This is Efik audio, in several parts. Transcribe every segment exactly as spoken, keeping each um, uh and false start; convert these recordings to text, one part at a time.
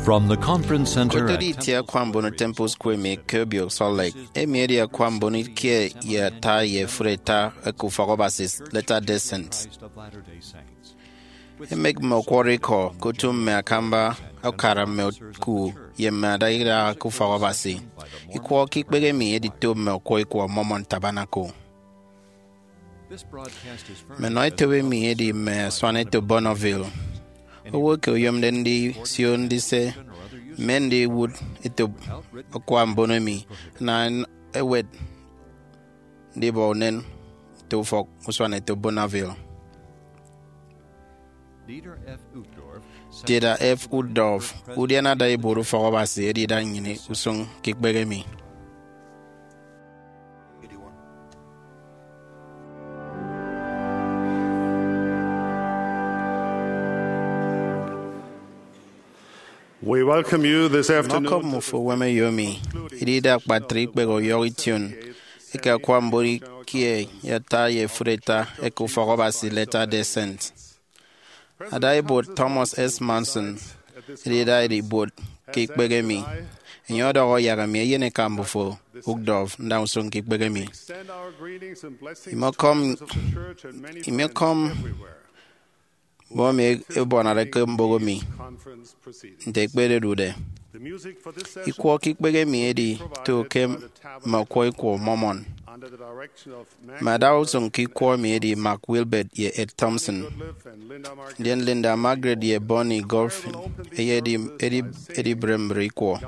From the Conference Center at Kotoro itie akwa mbono Temple Square emi ke obio Salt Lake, emi edi akwa mbono ikie ye ata ye efuri ata eke ufọk Abasi Latter-day Saints. Emek mme ọkwọrọ ikọ ke otu mme akamba ukara mme oku ye mme ada idaha ke ufọk Abasi. Ikwọ ke ikpehe emi edito mme ọkwọ ikwọ Mormon Tabernacle. Mme nọ etop emi edi mme asuan eto Bonneville. Owo eke oyomde ndisio ndise mme ndiwụt etop akwa mbono emi ana ewet ndibọ unen nte ufọk usuan eto Bonneville. Dieter F. Uchtdorf, udiana ada ibuot ufọk Abasi, edida nnyịn usụñ ke ikpehe emi. We welcome you this afternoon. Ọkọm mmufo uwem eyo mi, idide akpatre ikpehe ọyọhọ ition eke akwa mbono ikie ye ata ye efuri ata eke ufọk Abasi Latter-day Saints. Ada ibuot Thomas S. Monson edida ibuot ke ikpehe emi. Enye ọdọhọ yak emi eyeneka mbufo Uchtdorf nda usụñ ke ikpehe emi. Imekọm, imekọm mmọ emi ebuanade ke mboho mi nte ekpededude. Ikwọ ke ikpehe emi edi to ke mme ọkwọ ikwọ Mormon. Mme ada usụñ ke ikwọ emi edi Mark Wilbert ye Ed Thompson. Ndien Linda Margaret ye Bonnie Golfin eyedi, edi, edibre mbre ikwọ.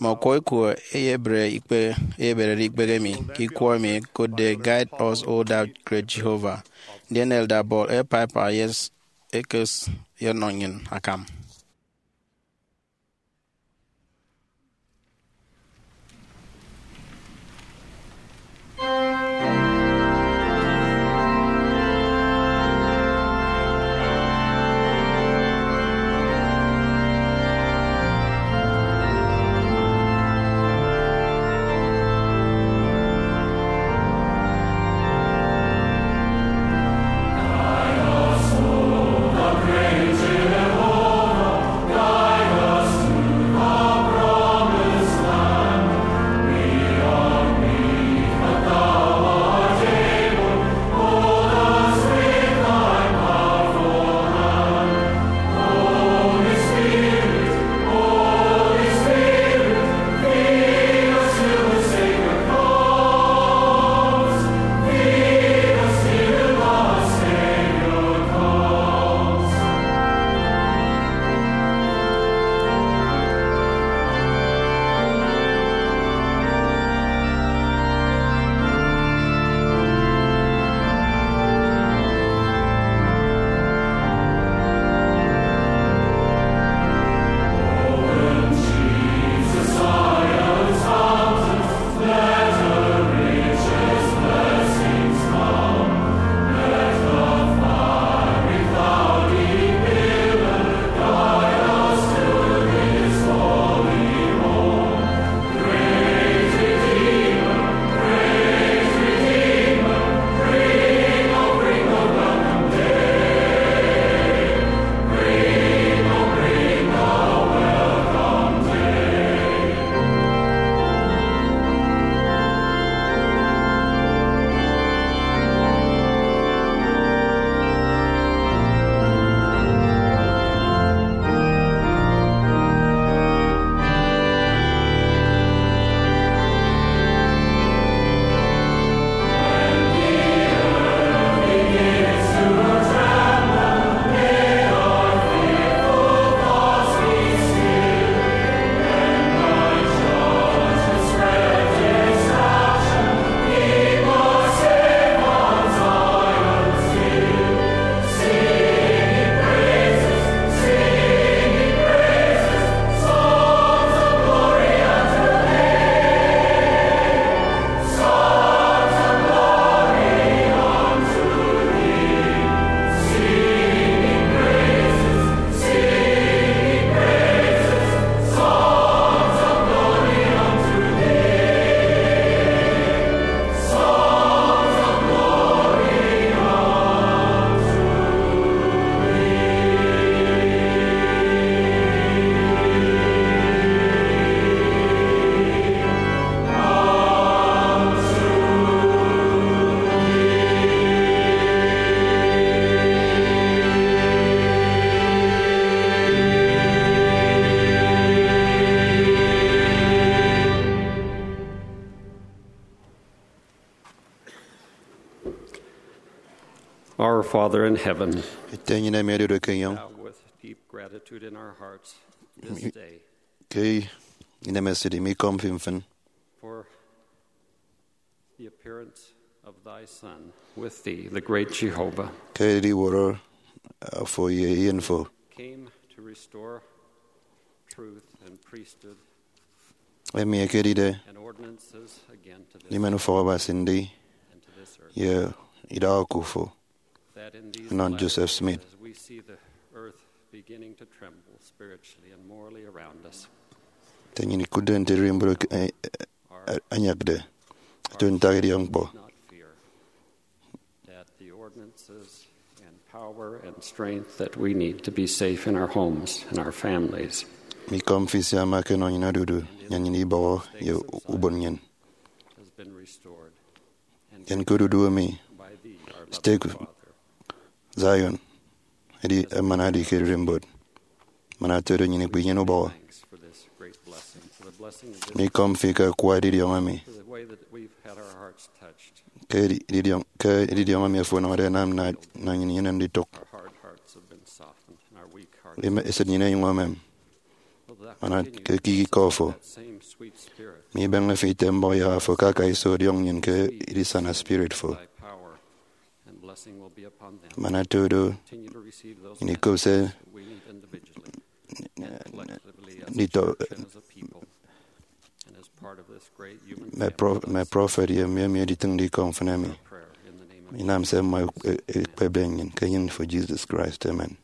Mme ọkwọ ikwọ eyebre ikpe, eyeberede ikpehe emi ke ikwọ emi ekotde Guide Us, O Thou Great Jehovah. Ndien Elder Paul A. Piper yes, ekes yenọ nnyịn akam. Our Father in heaven, Ete enyịn emi odude ke enyọñ, bow with deep gratitude in our hearts this day ke inemesịt mikọm fi mfịn for the appearance of thy Son with thee, the great Jehovah, ke ediwọrọ afo ye eyen fo, came to restore truth and priesthood emi ekedide and ordinances again to this ndimen ufọk Abasi ndi and to this earth. Ye idaha oku fo. That in these Anọn last Joseph days, Smith. As we see the earth beginning to tremble spiritually and morally around us, Nte nnyịn ikụtde nte ererimbot eke- eh, eh, anyakde, eto ntak idiọk ñkpọ. Not fear that the ordinances and power and strength that we need to be safe in our homes and our families Mikọm fi sia ama ke enọ nnyịn odudu, nnyịn ibọhọ ye ubon nnyịn. Has been restored. Nnyịn ke odudu emi, by thee, our Stake loving Father. Zion, edi emana edi ke ererimbot. Man atodo nnyịn ikpe inyene ubọhọ. Thanks for this great blessing, for the blessing of this Mikọm fi ke akwa edidiọñ emi. For the way that we've had our hearts touched. Ke edi- edidiọñ, ke edidiọñ emi afo ọnọde anam na, na nnyịn inyene nditụk. Our hard hearts have been softened, and our weak hearts Eme- esịt nnyịn enyụñ emem. Will thou Mana continue ke ekikọ fo, that same sweet spirit. Mi ibeñe fi ite mbọhọ iyaha fo ke aka iso ọdiọñ nnyịn ke edisana spirit fo. Thy power and blessing will be upon them. Man atodo Continue to receive those nnyịn ikop se messages that we need individually and collectively as a nditọ- church and as a people and as part of this great human mme family pro- of mme us. Prọfet ye mme emi editịñde ikọ mfịn emi Prayer in the name of inam se mmọ e- e- ekpepde nnyịn ke enyịn fo Jesus Christ. Amen.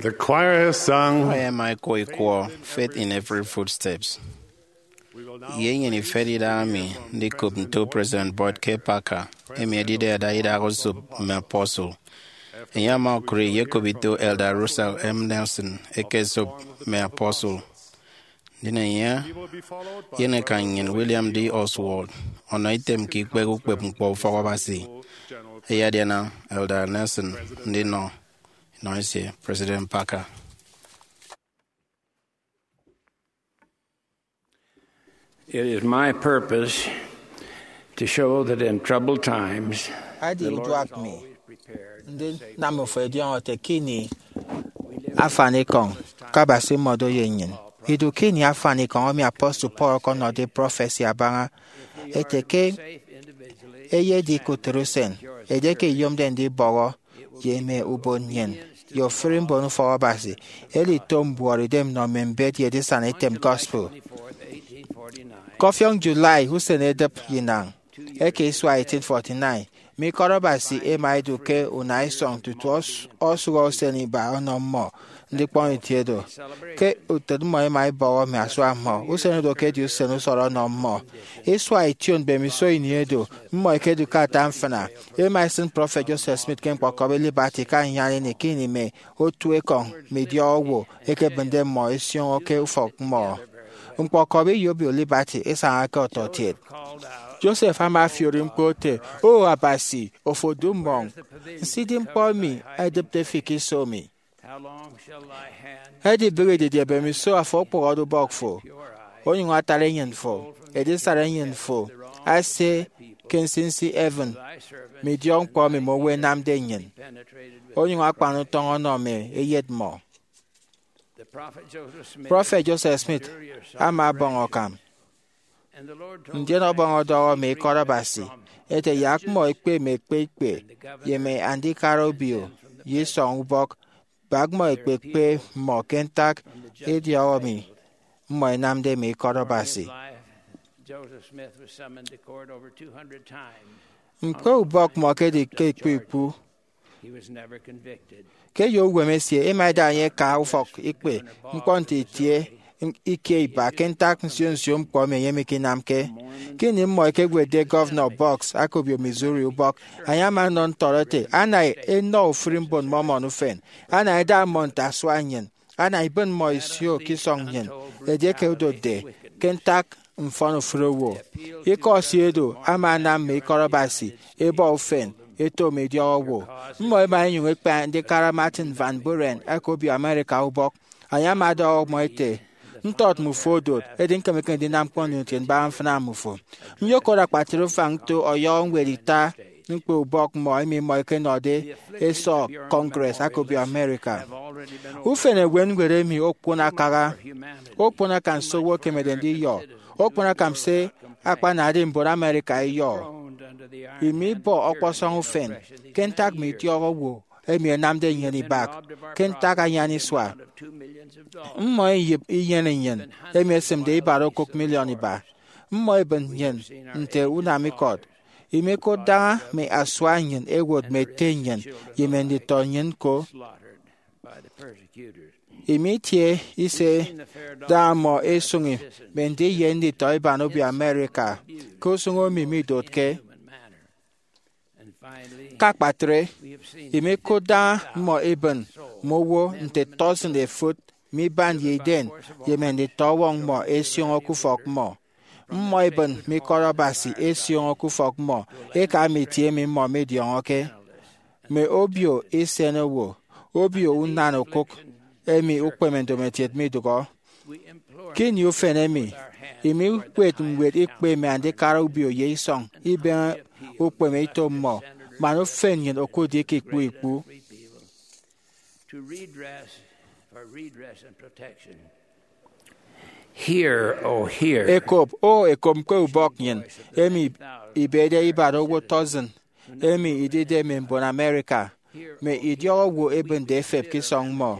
The choir has sung. Aya ẹma ẹkwo ikwọ Faith in Every Footsteps. Ye nnyịn ifet idaha mi ndikop nto President Boyd K. Packer, emi edide ada idak osop mme apostle. Enye ama okụre iyekop ito Elder Russell M. Nelson eke esop mme apostle. Ndien enye eyenekan nnyịn William D. Oswald ọnọ item ke ikpehe ukpep ñkpọ ufọk Abasi. Eyediana Elder Nelson ndinọ inọ esie President Packer. It is my purpose to show that in troubled times, edi uduak mi ndinam ofo ẹdiọñọ ete ke ini afanikọñ ke Abasi ọmọde ye nnyịn. Idu ke ini afanikọñ emi apostle Paul ọkọnọde prọfesi abaña ete ke eyedi ke utịt usen, edieke iyomde ndibọhọ ye mme ubon nnyịn ye ofụri mbon ufọk Abasi, edi ito mbuọtidem nnọ mme mbet ye edisana item gospel. Ke ọfiọñ July usen edịp inañ eke isua eighteen forty-nine, mme ikọt Abasi ẹma ẹdu ke unaisọñ tutu ọs- ọsụhọ usen iba ọnọ mmọ ndikpọñ itie do. Ke utịt mmọ ẹma ẹbọhọ mme asua mmọ, usen oro ke edi usen usọrọ ọnọ mmọ. Isua ition mbemiso ini edo, mmọ ẹkedu ke ata mfịna. Ẹma ẹsịn Prọfet Joseph Smith ke ñkpọkọbi Liberty ke anyan ini ke ini mme otu ekọñ mme idiọk owo ẹkebịnde mmọ ẹsioño ke ufọk mmọ. Ñkpọkọbi ye obio Liberty isañake ọtọkiet. Joseph ama afiori ñkpọ ete, O Abasi, ofo odu mmọñ, nso idi ñkpọ emi ẹdịpde fi ke iso mi? Edibịghi didie mbemiso afo okpụhọde ubọk fo, onyụñ atara enyịn fo, edisana enyịn fo asie ke nsinsi heaven, mme idiọkñkpọ emi mme owo ẹnamde nnyịn, onyụñ akpan utọñ ọnọ mme eyet mmọ. Prọfet Joseph Smith ama ọbọñ akam, ndien ọbọñ ọdọhọ mme ikọt Abasi ete, Yak mmọ ẹkpe mme ekpe ikpe ye mme andikara obio ye isọñ ubọk, bak mmọ ẹkpekpe mmọ ke ntak idiọk emi mmọ ẹnamde mme ikọt Abasi. Ñkpọ ubọk mmọ ekedi ke ikpu ikpu. Ke ye uwem esie, ẹma ẹda enye ẹka ufọk ikpe ñkpọ nte itie ikie iba ke ntak nsio nsio ñkpọ emi enye mikinamke. Ke ini mmọ ẹkewetde Gọvanọ Boggs aka obio Missouri ubọk, enye ama ọnọ ntọt ete, Ana enọ ofụri mbon Mormon ufen, ana ẹda mmọ nte asua nnyịn, ana ibịn mmọ isio ke isọñ nnyịn edieke odotde ke ntak mfọn ofụri owo. Ikọ esie do ama anam mme ikọt Abasi ẹbọ ufen ẹto mme idiọk owo. Mmọ ẹma ẹnyụñ ẹkpe andikara Martin Van Buren aka obio America ubọk. Enye ama ọdọhọ mmọ ete, Ntọt mmufo odot, edi ñkemeke ndinam ñkpọ nnyụñ ntie mbaña mfịna mmufo. Nyokot akpatre ufañ nto ọyọhọ ñwed ita ñkpọ ubọk mmọ emi mmọ ẹkenọde ẹsọk Congress aka obio America. Ufen ewen ñwed emi okpon akaha, okpon akan se owo ekemede ndiyọ, okpon akan se akpanade mbon America ẹyọ. Imibọ ọkpọsọñ ufen ke ntak mme idiọk owo emi ẹnamde nnyịn ibak ke ntak anyan isua. Mmọ ẹyịp inyene nnyịn emi esịmde ibara okụk miliọn iba. Mmọ ẹbịn nnyịn nte unam ikọt. Imikụt daña mme asua nnyịn ẹwot mme ete nnyịn ye mme nditọ nnyịn ñko. Imitie ise daña mmọ ẹsụñi mme ndiye nditọ iban obio America ke usụñ emi midotke. Ke akpatre, imikụt daña mmọ ẹbịn mme owo nte tọsịn efụt mme iban ye iden ye mme nditọ ọwọñ mmọ ẹsioño ke ufọk mmọ. Mmọ ẹbịn mme ikọt Abasi ẹsioño ke ufọk mmọ eka mme itie emi mmọ midiọñọke. Mme obio isenowo, obio unan okụk emi ukpeme ndomokiet midụhọ. Ke ini ufen emi, imikpet ñwed ikpe mme andikara obio ye isọñ ibeñe ukpeme ito mmọ, man ufen nnyịn okụtde ke ikpu ikpu. Hear, O hear. Ekop, O ekop ñkpọ ubọk nnyịn, emi ibede ibara owo tọsịn emi idide mme mbon America, mme idiọk owo ẹbịnde ẹfep ke isọñ mmọ.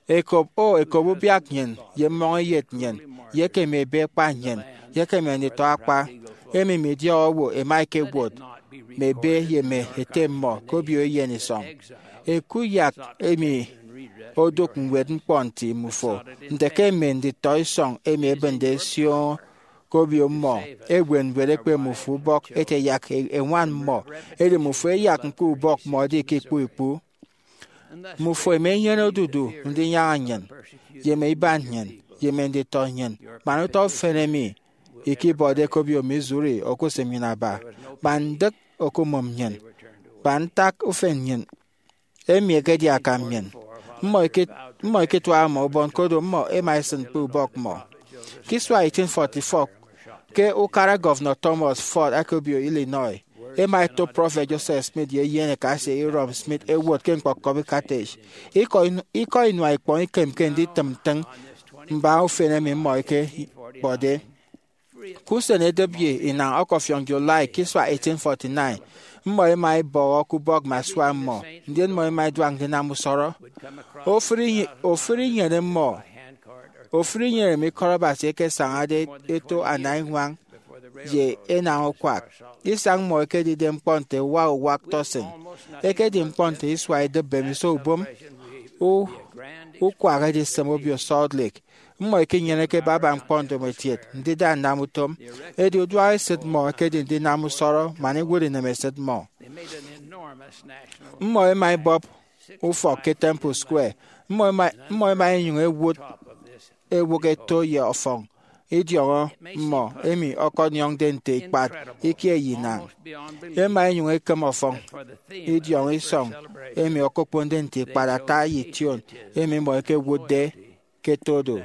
Ekop, O ekop ubiak nnyịn ye mmọñeyet nnyịn, ye ke mme ebe ekpa nnyịn, ye ke mme nditọ akpa, emi mme idiọk owo ẹma ẹkewot mme ebe ye mme ete mmọ ke obio eyen isọñ. Ekuyak emi odụk ñwed ñkpọ nti mmufo nte ke mme nditọ isọñ emi ẹbịnde ẹsioño ke obio mmọ ewe ñwed ekpe mmufo ubọk ete yak ẹñwan mmọ, edi mmufo ẹyak ñkpọ ubọk mmọ ẹdi ke ikpu ikpu. Mmufo ẹma ẹnyene odudu ndinyaña nnyịn, ye mme iban nnyịn, ye mme nditọ nnyịn, man utọ ufen emi ikibọde ke obio Missouri okusịm nnyịn aba, man ndịk okumụm nnyịn, man ntak ufen nnyịn. Emi ekedi akam nnyịn. Mmọ ikituaha mmọ ubon, koro mmọ ẹma ẹsịn ñkpọ ubọk mmọ. Ke isua eighteen forty-four, ke ukara Gọvanọ Thomas Ford aka obio Illinois, ẹma ẹto Prọfet Joseph Smith ye eyen eka esie Hyrum Smith ẹwot ke ñkpọkọbi Carthage. Ikọ inua ikpọñ ikemke nditịm ntịñ mbaña ufen emi mmọ ẹkebọde. Ke usen edịp ye inañ ọkọfiọñ July ke isua eighteen forty-nine, mmọ ẹma ẹbọhọ ke ubọk mme asua mmọ, ndien mmọ ẹma ẹduak ndinam usọrọ. Ofụri inyene mmọ, ofụri inyene mme ikọt Abasi ẹkesañade eto anaiñwañ ye enañ ukwak. Isañ mmọ ekedide ñkpọ nte uwa uwak tọsịn. Ekedi ñkpọ nte isua idịbi mbemiso ubom ukwak edisịm obio Salt Lake. Mmọ ikinyeneke baba ñkpọ ndomokiet ndida nnam utom, edi uduak esịt mmọ ekedi ndinam usọrọ man iwụt inemesịt mmọ. Mmọ ẹma ẹbọp ufọk ke Temple Square. Mmọ ẹma ẹnyụñ ẹwụt ewụk eto ye ọfọñ idiọñọ mmọ, emi ọkọdiọñde nte ikpat ikie ye inañ. Ẹma ẹnyụñ ẹkịm ọfọñ idiọñọ isọñ emi okokponde nte ikpat ata ye ition emi mmọ ẹkewụtde ke todo.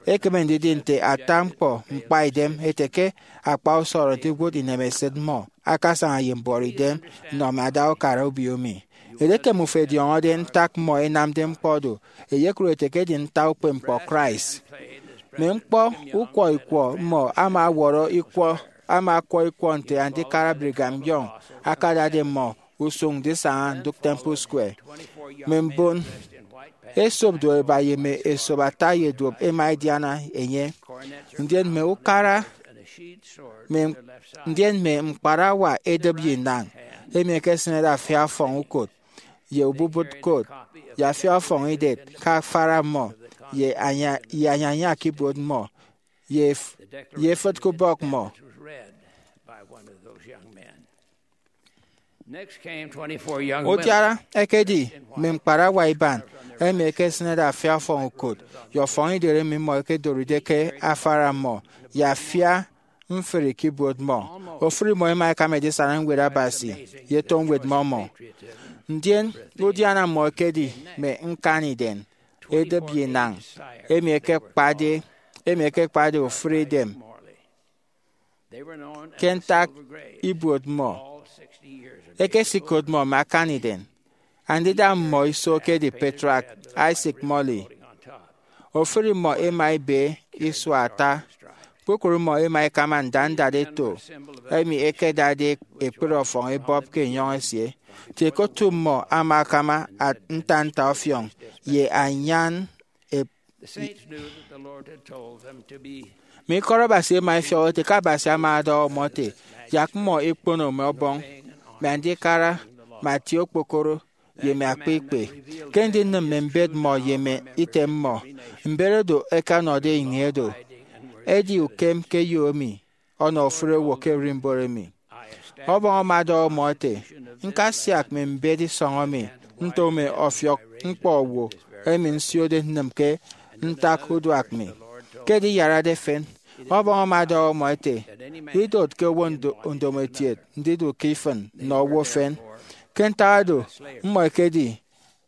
Ekeme ndidi nte ata ñkpọ ñkpaidem ete ke akpa usọrọ ndiwụt inemesịt mmọ akasaña ye mbuọtidem nnọ mme ada ukara obio mi. Edieke mmufo ẹdiọñọde ntak mmọ ẹnamde ñkpọ do, ẹyekụt ẹte ke edi ntak ukpepñkpọ Christ. Mme ñkpọ ukwọ ikwọ mmọ ama ọwọrọ ikwọ, ama ọkwọ ikwọ nte Andikara Brigham Young akadade mmọ usụñ ndisaña ndụk Temple Square. Mme mbon esop duopeba ye mme esop ata ye duop ẹma ẹdiana enye. Ndien mme ukara, ndien mme ñkparawa edịp ye inañ, emi ẹkesịnede afia ọfọñ ukot, ye ububụt kot, ye afia ọfọñ idet ke afara mmọ, ye anyaña ke ibuot mmọ, ye efịt ke ubọk mmọ. Udiana ekedi mme ñkparawa iban, emi ẹkesịnede afia ọfọñ ukot ye ọfọñ idet emi mmọ ẹkedoride ke afara mmọ, ye afia mfri ke ibuot mmọ. Ofụri mmọ ẹma ẹkam edisana Ñwed Abasi ye Eto Ñwed Mormon. Ndien udiana mmọ ekedi mme ñkani-idem edịp ye inañ, emi ẹkekpade, emi ẹkekpade ofụri idem ke ntak ibuot mmọ. Ẹkesikot mmọ mme akani-idem. Andida mmọ iso ekedi Patriarch Isaac Morley. Ofụri mmọ ẹma ẹbe isua ata. Kpukpru mmọ ẹma ẹkama nda ndat eto, emi ẹkedade ekpri ọfọñ ẹbọp ke enyọñ esie. Kiet ke otu mmọ ama akama nta nta ọfiọñ ye anyan. Mme ikọt Abasi ẹma ẹfiọk ẹte ke Abasi ama ọdọhọ mmọ ete, yak mmọ ẹkpono mme ọbọñ, mme andikara, mme atie okpokoro, ye mme akpa ikpe. Ke ndinịm mme mbet mmọ ye mme item mmọ, mbet oro ẹkanọde ini oro, edi ukem ke eyo emi ọnọ ofụri owo ke ererimbot emi. Ọbọñ ama ọdọhọ mmọ ete, ñkasiak mme mbet isọñọ mi nto mme ọfiọk ñkpọ owo emi nsiode nnịm ke ntak uduak mi. Ke ediyarade efen, Ọbọñ ama ọdọhọ mmọ ete, idot ke owo ndomokiet ndidu ke ifịn nnọ owo efen. Ke ntak oro, mmọ ẹkedi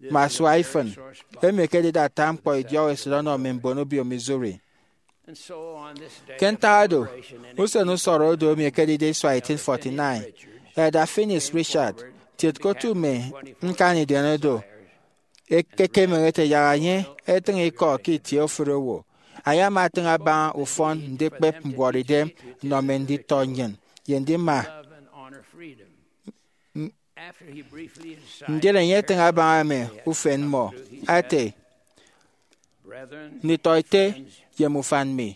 mme asua ifịn, emi ẹkedide ata ñkpọ idiọk esịt ọnọ mme mbon obio Missouri. Ke ntak oro, usen usọrọ odo emi ekedide isua eighteen forty-nine, Elder Phineas Richard, kiet ke otu mme ñkani-idem oro, ekekemehe ete yak enye etịñ ikọ ke itie ofụri owo. Enye ama etịñ abaña ufọn ndikpep mbuọtidem nnọ mme nditọ nnyịn ye ndima. Ndien enye etịñ abaña mme ufen mmọ ete, nditọ ete ye mme ufan mi,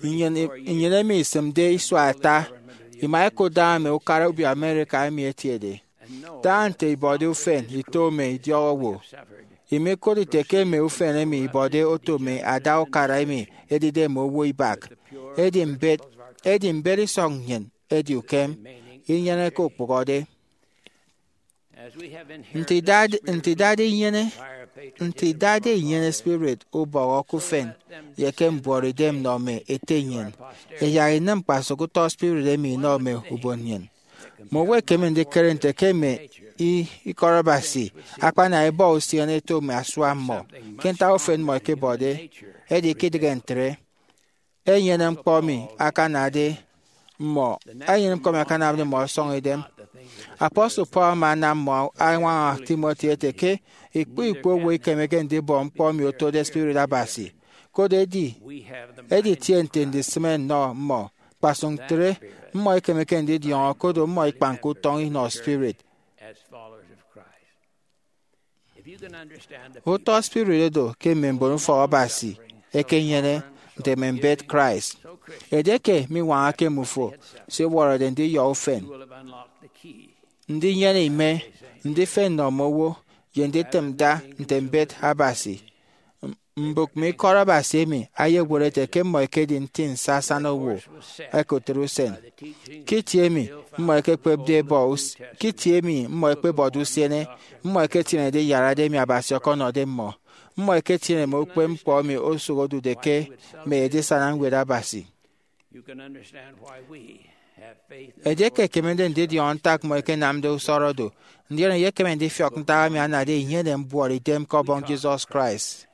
nnyịn emi isịmde isua ata ima ikụt daña mme ukara obio America emi ẹtiede. Da nte ibọde ufen ito mme idiọk owo. Imikụt ite ke mme ufen emi ibọde oto mme ada ukara emi ẹdide mme owo ibak. Edi mbet, edi mbet isọñ nnyịn edi ukem, inyeneke ukpụhọde. Nte idade inyene, nte idade inyene spirit ubọhọ ke ufen ye ke mbuọtidem nnọ mme ete nnyịn, ẹyak inịm kpasụk utọ spirit emi inọ mme ubon nnyịn. Mme owo ẹkeme ndikere nte ke mme i- ikọt Abasi akpana ibọ usiene ẹto mme asua mmọ ke ntak ufen mmọ ẹkebọde. Edi ikidịghe ntre, enyene ñkpọ emi akanade mmọ, enyene ñkpọ emi akanamde mmọ ọsọñ idem. Apostle Paul ama anam mmọ añwaña Timothy ete ke ikpọ ikpọ owo ikemeke ndibọ ñkpọ emi otode spirit Abasi. Koro edi, editie nte ndisịme nnọ mmọ, kpasụk ntre, mmọ ikemeke ndidiọñọ, koro mmọ ikpanke utọñ inọ spirit. Utọ spirit oro ke mme mbon ufọk Abasi ẹkenyene nte mme mbet Christ. Edieke miñwañake mmufo se iwọrọde ndiyọ ufen, ndinyene ime, ndifen nnọ mme owo, ye nditịm da nte mbet Abasi, mbụk mme ikọt Abasi emi ẹyewet ẹte ke mmọ ẹkedi nti nsasana owo ẹkụtre usen. Ke itie emi mmọ ẹkekpepde ẹbọ us- ke itie emi mmọ ẹkpebọde usiene, mmọ ẹketienede iyarade emi Abasi ọkọnọde mmọ. Mmọ ẹketiene mme ukpepñkpọ emi osụk odude ke mme edisana ñwed Abasi. Edieke ẹkemede ndidiọñọ ntak mmọ ẹkenamde usọrọ do, ndien eyekeme ndifiọk ntak emi anade inyene mbuọtidem ke Ọbọñ Jesus Christ.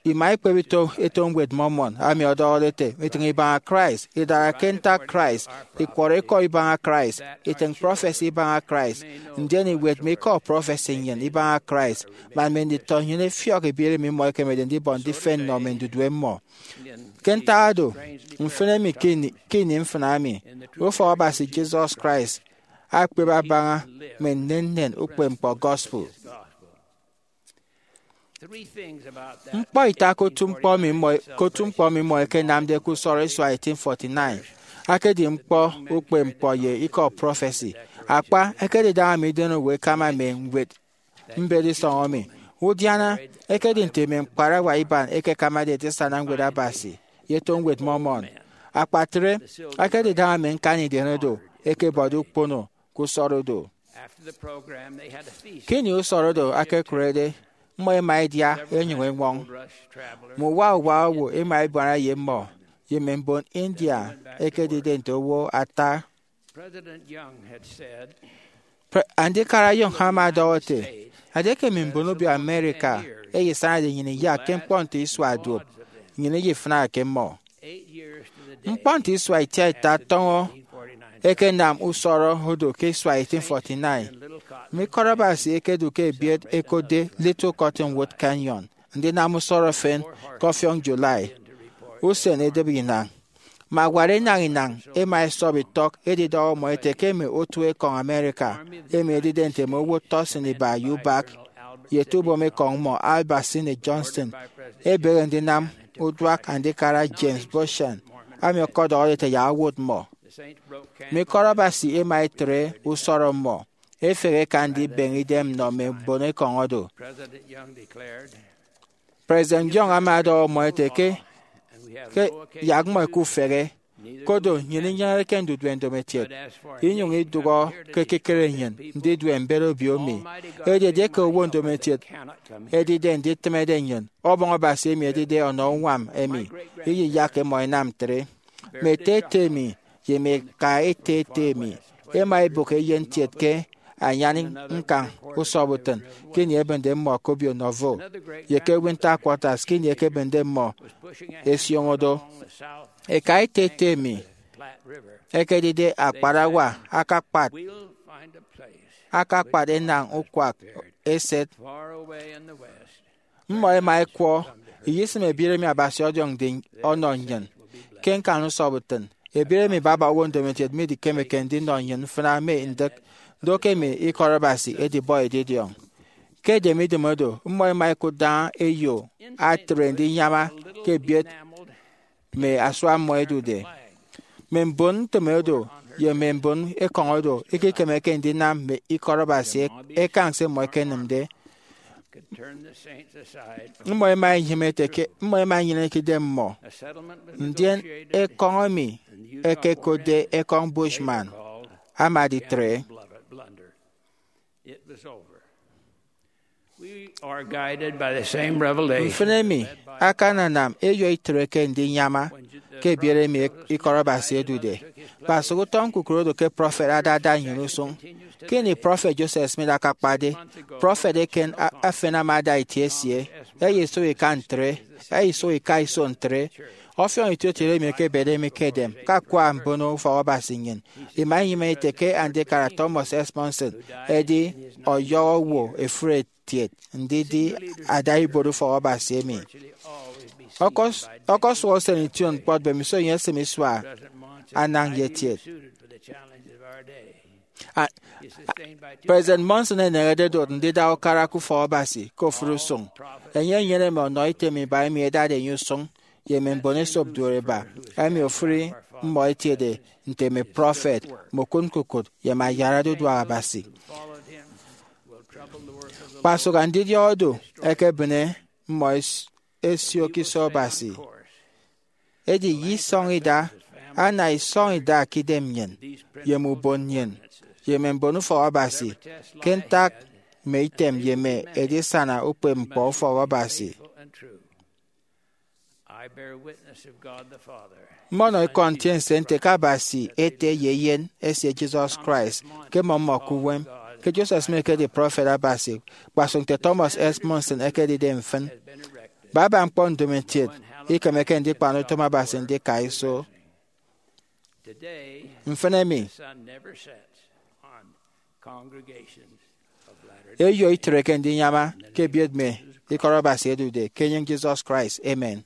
Ima ikpep ito eto Ñwed Mormon, emi ọdọhọde ete, itịñ ibaña Christ, idara ke ntak Christ, ikwọrọ ikọ ibaña Christ, itịñ prọfesi ibaña Christ, ndien iwet mme ikọ prọfesi nnyịn ibaña Christ, man mme nditọ nnyịn ẹfiọk ibiereemi mmọ ẹkemede ndibọ ndifen nnọ mme ndudue mmọ. Ke ntak oro, mfịn emi ke ini, ke ini mfịna emi, ufọk Abasi Jesus Christ akpep abaña mme nnennen ukpepñkpọ gospel. Ñkpọ ita ke otu ñkpọ emi mmọ, ke otu ñkpọ emi mmọ ẹkenamde ke usọrọ isua eighteen forty-nine, akedi ñkpọ ukpepñkpọ ye ikọ prọfesi. Akpa, ẹkedidaña mme idenowo ẹkama mme ñwed mbet isọñ emi. Udiana, ekedi nte mme ñkparawa iban ẹkekamade edisana ñwed Abasi ye eto Ñwed Mormon. Akpatre, ẹkedidaña mme ñkani idem oro ẹkebọde ukpono ke usọrọ do. Ke ini usọrọ do akekurede, mmọ ẹma ẹdia ẹnyụñ ẹñwọñ. Mme uwa uwa owo ẹma ẹbuana ye mmọ, ye mme mbon India ẹkedide nte owo ata. Pre- Andikara Young ama ọdọhọ ete, edieke mme mbon obio America ẹyesañade nnyịn iyak ke ñkpọ nte isua duop, nnyịn iyefịnake mmọ. Ñkpọ nte isua itiaita tọñọ ẹkenam usọrọ odo ke isua eighteen forty-nine. Mme ikọt Abasi ẹkedu ke ebiet ẹkotde Little Cottonwood Canyon ndinam usọrọ efen ke ọfiọñ July. Usen edịbe inañ. Mme awat inañ inañ ẹma ẹsọp itọk edidọhọ mmọ ẹte ke mme otuekọñ America emi ẹdide nte mme owo tọsịn iba ye ubak ye etubom ekọñ mmọ, Albert Sidney Johnston, ebehe ndinam uduak Andikara James Beauchamp, emi ọkọdọhọde ete yak owot mmọ. Mme ikọt Abasi ẹma ẹtre usọrọ mmọ, ẹfehe ẹka ndibeñe idem nnọ mme mbon ekọñ oro. President Young ama ọdọhọ mmọ ete ke, ke yak mmọ ẹkufehe, kodo nnyịn inyeneke ndudue ndomokiet, inyụñ idụhọ ke ekikere nnyịn ndidue mbet obio mi. Edi edieke owo ndomokiet ẹdide nditịmede nnyịn, Ọbọñ Abasi emi edide ọnọ uñwam emi iyiyakke mmọ ẹnam ntre. Mme ete ete mi ye mme eka ete ete mi ẹma ẹbụk eyen kiet ke anyan ñkañ usọbutịn ke ini ẹbịnde mmọ ke obio Nauvoo ye ke Winter Quarters ke ini ẹkebịnde mmọ ẹsioño do. Eka ete ete mi ẹkedide akparawa akakpat, akakpat enañ ukwak eset. Mmọ ẹma ẹkwọ, iyisịm ebiere emi Abasi ọdiọñde ọnọ nnyịn ke ñkañ usọbutịn. Ebiere emi baba owo ndomokiet midikemeke ndinọ nnyịn mfịna mme ndịk do ke mme ikọt Abasi edibọ edidiọñ. Ke edem idem oro, mmọ ẹma ẹkụt daña eyo atre ndinyama ke ebiet mme asua mmọ ẹdude. Mme mbon ntịme odo ye mme mbon ekọñ odo ikekemeke ndinam mme ikọt Abasi ekañ se mmọ ẹkenịmde. Mmọ ẹma ẹnyịme ete ke mmọ ẹma ẹnyeneke idem mmọ, ndien ekọñ emi ẹkekotde ekọñ Bushman ama editre. Mfịn emi akananam eyọ itreke ndinyama ke ebiet emi ikọt Abasi edude. Kpasụk utọ ñkukụre odo ke prọfet adada nnyịn usụñ. Ke ini prọfet Joseph Smith akakpade, prọfet eken efen ama ada itie esie, eya isụk ika ntre, eya isụk ika iso ntre. Ọfiọñ itietiede emi ekebede mi ke edem ke akwa mbono ufọk Abasi nnyịn ima inyịme ete ke Andikara Thomas S. Monson edi ọyọhọ owo efuri etiet ndidi ada ibuot ufọk Abasi emi. Ọkọsụhọ usen ition kpọt mbemiso enye esịm isua anañ ye etiet. President Monson eneñede dot ndida ukara ke ufọk Abasi ke ofụri usụñ. Enye enyene mme ọnọ item iba emi ẹdade enye usụñ ye mme mbon esop duoriba emi ofụri mmọ etiede nte mme prọfet, mme okụt ñkukụt, ye mme ayarade uduak Abasi. Kpasụk andidiọk odo ẹkebịne mmọ ẹsio ke iso Abasi. Edi ye isọñ ida, ana isọñ ida ke idem nnyịn, ye mme ubon nnyịn, ye mme mbon ufọk Abasi, ke ntak mme item ye mme edisana ukpepñkpọ ufọk Abasi. Mmọnọ ikọ ntiense nte ke Abasi Ete ye Eyen esie Jesus Christ ke mmọ mmọ ke uwem, ke Joseph Smith ekedi prọfet Abasi, kpasụk nte Thomas S. Monson ekedide mfịn. Baba ñkpọ ndomokiet ikemeke ndikpan utom Abasi ndika iso. Mfịn emi, eyọ itreke ndinyama ke ebiet mme ikọt Abasi edude ke enyịñ Jesus Christ. Amen.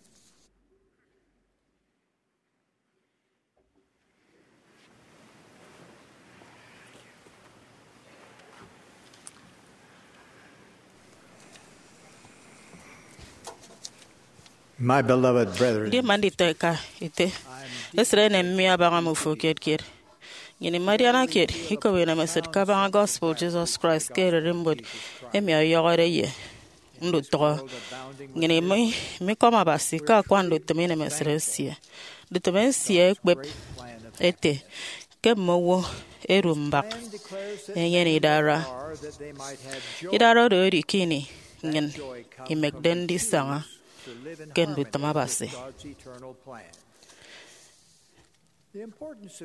My beloved brethren, ndi man nditọ eka ete, esịt enem mi abaña mmufo kiet kiet. Nnyịn imadiana kiet ikop inemesịt kabaña gospel Jesus Christ ke ererimbot emi ọyọhọde ye ndutụhọ. Nnyịn imi-, imikọm Abasi ke akwa ndutịm inemesịt esie. Ndutịm esie ekpep ete ke mme owo ẹdu mbak ẹnyene idara. Idara oro edi ke ini nnyịn imekde ndisaña ke ndutịm Abasi.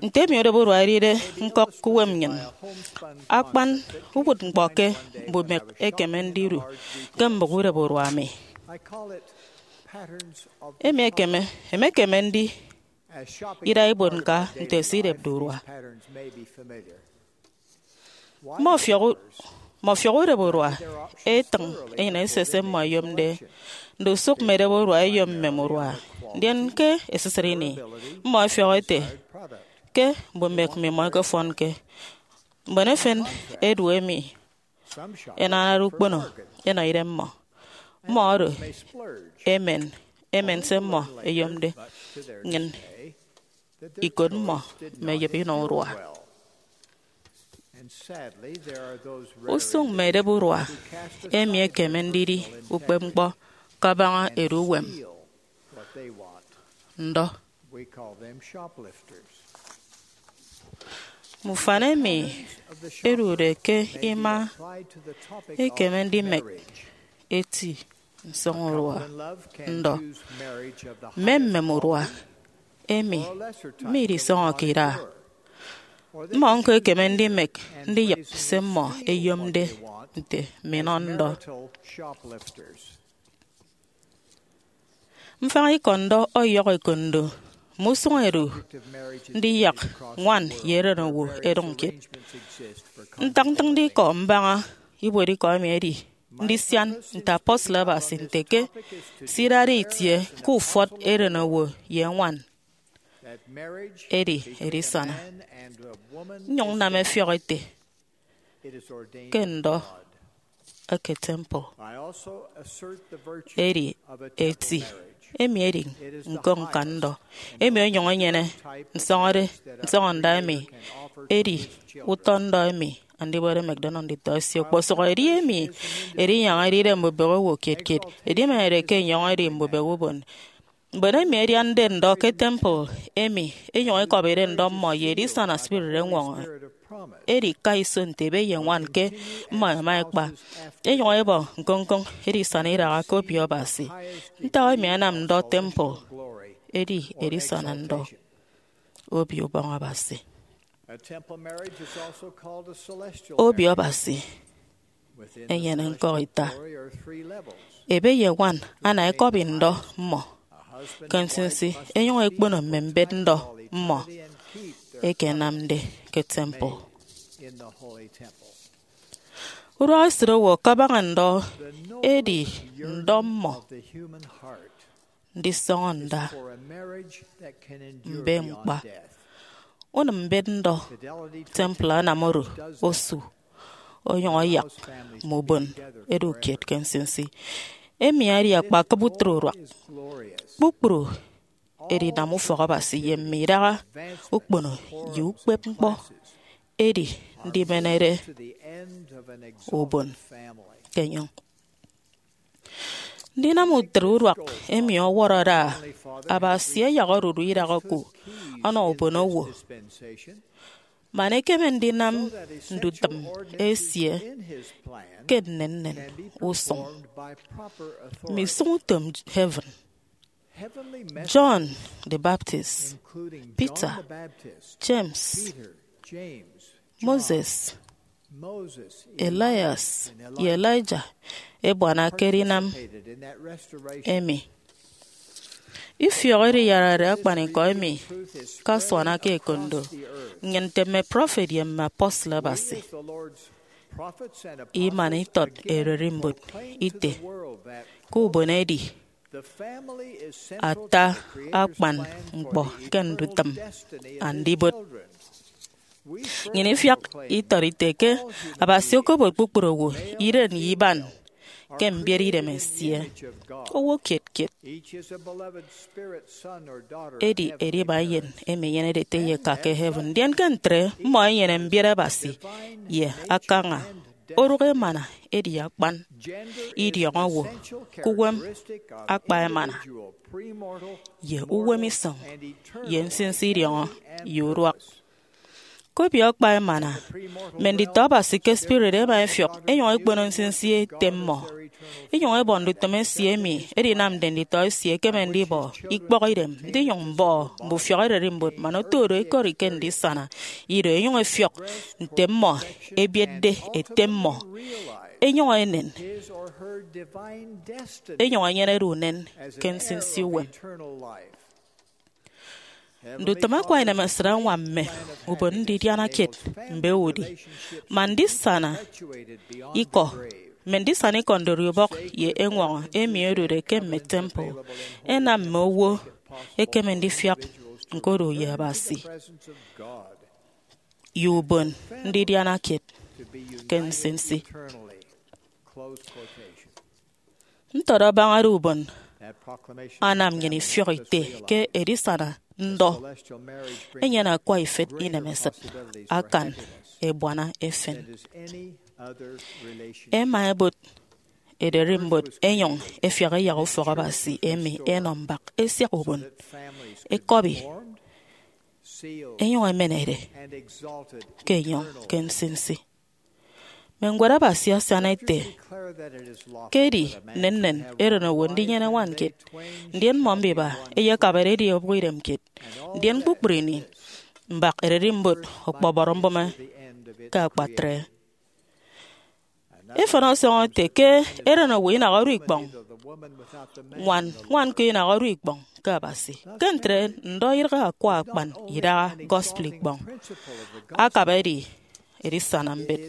Nte emi udịbe urua edide ñkọk ke uwem nnyịn, akpan uwụtñkpọ ke mbumek ekeme ndidu ke mbụk udịbe urua mi. Emi ekeme, emekeme ndi ida ibuot ñka nte se idepde urua. Mme ọfiọk u-, mme ọfiọk udịbe urua etịñ enyịn ese se mmọ ẹyomde. Ndusụk mme edịbe urua ẹyom mmem urua, ndien ke esisịt ini, mmọ ẹfiọk ẹte ke mbumek mmimọ ẹkefọnke. Mbon efen ẹdu emi ẹnanade ukpono ẹnọ idemmọ. Mmọ oro ẹmen, ẹmen se mmọ ẹyomde, nnyịn ikot mmọ mme ẹyịp inọ urua. Usụñ mme edịbe urua emi ekeme ndidi ukpepñkpọ kabaña edu uwem ndọ. Mme ufan emi ẹdude ke ima ekeme ndimek eti nsọñurua ndọ. Mme mmem urua emi midisọñọke ida, mmọ ñko ẹkeme ndimek ndiyịp se mmọ ẹyomde nte minọ ndọ. Mfaña ikọ ndọ ọyọhọ ekondo mme usụñ ẹdu ndiyak ñwan ye erenowo ẹdụñ kiet. Ntak ntịñde ikọ mbaña ibuotikọ emi edi ndisian nte apostle Abasi nte ke se idade itie ke ufọt erenowo ye ñwan edi edisana. Nnyụñ nnam ẹfiọk ete ke ndọ eke temple edi eti Emi edi ñko ñkan ndọ, emi onyụñ enyene nsọñọde, nsọñọnda emi edi utọ ndọ emi Andibot emekde ọnọ nditọ esie. Okposụk edi emi edinyaña edide mbubehe owo kiet kiet, edimenede ke enyọñ edi mbubehe ubon. Mbon emi ẹdiande ndọ ke temple emi ẹnyụñ ẹkọbide ndọ mmọ ye edisana spirit eñwọñọ. Edi ka iso nte ebe ye ñwan ke mmọ ẹma ẹkpa, ẹnyụñ ẹbọ ñkoñkoñ edisana idaha ke Obio Abasi. Ntak emi ẹnam ndọ temple edi edisana ndọ Obio Ubọñ Abasi? Obio Abasi enyene ñkọk ita. Ebe ye ñwan ana ẹkọbi ndọ mmọ ke nsinsi, ẹnyụñ ẹkpono mme mbet ndọ mmọ eke ẹnamde ke temple. Uduak esịt owo kabaña ndọ edi ndọ mmọ ndisọñọ nda mbe ñkpa. Unịm mbet ndọ temple anam oro osu onyụñ ayak mme ubon edu kiet ke nsinsi. Emi edi akpakịp utịt uduak. Kpukpru edinam ufọk Abasi ye mme idaha ukpono ye ukpepñkpọ edi ndimenede ubon ke enyọñ. Ndinam utịt uduak emi ọwọrọ ada Abasi ayak odudu idaha oku ọnọ ubonowo, man ekeme ndinam ndutịm esie ke nnennen usụñ mme isụñutom heaven. John the Baptist, Peter, James, Moses, Elias, ye Elijah ẹbuana ke edinam emi. Ifiọk ediyarare akpanikọ emi ke asuana ke ekondo nnyịn nte mme prophet ye mme apostle Abasi. Iman itọt ererimbot ite ke ubon edi ata akpan ñkpọ ke ndutịm Andibot. Nnyịn ifiak itọt ite ke Abasi okobot kpukpru owo iren ye iban ke mbiet idem esie. Owo kiet kiet edi edima eyen emi enyenede ete ye eka ke heaven, ndien ke ntre mmọ ẹnyene mbiet Abasi ye akaña orụk emana edi akpan idiọñọ owo ke uwem akpa emana ye uwem isọñ ye nsinsi idiọñọ ye uduak. Ke obio akpa emana, mme nditọ Abasi ke spirit ẹma ẹfiọk ẹnyụñ ẹkpono nsinsi ete mmọ, ẹnyụñ ẹbọ ndutịm esie emi edinamde nditọ esie ẹkeme ndibọ ikpọk idem ndinyụñ mbọ mbufiọk ererimbot man oto oro ẹkọri ke ndisana ido ẹnyụñ ẹfiọk nte mmọ ẹbietde ete mmọ ẹnyụñ ẹnen ẹnyụñ ẹnyenede unen ke nsinsi uwem. Ndutịm akwa inemesịt añwam mme ubon ndidiana kiet mbe udi, man ndisana ikọ mme ndisana ikọ ndori ubọk ye eñwọñọ emi odude ke mme temple ẹnam mme owo ẹkeme ndifiak ñkodu ye Abasi ye ubon ndidiana kiet ke nsinsi. Ntọt abañade ubon anam nnyịn ifiọk ite ke edisana ndọ enyene akwa ifet inemesịt akan ebuana efen. Ẹma ẹbot ererimbot ẹnyụñ ẹfiak ẹyak ufọk Abasi emi ẹnọ mbak ẹsiak ubon, ẹkọbi, ẹnyụñ ẹmenede ke enyọñ ke nsinsi. Mme Ñwed Abasi asian ete ke edi nnennen erenowo ndinyene ñwan kiet, ndien mmọ mbiba ẹyekabade edi obụk idem kiet, ndien kpukpru ini mbak ererimbot ọkpọbọrọ mbụme ke akpatre. Efen ọsọñọ ete ke erenowo inaha odu ikpọñ, ñwan ñwan ko inaha odu ikpọñ ke Abasi. Ke ntre, ndọ idịghe akwa akpan idaha gospel ikpọñ, akabade edisana mbet.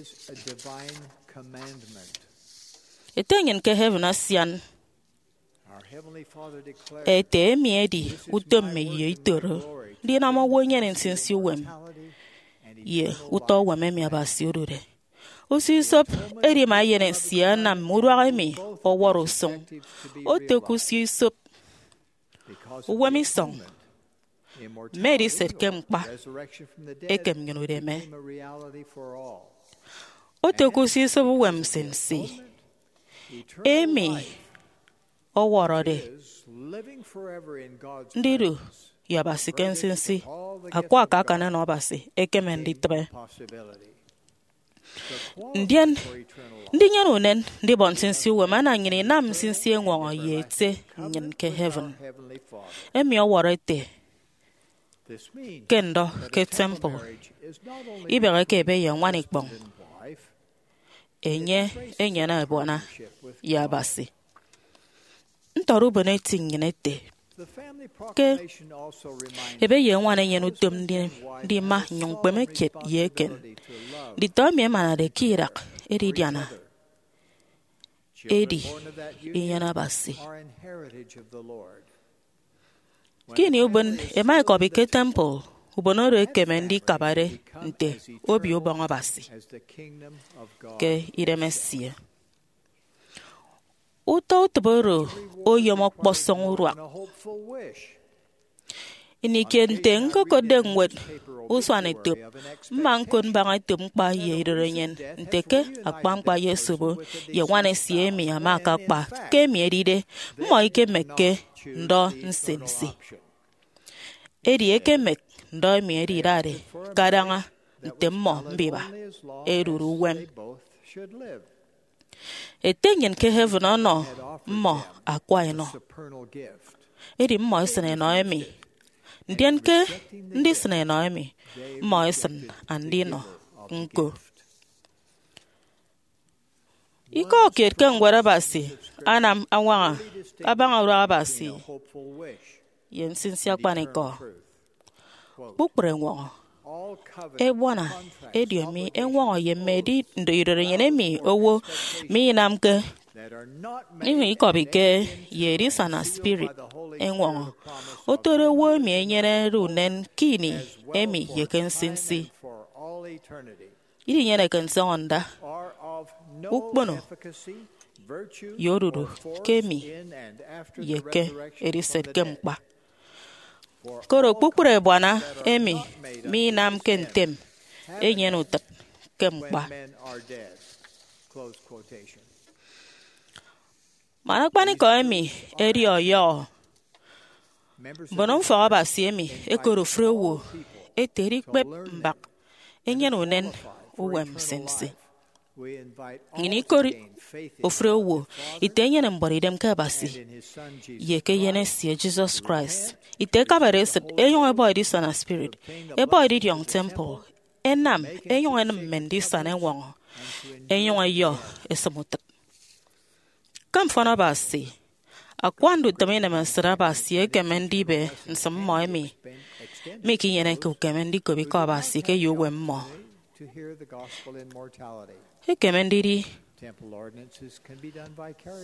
Ete nnyịn ke heaven asian ete emi edi utom mme ye itoro ndinam owo enyene nsinsi uwem ye utọ uwem emi Abasi odude. Usio isop edima eyen esie anam mme uduak emi ọwọrọ usụñ. Oto ke usio isop Uwem isọñ mme ediset ke mkpa ekem nnyịn udeme. Oto ke usisụp uwem nsinsi emi ọwọrọde ndidu ye Abasi ke nsinsi, akwa akakan ọnọ Abasi ekeme nditịbe. Ndien, ndinyene unen ndibọ nsinsi uwem ana nnyịn inam nsinsi eñwọñọ ye Ete nnyịn ke heaven, emi ọwọrọ ete ke ndọ ke temple. Ibeheke ebe ye ñwan ikpọñ, enye enyene ebuana ye Abasi. Ntọt ubon eti nnyịn ete ke ebe ye ñwan enyene utom ndi- ndima nnyụñ ñkpeme kiet ye eken. Nditọ emi ẹmanade ke idak edidiana edi inyene Abasi. Ke ini ubon ẹma ẹkọbi ke temple, ubon oro ekeme ndikabade nte Obio Ubọñ Abasi ke idemesie. Utọ utịp oro oyom ọkpọsọñ uduak. Ini kiet nte ñkokotde ñwed usuanetop, mma ñkot mbaña etop ñkpa ye idorenyin nte ke akpa ñkpa ye esobo ye ñwan esie emi ama akakpa. Ke emi edide, mmọ ikemekke ndọ nsinsi. Edi ekemek ndọ emi edidade kadaña nte mmọ mbiba ẹdude uwem. Ete nnyịn ke heaven ọnọ mmọ akwa enọ. Edi mmọ ẹsịn enọ emi. Ndien ke ndisịn enọ emi, mmọ ẹsịn andinọ ñko. Ikọ kiet ke Ñwed Abasi anam añwaña abaña uduak Abasi ye nsinsi akpanikọ. Kpukpru eñwọñọ, ebuana, ediomi eñwọñọ ye mme edi- ndo idorenyin emi owo minamke, inyụñ ikọbike ye edisana spirit eñwọñọ, otode owo emi enyenede unen ke ini emi ye ke nsinsi. Idinyeneke nsọñọ nda, ukpono, ye odudu ke emi ye ke ediset ke mkpa. Koro kpukpru ebuana emi minamke ntem enyene utịp ke mkpa. Man akpanikọ emi edi ọyọhọ, mbonufọk Abasi emi ẹkot ofụri owo ẹte ẹdikpep mbak enyene unen uwem nsinsi. Nnyịn ikot ofụri owo ite enyene mbuọtidem ke Abasi ye ke Eyen esie Jesus Christ, ite ẹkabade esịt ẹnyụñ ẹbọ edisana spirit, ẹbọ edidiọñ temple, ẹnam ẹnyụñ ẹnịm mme ndisana eñwọñọ, ẹnyụñ ẹyọ ẹsịm utịp. Ke mfọn Abasi, akwa ndutịm inemesịt Abasi ekeme ndibe nsịm mmọ emi mikinyeneke ukeme ndikop ikọ Abasi ke ye uwem mmọ. Ekeme ndidi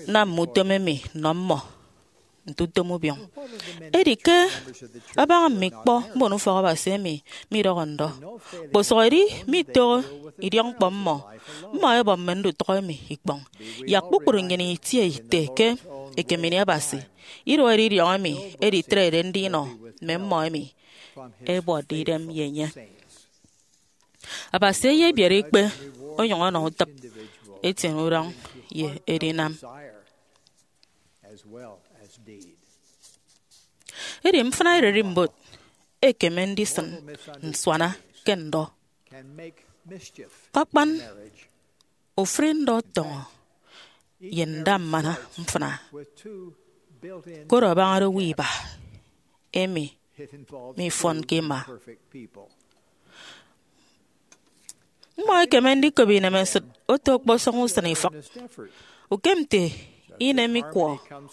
nam mme utom emi nnọ mmọ nte utom ubiọñ. Edi ke abaña mme ikpọ mbonufọk Abasi emi midọhọ ndọ, kposụkedi mitoho idiọkñkpọ mmọ, mmọ ẹbọ mme ndutụk emi ikpọñ. Yak kpukpru nnyịn itie ite ke ekem ini Abasi iduọk edidiọñ emi editrede ndinọ mme mmọ emi ẹbuọtde idem ye enye. Abasi eyebiere ikpe onyụñ ọnọ utịp, etiene udọñ, ye edinam. Edi mfịna ererimbot ekeme ndisịn nsuana ke ndọ. Akpan ofụri ndọ ọtọñọ ye ndammana mfịna, koro abañade owo iba emi mifọnke ima. Mmọ ẹkeme ndikop inemesịt oto ọkpọsọñ usịn ifịk. Ukem nte inem ikwọ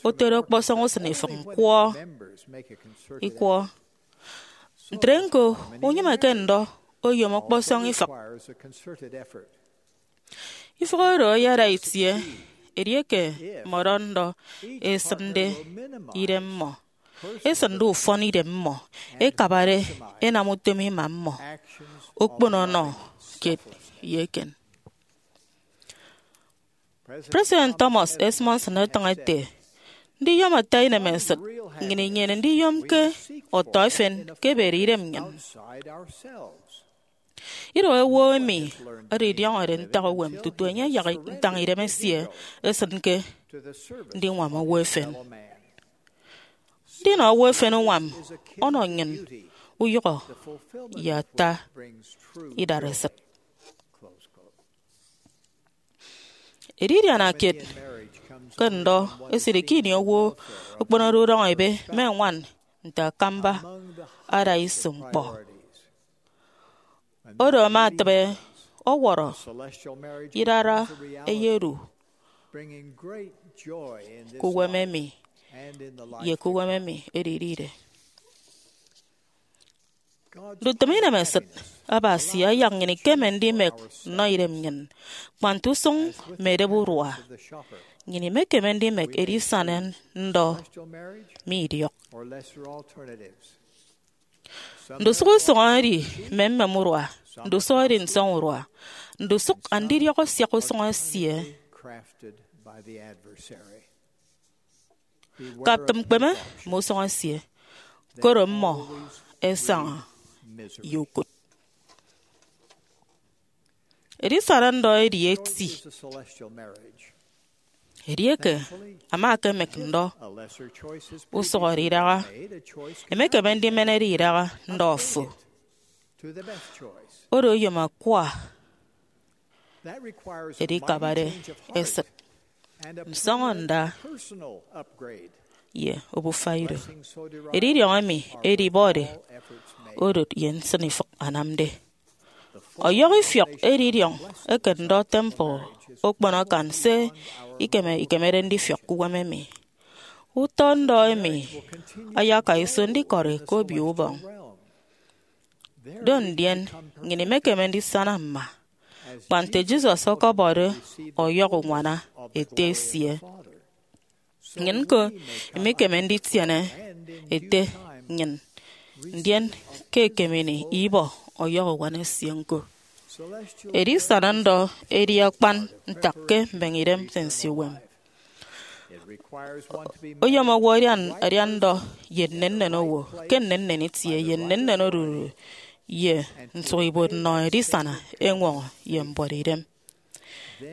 otode ọkpọsọñ usịn ifịk ñkwọ ikwọ, ntre ñko, unyịmeke ndọ oyom ọkpọsọñ ifịk. Ifịk oro ayada itie edieke mmọdọ ndọ esịnde idem mmọ, esịnde ufọn idem mmọ, ekabade enam utom ima mmọ, okpono ọnọ kiet ye eken. President Thomas S. Monson etịñ ete, ndiyom ata inemesịt nnyịn inyene ndiyomke ọtọ efen ke ebede idem nnyịn. Ido owo emi edidiọñọde ntak uwem tutu enye ayak ntañ idem esie esịn ke ndiñwam owo efen. Ndinọ owo efen uñwam ọnọ nnyịn uyụhọ ye ata idaresịt. Edidiana kiet ke ndọ esidi ke ini owo okponode udọñ ebe mme ñwan nte akamba ada iso ñkpọ. Oro ama atịbe ọwọrọ idara eyedu ke uwem emi ye ke uwem emi edidide. Ndutịm inemesịt Abasi ayak nnyịn ikeme ndimek nnọ idem nnyịn, kpa nte usụñ mme edep urua. Nnyịn imekeme ndimek edisana ndọ mi idiọk. Ndusụk usụñ edi mmemmem urua, ndusụk edi nsọñ urua, ndusụk andidiọk asiak usụñ esie. Kaptịm kpeme mme usụñ esie, koro mmọ ẹsaña ye ukụt. Edisana ndọ edi eti. Edieke ama ekemek ndọ usụhọde idaha, emekeme ndimenede idaha ndọ fo. Oro oyom akwa edikabade esịt, nsọñọnda, ye obufa ido. Edidiọñ emi edibọde odot ye nsịnifịk anamde. Ọyọhọ ifiọk edidiọñ eke ndọ temple okpon akan se ikeme ikemede ndifiọk ke uwem emi. Utọ ndọ emi ayaka iso ndikọri ke Obio Ubọñ. Do ndien, nnyịn imekeme ndisana mma, kpa nte Jesus ọkọbọde ọyọhọ uñwana Ete esie. Nnyịn ñko imikeme nditiene Ete nnyịn, ndien ke ekem ini ibọ ọyọhọ uñwana esie ñko. Edisana ndọ edi akpan ntak ke mbeñe idem nte nsiuwem. Oyom owo adian adian ndọ ye nnennen owo, ke nnennen itie ye nnennen odudu, ye nsụk ibuot nnọ edisana eñwọñọ ye mbuọtidem.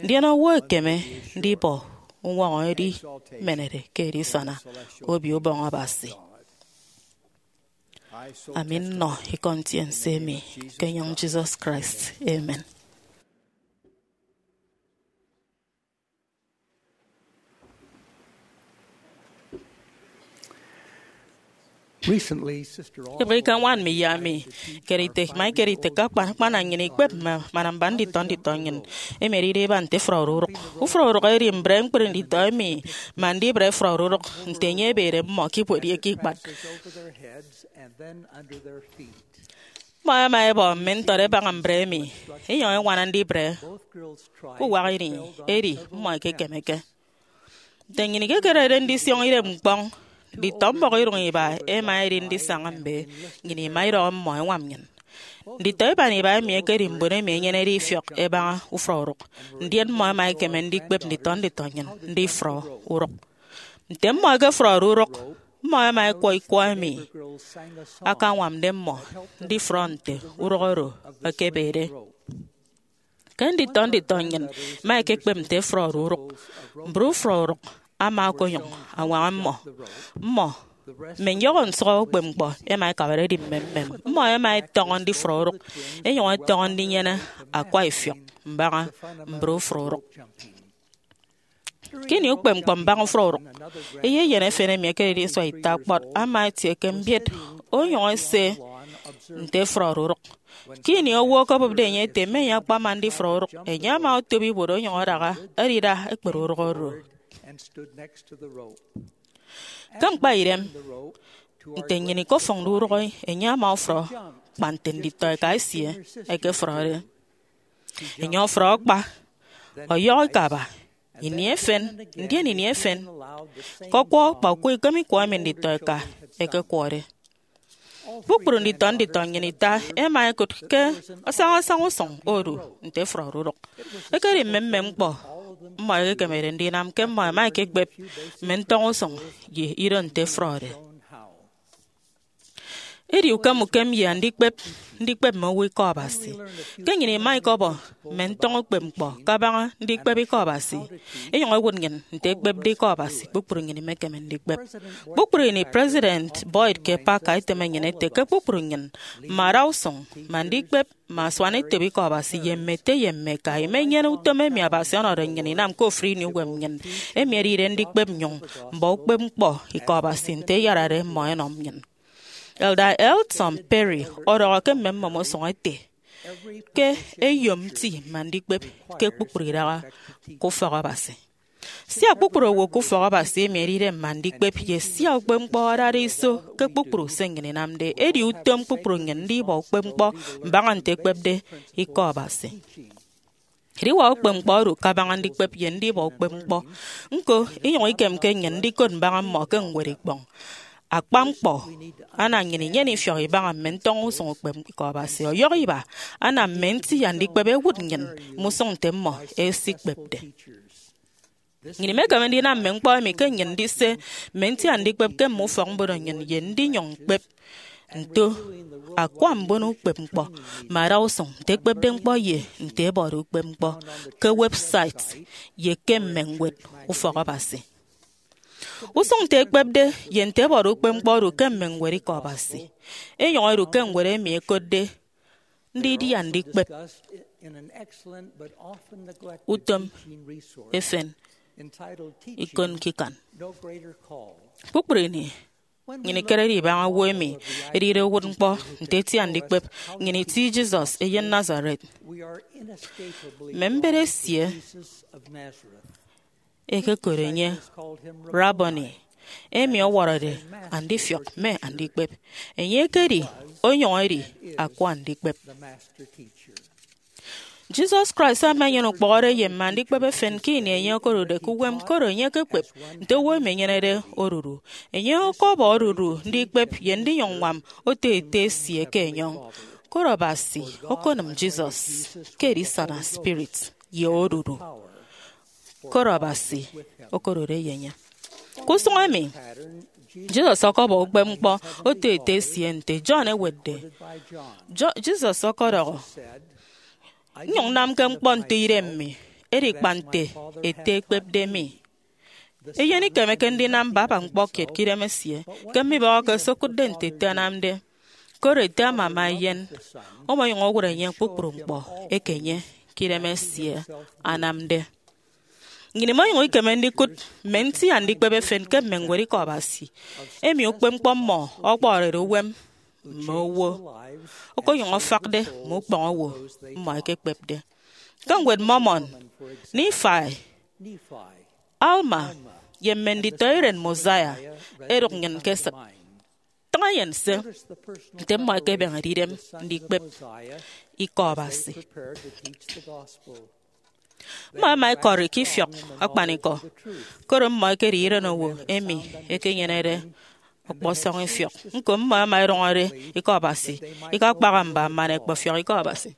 Ndien owo ekeme ndibọ uñwọñọ edimenede ke edisana Obio Ubọñ Abasi. Ami nnọ ikọ ntiense emi ke enyịñ Jesus Christ. Amen. Recently, Sister Oswald Ebre ke ñwan mi ye ami kere ite, ma ikere ite ke akpan akpan nnyịn ikpep mme manamba nditọ nditọ nnyịn emi ẹdide iba nte efrọri urụk. Ufrọk urụk edi mbre ñkpri nditọ emi, ma ndibre efrọri urụk nte enye ebede mmọ ke ibuot ye ke ikpat. Mmọ ẹma ẹbọ mme ntọt ẹbaña mbre emi, ẹnyụñ ẹñwana ndibre ke uwak ini, edi mmọ ẹkekemeke. Nte nnyịn ikekerede ndisiọñ idem ñkpọñ, nditọ mbọhọ iduñ iba ẹma ẹdi ndisaña mbe, nnyịn ima idọhọ mmọ ẹñwam nnyịn. Nditọ iban iba emi ẹkedi mbon emi ẹnyenede ifiọk ẹbaña ufrọk urụk, ndien mmọ ẹma ẹkeme ndikpep nditọ nditọ nnyịn ndifrọ urụk. Nte mmọ ẹkefrọde urụk, mmọ ẹma ẹkwọ ikwọ emi akañwamde mmọ ndifrọ nte urụk oro ekebede. Ke nditọ nditọ nnyịn ẹma ẹkekpep nte ẹfrọde urụk, mbre ufrọk urụk ama okonyụñ añwaña mmọ. Mmọ, mme nyọhọ nsụhọ ukpepñkpọ, ẹma ẹkabade ẹdi mmemmem. Mmọ ẹma ẹtọñọ ndifrọ urụk, ẹnyụñ ẹtọñọ ndinyene akwa ifiọk mbaña mbre ufrọk urụk. Ke ini ukpepñkpọ mbaña ufrọk urụk, eyeyen efen emi ekedide isua ita kpọt ama etie ke mbiet onyụñ ese nte efrọde urụk. Ke ini owo okobụpde enye ete mme enye akpama ndifrọ urụk, enye ama otop ibuot onyụñ adaha edida ekpere urụk oro. Ke ñkpaidem, nte nnyịn ikofụñde urụk, enye ama ofrọ kpa nte nditọ eka esie ẹkefrọde. Enye ọfrọ akpa, ọyọhọ ikaba, ini efen, ndien ini efen, ke ọkwọ kpa ukwọ ikem ikwọ emi nditọ eka ẹkekwọde. Kpukpru nditọ nditọ nnyịn ita ẹma ẹkụt ke asaña asaña usụñ odu nte ẹfrọde urụk. Ekedi mmemmem ñkpọ mmọ ẹkekemede ndinam ke mmọ ẹma ẹkekpep mme ntọñọ usụñ ye ido nte ẹfrọde. Edi ukem ukem ye andikpep ndikpep mme owo Ikọ Abasi. Ke nnyịn ima ikọbọ mme ntọñọ ukpepñkpọ kabaña ndikpep Ikọ Abasi, inyụñ iwụt nnyịn nte ekpepde Ikọ Abasi kpukpru nnyịn imekeme ndikpep. Kpukpru ini President Boyd K. Packer eteme nnyịn ete ke kpukpru nnyịn, mme adausụñ, mme andikpep, mme asuanetop Ikọ Abasi ye mme ete ye mme eka imenyene utom emi Abasi ọnọde nnyịn inam ke ofụri ini uwem nnyịn, emi edide ndikpep nnyụñ mbọ ukpepñkpọ Ikọ Abasi nte iyarade mmọ ẹnọ nnyịn. Elder Elton Perry ọdọhọ ke mme mmọmo usụñ ete ke eyom nti mme andikpep ke kpukpru idaha ke ufọk Abasi. Sia kpukpru owo ke ufọk Abasi emi edide mme andikpep, ye sia ukpepñkpọ adade iso ke kpukpru se nnyịn inamde, edi utom kpukpru nnyịn ndibọ ukpepñkpọ mbaña nte ekpepde Ikọ Abasi. Ediwak ukpepñkpọ odu kabaña ndikpep ye ndibọ ukpepñkpọ. Ñko, inyụñ ikemke nnyịn ndikot mbaña mmọ ke ñwed ikpọñ. Akpa ñkpọ, ana nnyịn inyene ifiọk ibaña mme ntọñọ usụñ ukpep Ikọ Abasi. Ọyọhọ iba, ana mme nti andikpep ẹwụt nnyịn mme usụñ nte mmọ ẹsikpepde. Nnyịn imekeme ndinam mme ñkpọ emi ke nnyịn ndise mme nti andikpep ke mme ufọkmbono nnyịn ye ndinyụñ ñkpep nto akwa mbono ukpepñkpọ mme adausụñ nte ẹkpepde ñkpọ ye nte ẹbọde ukpepñkpọ ke website ye ke mme ñwed ufọk Abasi. Usụñ nte ẹkpepde ye nte ẹbọde ukpepñkpọ odu ke mme ñwed Ikọ Abasi. Enyụñ edu ke ñwed emi ẹkotde Ndidia Ndikpep Utom Efen Ikon Ñkikan. Kpukpru ini, nnyịn ikerede ibaña owo emi edide uwụtñkpọ nte eti andikpep, nnyịn iti Jesus eyen Nazareth. Mme mbet esie ẹkekot enye Rabboni, emi ọwọrọde Andifiọk mme Andikpep. Enye ekedi, onyụñ edi, Akwa Andikpep. Jesus Christ ama enyene ukpọhọde ye mme andikpep efen ke ini enye okodude ke uwem, koro enye ekekpep nte owo emi enyenede odudu. Enye ọkọbọ odudu ndikpep ye ndinyụñ ññwam oto Ete esie ke enyọñ. Koro Abasi okonịm Jesus ke edisana spirit ye odudu, koro Abasi okodude ye enye. Ke usụñ emi, Jesus ọkọbọ ukpepñkpọ oto Ete esie nte John ewetde. Jo- Jesus ọkọdọhọ, "Nnyụñ nnamke ñkpọ nte idem mi, edi kpa nte Ete ekpepde mi." Eyen ikemeke ndinam baba ñkpọ kiet ke idem esie, ke mmibọhọke se okụtde nte Ete anamde. Koro Ete amama Eyen, omonyụñ owụt enye kpukpru ñkpọ eke enye ke idem esie anamde. Nnyịn imonyụñ ikeme ndikụt mme nti andikpep efen ke mme ñwed Ikọ Abasi, emi ukpepñkpọ mmọ ọkpọhọrede uwem mme owo, okonyụñ afakde mme ukpọñ owo mmọ ẹkekpepde. Ke Ñwed Mormon, Nifai, Alma, ye mme nditọiren Mosiah ẹdụk nnyịn ke esịt. Tịñ eyen se nte mmọ ẹkebeñede idem ndikpep Ikọ Abasi. Mmọ ẹma ẹkọri ke ifiọk akpanikọ, koro mmọ ẹkedi irenowo emi ẹkenyenede ọkpọsọñ ifiọk. Ñko, mmọ ẹma ẹdụñọde Ikọ Abasi, ikakpaha mba man ẹkpefiọk Ikọ Abasi.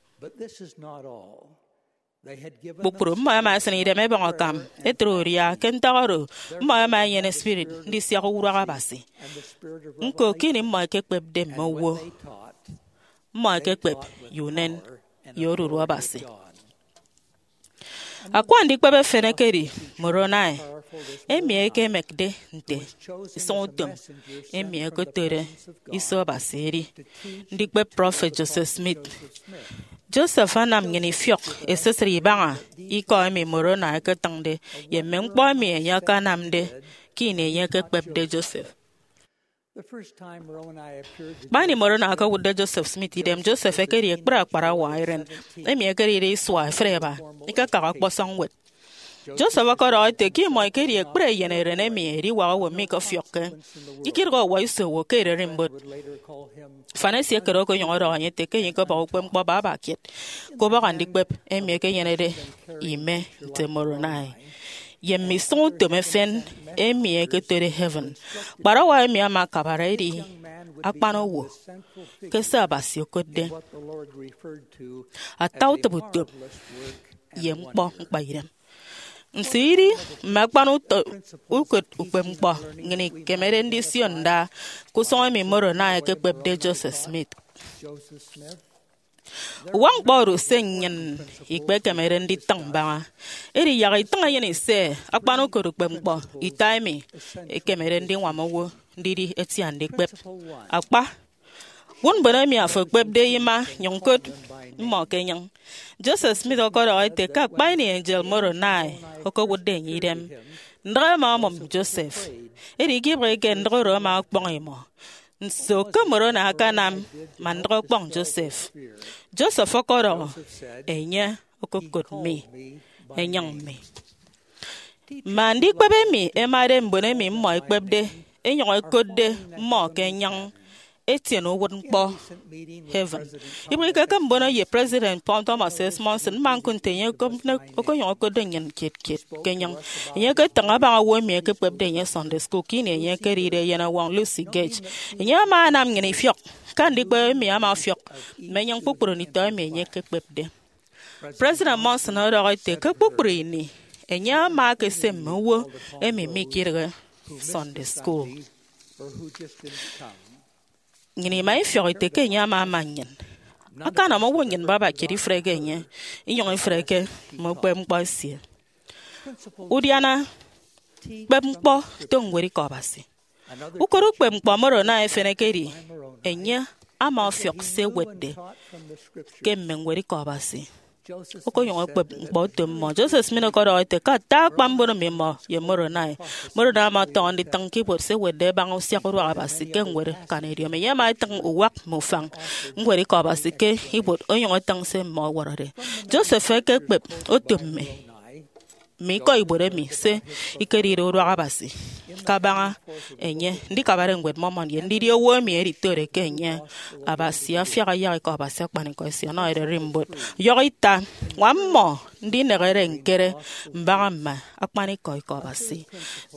Kpukpru mmọ ẹma ẹsịn idem ẹbọñ akam ẹtre udia. Ke ntak oro, mmọ ẹma ẹnyene spirit ndisiak uduak Abasi. Ñko, ke ini mmọ ẹkekpepde mme owo, mmọ ẹkekpep ye unen ye odudu Abasi. Akwa Andikpep efen ekedi Moroni, emi ẹkemekde nte isụñutom emi ẹkotode iso Abasi edi ndikpep prọfet Joseph Smith. Joseph anam nnyịn ifiọk esisịt ibaña ikọ emi Moroni eketịñde ye mme ñkpọ emi enye akanamde ke ini enye ekekpepde Joseph. Kpa ini Moroni okowụtde Joseph Smith idem, Joseph ekedi ekpri akparawa iren, emi ekedide isua efịt eba, ikakaha ọkpọsọñ ñwed. Joseph ọkọdọhọ ete ke imọ ikedi ekpri eyen eren emi ediwak owo mikọfiọkke, ikidịghe ọwọiso owo ke ererimbot. Mfana esie ekere okonyụñ ọdọhọ enye ete ke enye ikebọhọ ukpepñkpọ baba kiet ke ubọk andikpep emi ekenyenede ime nte Moroni, ye mme isụñutom efen emi ẹkotode heaven. Kparawa emi ama akabare edi akpan owo ke se Abasi okotde ata utịp utom ye ñkpọ ñkpaidem. Nso idi mme akpan uto-, ukot ukpepñkpọ nnyịn ikemede ndisio nda ke usụñ emi Moroni ekekpepde Joseph Smith? Uwak ñkpọ oro se nnyịn ikpekemede nditịñ mbaña. Edi yak itịñ enyịn ise akpan ukot ukpepñkpọ ita emi ekemede ndiñwam owo ndidi eti andikpep. Akpa, wụt mbon emi afo ekpepde ima, nyụñ kod mmọ ke enyịñ. Joseph Smith ọkọdọhọ ete ke akpa ini angel Moroni okowụtde enye idem, ndịk ẹma ẹmụm Joseph. Edi ikebịghike ndịk oro ama ọkpọñ imọ. Nso ke Moroni akanam man ndịk ọkpọñ Joseph? Joseph ọkọdọhọ, "Enye okokot mi enyịñ mi." Mme andikpep emi ẹmade mbon emi mmọ ẹkpepde, ẹnyụñ ẹkotde mmọ ke enyịñ, etiene uwụtñkpọ heaven. Ibịghike ke mbono ye President Paul Thomas S. Monson, mma ñkụt nte enye okonyụñ okotde nnyịn kiet kiet ke enyịñ. Enye eketịñ abaña owo emi ekekpepde enye Sunday school ke ini enye ekedide eyenọwọñ Lucy Gage. Enye ama anam nnyịn ifiọk ke andikpep emi ama ọfiọk mme enyịñ kpukpru nditọ emi enye ekekpepde. President Monson ọdọhọ ete ke kpukpru ini enye ama ekese mme owo emi mikidịghe Sunday school. Nnyịn ima ifiọk ete ke enye ama ama nnyịn, akanam owo nnyịn baba kiet ifreke enye, inyụñ ifreke mme ukpepñkpọ esie. Udiana kpep ñkpọ to ñwed Ikọ Abasi. Ukot ukpepñkpọ Moroni efen ekedi, enye ama ọfiọk se ewetde ke mme ñwed Ikọ Abasi, okonyụñ okpep ñkpọ oto mmọ. Joseph Smith ọkọdọhọ ete ke ata akpa mbono mmimọ ye Moroni, Moroni ama ọtọñọ nditịñ ke ibuot se ewetde abaña usiakuduak Abasi ke ñwed Akanidiọñ. Enye ama etịñ uwak mme ufañ ñwed Ikọ Abasi ke ibuot onyụñ etịñ se mmọ ẹwọrọde. Joseph ekekpep oto mme mme ikọ ibuot emi se ikedide uduak Abasi kabaña enye ndikabade Ñwed Mormon ye ndidi owo emi editode ke enye. Abasi afiak ayak Ikọ Abasi akpanikọ esie ọnọ ererimbot. Ọyọhọ ita, ñwam mmọ ndinehede ñkere mbaña mme akpanikọ Ikọ Abasi.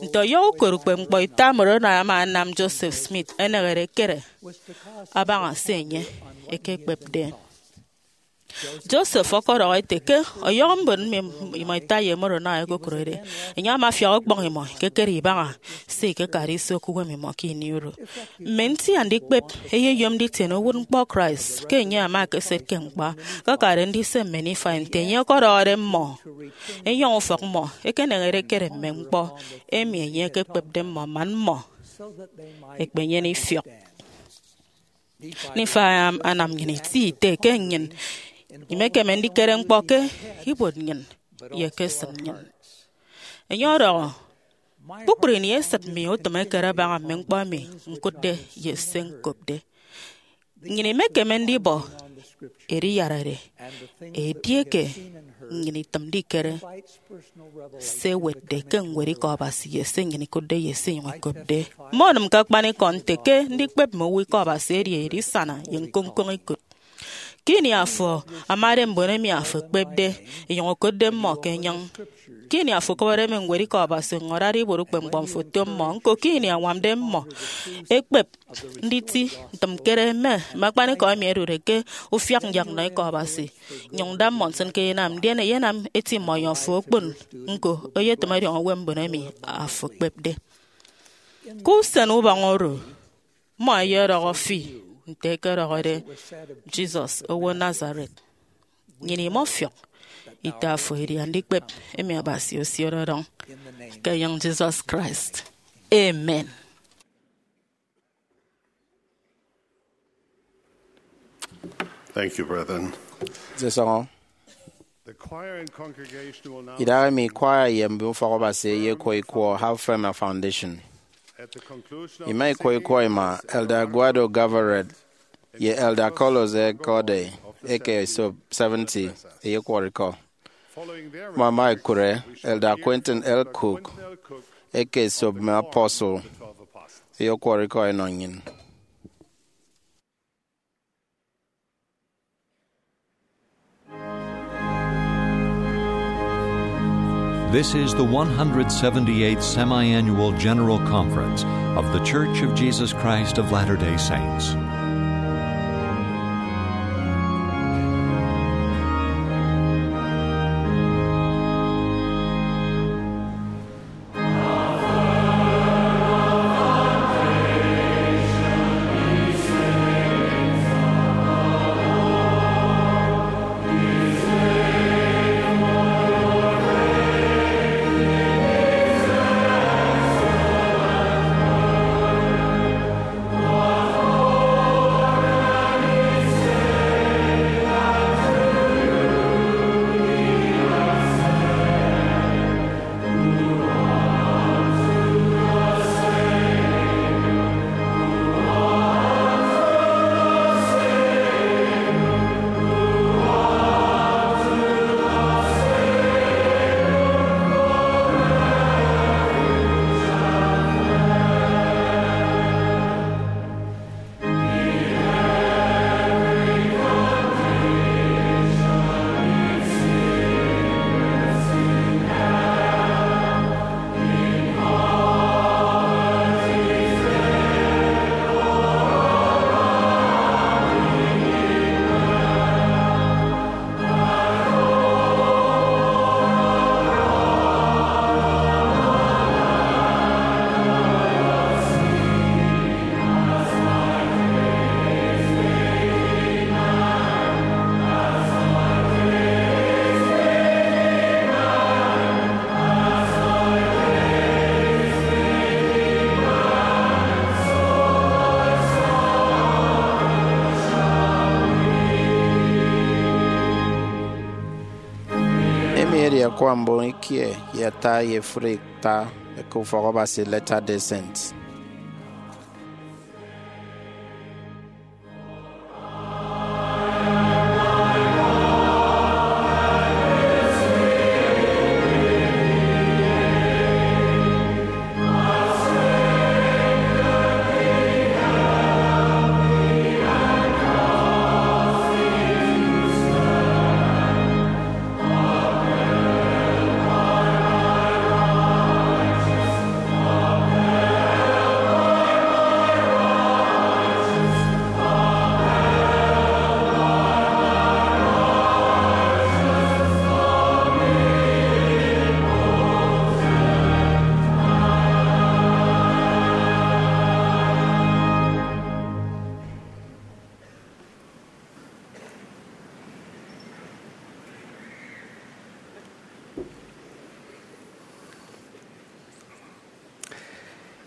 Nte ọyọhọ ukot ukpepñkpọ ita Moroni ama anam Joseph Smith enehede ekere abaña se enye ekekpepde. Joseph ọkọdọhọ ete ke ọyọhọ mbon mme imọ ita ye Moroni ẹkokụrede, enye ama afiak ọkpọñ imọ ikekere ibaña se ikekade iso ke uwem imọ ke ini oro. Mme nti andikpep ẹyeyom nditiene uwụtñkpọ Christ ke enye ama ekeset ke ñkpa, akakade ndise mme Nifai nte enye ọkọdọhọde mmọ, enyọñ ufọk mmọ ekenehede ekere mme ñkpọ emi enye ekekpepde mmọ man mmọ ẹkpenyene ifiọk. Nifai am-, anam nnyịn iti ite ke nnyịn imekeme ndikere ñkpọ ke ibuot nnyịn ye ke esịt nnyịn. Enye ọdọhọ, kpukpru ini esịt mi otịm ekere abaña mme ñkpọ emi ñkụtde ye se ñkopde. Nnyịn imekeme ndibọ ediyarade edieke nnyịn itịmde ikere se ewetde ke ñwed Ikọ Abasi ye se nnyịn ikụtde ye se inyụñ ikopde. Mme onịm ke akpanikọ nte ke ndikpep mme owo Ikọ Abasi edi edisana ye ñkoñkoñ ikụt. Ke ini afo amade mbon emi afo ekpepde, inyụñ okotde mmọ ke enyịñ, ke ini afo okọbọde mme ñwed Ikọ Abasi, inyụñ adade ibuot ukpepñkpọ mfo oto mmọ. Ñko, ke ini añwamde mmọ ekpep nditi ntịmkere mme, mme akpanikọ emi ẹdude ke ufiak nyak nnọ Ikọ Abasi, nyụñ da mmọ nsịn ke eyenam, ndien eyenam eti mmọ ọyọhọ fo okpon. Ñko, eyetịm ọdiọñ uwem mbon emi afo ekpepde. Ke usen ubọñ oro, mmọ ẹyedọhọ fi nte ẹkedọhọde Jesus owo Nazareth. Nnyịn imọfiọk ite afo edi andikpep emi Abasi osiode ọdọñ. Ke enyịñ Jesus Christ. Amen. Thank you, brethren. Nte sọñọ. The choir and congregation will now Idaha emi kwaya ye mbon ufọk Abasi ẹyekwọ ikwọ Half Firm Foundation. At the conclusion of Ima the ikwọ singing, ikwọ ima, Elder Eduardo Gavarret ye Elder Carlos Ecorde eke esop seventy ẹyekwọrọ ikọ. Following their Mmọ ẹma ẹkụre Elder Quentin L. Cook eke esop mme apostle ẹyekwọrọ ikọ ẹnọ nnyịn. This is the one hundred seventy-eighth Semi-Annual General Conference of The Church of Jesus Christ of Latter-day Saints. akwa mbon ikie ye ata ye efuri ata eke ufọk Abasi, Latter-day Saints.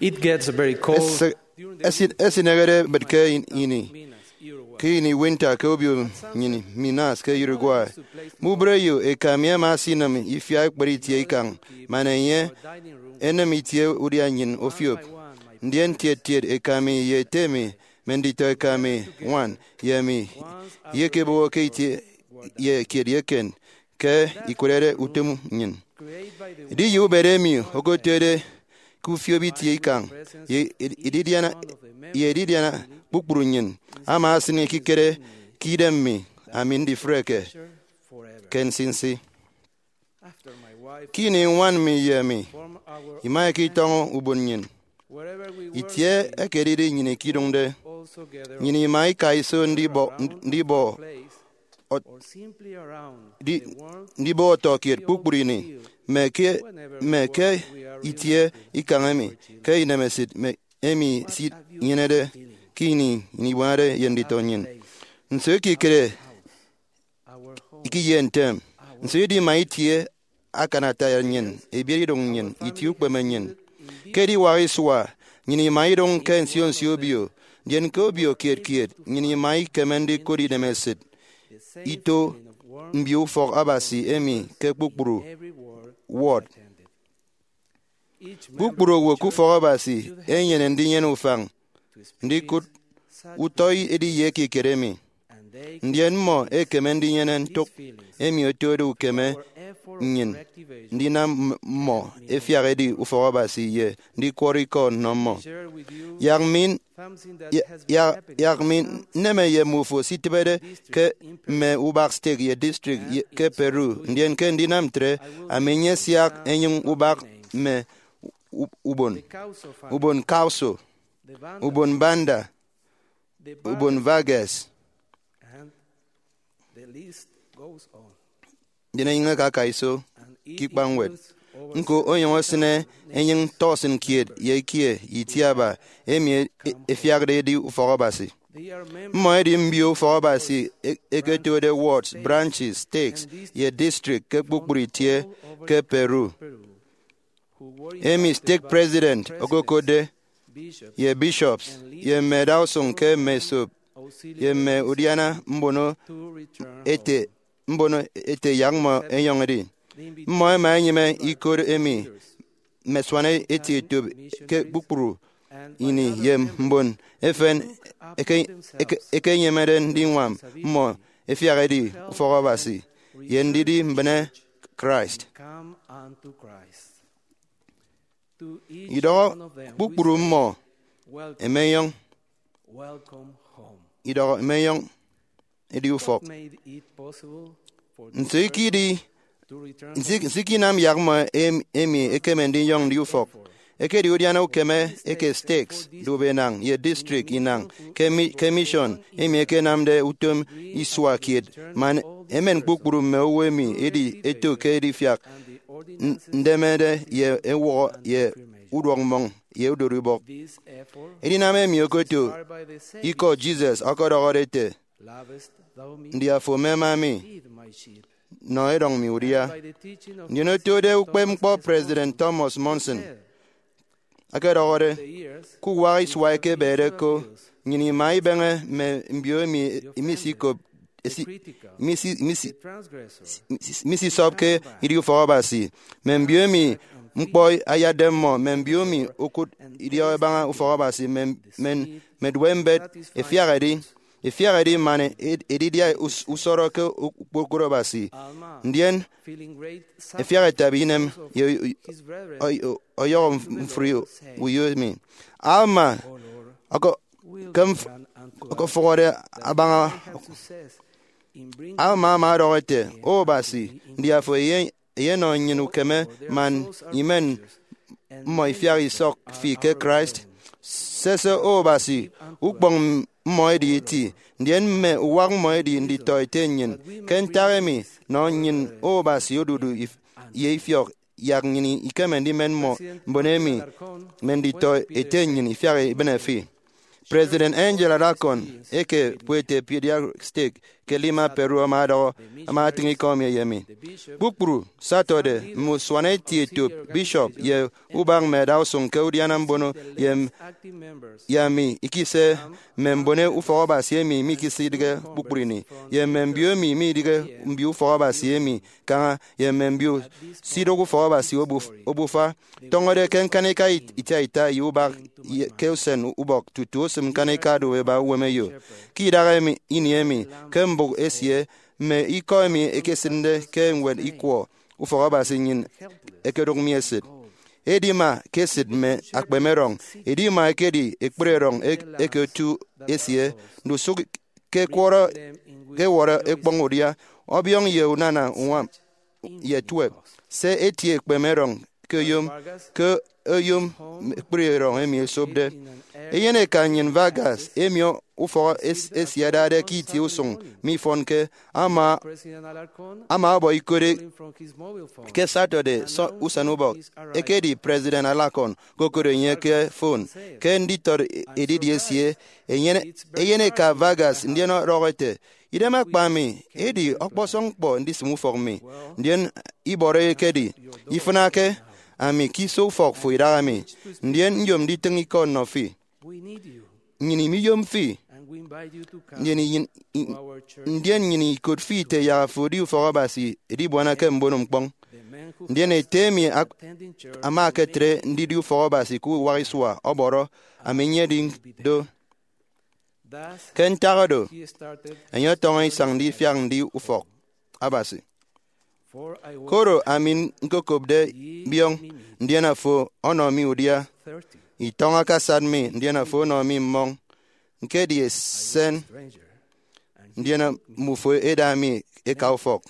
It gets very cold. Ese- during the esi- Esinehede ebet ke in- ini ke ini winter ke obio nnyin Minas ke Uruguay. Mubreyo eka mi ama esinam ifia ekpere itie ikañ, man enye enem itie udia nnyin ofiop. Ndien tiet tiet eka mi ye ete mi, me nditọ eka mi ñwan, ye mi, iyekeboho ke itie ye kiet ye eken ke ikwerede utom nnyin. Edi ye ubet emi okotuede ke ufiop itie ikañ ye edidiana, ye edidiana kpukpru nnyin ama esin ekikere ke idem mi, ami ndifreke ke nsinsi. Ke ini ñwan mi ye mi imaika itọñọ ubon nnyin, itie ekedidi nnyin ikidụñde, nnyin ima ika iso ndibọ, ndibọ, ndibọ ọtọ kiet kpukpru ini, mme ke, mme ke itie ikañ emi, ke inemesịt emi esinyenede ke ini nnyin ibuanade ye nditọ nnyin. Nso ekikere ikiye ntem? Nso idima itie akanata nnyin, ebiere idụñ nnyin, itie ukpeme nnyin? Ke ediwak isua, nnyin ima idụñ ke nsio nsio obio, ndien ke obio kiet kiet, nnyin ima ikeme ndikụt inemesịt ito mbio ufọk Abasi emi ke kpukpru ward. Kpukpru owo ke ufọk Abasi enyene ndinyene ufañ ndikụt utọ ediye ekikere emi, ndien mmọ ekeme ndinyene ntụk emi otode ukeme nnyin ndinam mmọ efiak edi ufọk Abasi ye ndikwọrọ ikọ nnọ mmọ. Yak mi, yak, yak mi nneme ye mmufo sitịbede ke mme ubak stake ye district ye, ke Peru, ndien ke ndinam ntre, ami nyesiak enyịñ ubak mme u-, ubon, ubon Causo, ubon Banda, ubon Vargas, ndien enyịñ aka aka iso ke ikpañwed. Ñko onyụñ esịne enyịñ tọsịn kiet ye ikie itiaba emi e-, e-, efiakde edi ufọk Abasi. Mmọ edi mbio ufọk Abasi e-, eketode wards, branches, stakes, ye district ke kpukpru itie ke Peru, emi stake president okokotde, ye bishops, ye mme adausụñ ke mme esop, ye mme udiana mbono ete, mbono ete yak mmọ enyọñ edi. Mmọ ẹma ẹnyịme ikot emi mme asuana eti etop ke kpukpru ini ye mbon efen eke, eke, ekenyịmede ndiñwam mmọ efiak edi ufọk Abasi ye ndidi mbịne Christ. Idọhọ kpukpru mmọ, emenyọñ. Idọhọ emenyọñ edi ufọk. Nso ikidi, nso, nso ikinam yak mmọ em-, emi ekeme ndinyọñ ndi ufọk? Ekedi udiana ukeme eke stakes, dube enañ, ye district inañ ke mi-, ke mission emi ekenamde utom isua kiet, man emen kpukpru mme owo emi edi eto ke edifiak n-, ndemede ye ewụhọ ye uduọk mmọñ ye udorubọk. Edinam emi okoto ikọ Jesus ọkọdọhọde ete, "Ndi afo mema mi? Nọ edọñ mi udia." Ndien otode ukpepñkpọ President Thomas Monson, akedọhọde, "Ke uwak isua eke ebede ko, nnyịn ima ibeñe mme mbio emi imisikopde esi- misi- misi- misisọpke idi ufọk Abasi, mme mbio emi ñkpọ ayatde mmọ, mme mbio emi okụt idiọk ẹbaña ufọk Abasi, mme, mme, mme duopmbet ẹfiak ẹdi, ẹfiak ẹdi man ed- edidia us- usọrọ ke okpokoro Abasi, ndien ẹfiak ẹtabi inem ye ọy- ọy- ọyọhọ mfri uyo emi. Alma ọkọ- ke mf- ọkọfụhọde abaña Alma ama ọdọhọ ete, O Abasi, ndi afo eye- eyenọ nnyịn ukeme man imen mmọ ifiak isọk fi ke Christ? Sese, O Abasi, ukpọñ mmọ edi eti, ndien mme uwak mmọ edi nditọ ete nnyịn. Ke ntak emi, nọ nnyịn, O Abasi, odudu if- ye ifiọk, yak nnyịn ikeme ndimen mmọ mbon emi mme nditọ ete nnyịn ifiak ibịne fi. President Angel Alarcón eke Puente Piedra Seca ke Lima, Peru, ama ọdọhọ, ama atịñ ikọ emi eyemi: Kpukpru Saturday, mme usuaneti etop, bishop, ye ubak mme adausụñ ke udiana mbono ye, ye ami ikise mme mbon ufọk Abasi emi mikisidịghe kpukpru ini, ye mme mbio emi midịghe mbio ufọk Abasi emi kaña, ye mme mbio sidụk ufọk Abasi obuf- obufa, tọñọde ke ñkanika it- ita ita ye ubak ye ke usen ubọk tutu osịm ñkanika do eba uwemeyo. Ke idaha emi, ini emi, ke mbụk esie, mme ikọ emi ẹkesịnde ke ñwed ikwọ ufọk Abasi nnyịn ẹkedụk mi esịt. Edima ke esịt mme akpemerọñ, edima ekedi ekpri erọñ ek- eke otu esie, ndusụk ke ẹkwọrọ, ke ẹwọrọ ekpọñ udia, ọbiọñ ye unana uñwam ye tuep. Se etie ekpemerọñ ke oyom, ke oyom ekpri erọñ emi esopde. Eyeneka nnyịn Vargas, emi ufọk es- esie adade ke itie usụñ mifọnke, ama, ama ọbọ ikode ke Saturday, sọ- usenubọk, ekedi President Alarcón okokot enye ke fon ke nditọt edidi esie, eyen- eyeneka Vargas, ndien ọdọhọ ete, Idem akpa mi, edi ọkpọsọñ ñkpọ ndisịm ufọk mi. Ndien ibọrọ ekedi, Ifịnake ami ke iso ufọk fo idaha mi, ndien nyom nditịñ ikọ nnọ fi. Nnyịn imiyom fi. Ndien iyin- i- ndien nnyịn ikot fi ite yak fo edi ufọk Abasi edibuana ke mbono ñkpọñ. Ndien ete emi ak- ama eketre ndidi ufọk Abasi ke uwak isua ọbọrọ, ami nyedi do. Ke ntak do, enye ọtọñọ isañ ndifiak ndi ufọk Abasi. Koro ami ñkokopde biọñ, ndien afo ọnọ mi udia. Itọñ akasat mi, ndien afo ọnọ mi mmọñ. Ñkedi esen, ndien mbufo eda mi eka ufọk.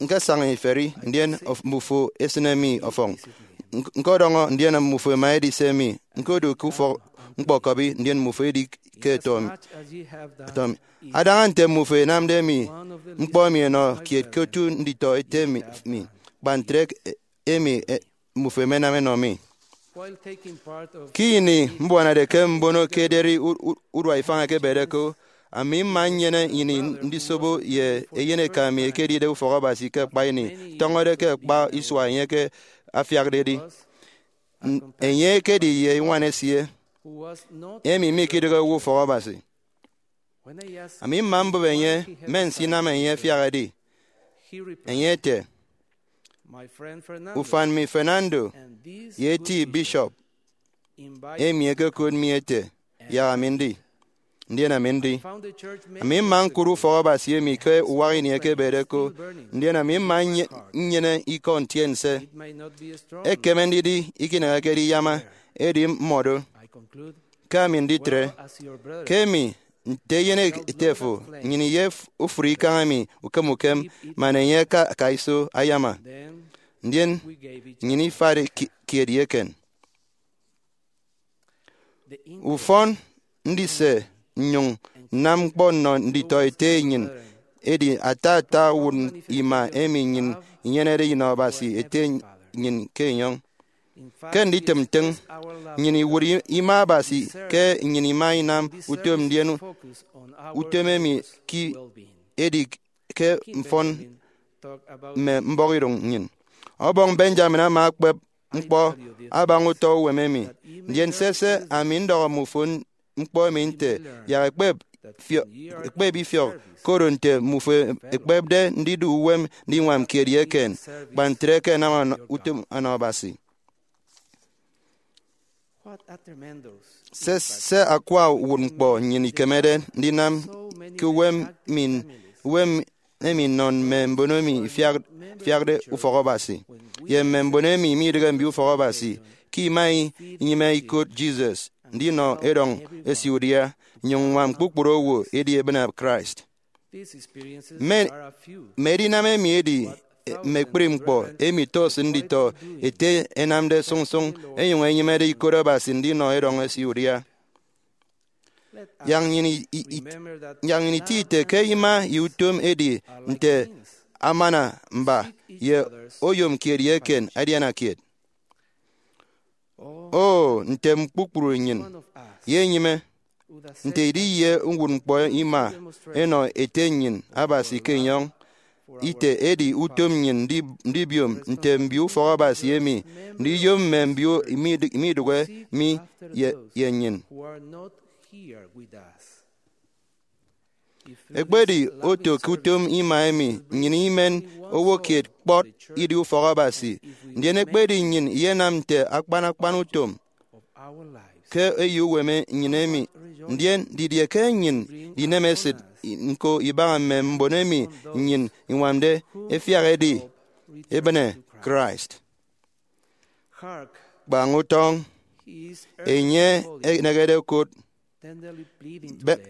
Ñkesaña iferi, ndien of- mbufo esịne mi ọfọñ. Ñk- ñkọdọñọ, ndien mbufo ẹma ẹdise mi. Ñkodu ke ufọk ñkpọkọbi, ndien mbufo edi ke ẹtọ mi. Adaña nte mbufo ẹnamde mi ñkpọ emi ẹnọ kiet ke otu nditọ ete mi, mi, kpa ntre emi mbufo ẹmenam ẹnọ mi. Ke ini mbuanade ke mbono ke ederi u- u- urua ifañ eke ebede ko, ami mma nnyene ini ndisobo ye eyeneka mi ekedide ufọk Abasi ke akpa ini, tọñọde ke akpa isua enye ke afiakde edi. N- enye ekedi ye iñwan esie, emi mikidịghe owo ufọk Abasi. Ami mma mbụp enye mme nsinam enye afiak edi. Enye ete, Ufan mi Fernando ye eti bishop emi ekekot mi ete yak ami ndi, ndien ami ndi. Ami mma ñkụt ufọk Abasi emi ke uwak ini eke ebede ko, ndien ami mma nye- nnyene ikọ ntiense. Ekeme ndidi ikineheke ediyama, edi mmọdo ke ami nditre. Ke emi, nte eyen ete fo, nnyịn iye f- ofụri ikañ emi ukem ukem, man enye aka aka iso ayama. Ndien nnyịn ifade ki- kiet ye eken. Ufọn ndise nnyụñ nnam ñkpọ nnọ nditọ ete nnyịn edi ata ata uwụt ima emi nnyịn inyenede inọ Abasi ete nnyịn ke enyọñ. Ke nditịm ntịñ, nnyịn iwụt i- ima Abasi ke nnyịn ima inam utom, ndien utom emi ki- edi ke mfọn mme mbọhọidụñ nnyịn. Ọbọñ Benjamin ama ekpep ñkpọ abaña utọ uwem emi. Ndien sese, ami ndọhọ mmufo ñkpọ emi nte, yak ẹkpep fio- ekpep ifiọk, koro nte mmufo ekpepde ndidu uwem ndiñwam kiet ye eken, kpa ntre ke ẹnam ọnọ- utom ọnọ Abasi. Se, se akwa uwụtñkpọ nnyịn ikemede ndinam ke uwem mi, uwem emi nnọ mme mbon emi ifiak- ifiakde ufọk Abasi, ye mme mbon emi midịghe mbio ufọk Abasi, ke ima inyịme ikot Jesus ndinọ erọñ esie udia, nnyụñ ññwam kpukpru owo edi ebịne Christ. Mme, mme edinam emi edi mme ekpri ñkpọ emi tos nditọ ete ẹnamde sụñsụñ ẹnyụñ ẹnyịmede ikot Abasi ndinọ erọñ esie udia. Yak nnyịn i- i- i- yak nnyịn iti ite ke ima ye utom edi nte amana mba ye oyom kiet ye eken adiana kiet. O, ntem kpukpru nnyịn ye enyịme, nte idi ye uwụtñkpọ ima enọ Ete nnyịn Abasi ke enyọñ ite edi utom nnyịn ndi- ndibiom nte mbio ufọk Abasi emi, ndiyom mme mbio imid- imidụhe mi ye, ye nnyịn. Ekpedi oto ke utom ima emi, nnyịn imen owo kiet kpọt idi ufọk Abasi, ndien ekpedi nnyịn iyenam nte akpan akpan utom ke eyo uwem nnyịn emi, ndien didie ke nnyịn inemesịt nko ibaña mme mbon emi nnyịn iñwamde ẹfiak ẹdi ebịne Christ? Kpañ utọñ, enye enehede okot, be-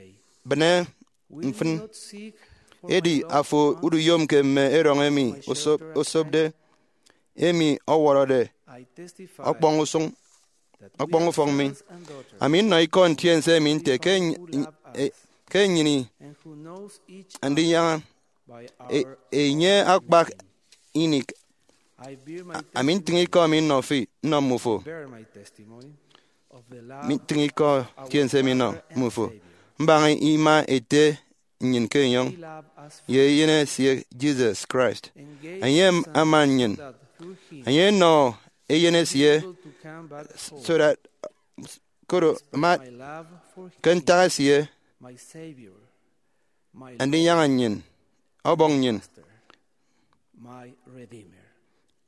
bịne mfịn. Edi afo uduyomke mme erọñ emi osop- osopde, emi ọwọrọde ọkpọñ usụñ, ọkpọñ ufọk mi. Ami nnọ ikọ ntiense emi nte ke enye- e- ke enyịn andinyaña e- enye akpak ini. Ami ntịñ ikọ mi nnọ fi, nnọ mmufo. Mi ntịñ ikọ ntiense mi nnọ mmufo mbaña ima Ete nnyịn ke enyọñ ye eyen esie Jesus Christ. Enye ama nnyịn. Enye enọ eyen esie so that koro ma ke ntak esie andinyaña nnyịn, ọbọñ nnyịn,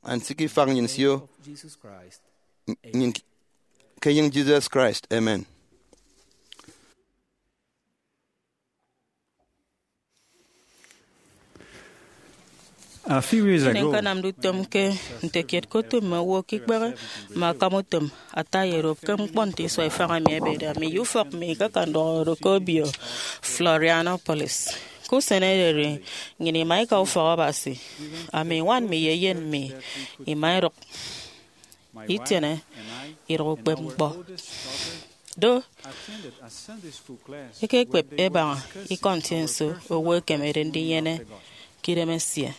ansịk ifak nnyịn sio nnyịn ke enyịñ Jesus Christ. Amen. A few years Ini ago, ñkanamde utom ke nte kiet ke otu mme owo ke ikpehe mme akam utom ata ye erop ke ñkpọ nte isua ifañ emi ẹbede, ami ye ufọk mi ikaka ndọhọ oro ke obio Florianopolis. Ke usen ererimbot, nnyịn ima ika ufọk Abasi. Ami, ñwan mi, ye eyen mi ima idụk itiene idụk ukpepñkpọ. Do, ekekpep ebaña ikọ ntiense owo ekemede ndinyene ke idemesie.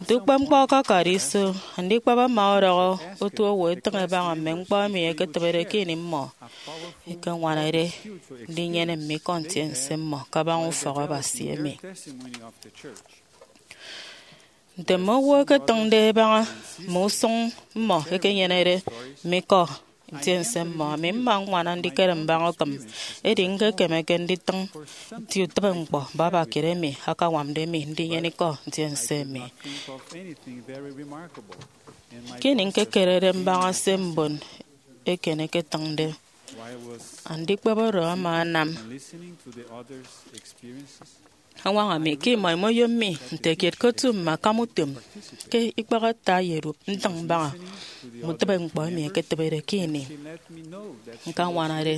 Nte ukpepñkpọ akakade iso, andikpep ama ọdọhọ otu owo etịñ ebaña mme ñkpọ emi ẹketịbede ke ini mmọ ẹkeñwanade ndinyene mme ikọ ntiense mmọ kabaña ufọk Abasi emi. Nte mme owo ẹketịñde ẹbaña mme usụñ mmọ ẹkenyenede mme ikọ ntiense mmọ, ami mma ññwana ndikere mbaña ukịm, edi ñkekemeke nditịñ nti utịbeñkpọ baba kiet emi akañwamde mi ndinyene ikọ ntiense emi. Ke ini ñkekerede mbaña se mbon eken ẹketịñde, andikpep oro ama anam añwaña mi ke imọ imoyom mi nte kiet ke otu mme akam utom ke ikpehe ata ye erop ntịñ mbaña mme utịbeñkpọ emi ẹketịbede ke ini ñkañwanade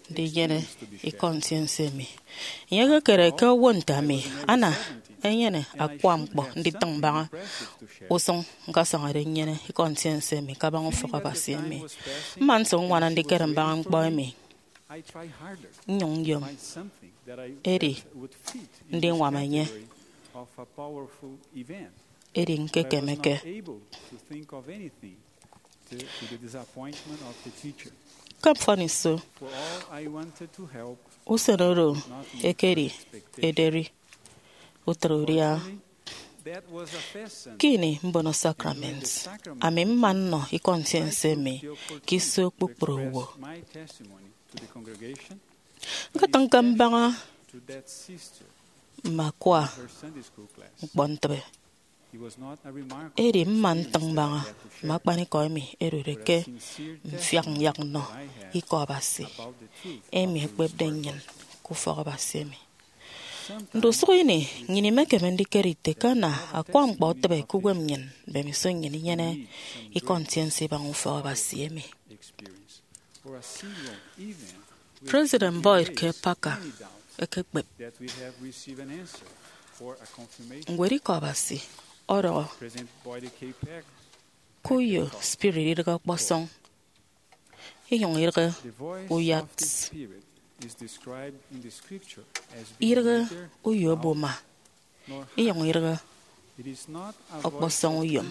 ndinyene ikọ ntiense emi. Enye ekekere ke owo nte ami ana enyene akwa ñkpọ nditịñ mbaña usụñ ñkasañade nnyene ikọ ntiense emi kabaña ufọk Abasi emi. Mma nso ññwana ndikere mbaña ñkpọ emi, nnyụñ nyom, edi ndiñwam enye, edi ñkekemeke. Ke mfọniso, usen oro ekedi ederi utịt udia. Ke ini mbono sacrament, ami mma nnọ ikọ ntiense emi ke iso kpukpru owo. Ñkatịñke mbaña mme akwa ñkpọ ntịbe, edi mma ntịñ mbaña mme akpanikọ emi ẹdude ke mfiak nyak nnọ Ikọ Abasi emi ekpepde nnyịn ke ufọkabasi emi. Ndusụk ini, nnyịn imekeme ndikere ite ke ana akwa ñkpọ etịbe ke uwem nnyịn mbemiso nnyịn inyene ikọ ntiense ibaña ufọkabasi emi. President Boyd K. Packer ekekpep ñwed Ikọ Abasi ọdọhọ ke uyo spirit idịghe ọkpọsọñ, inyụñ idịghe uyat, idịghe uyo obuma, inyụñ idịghe ọkpọsọñ uyom.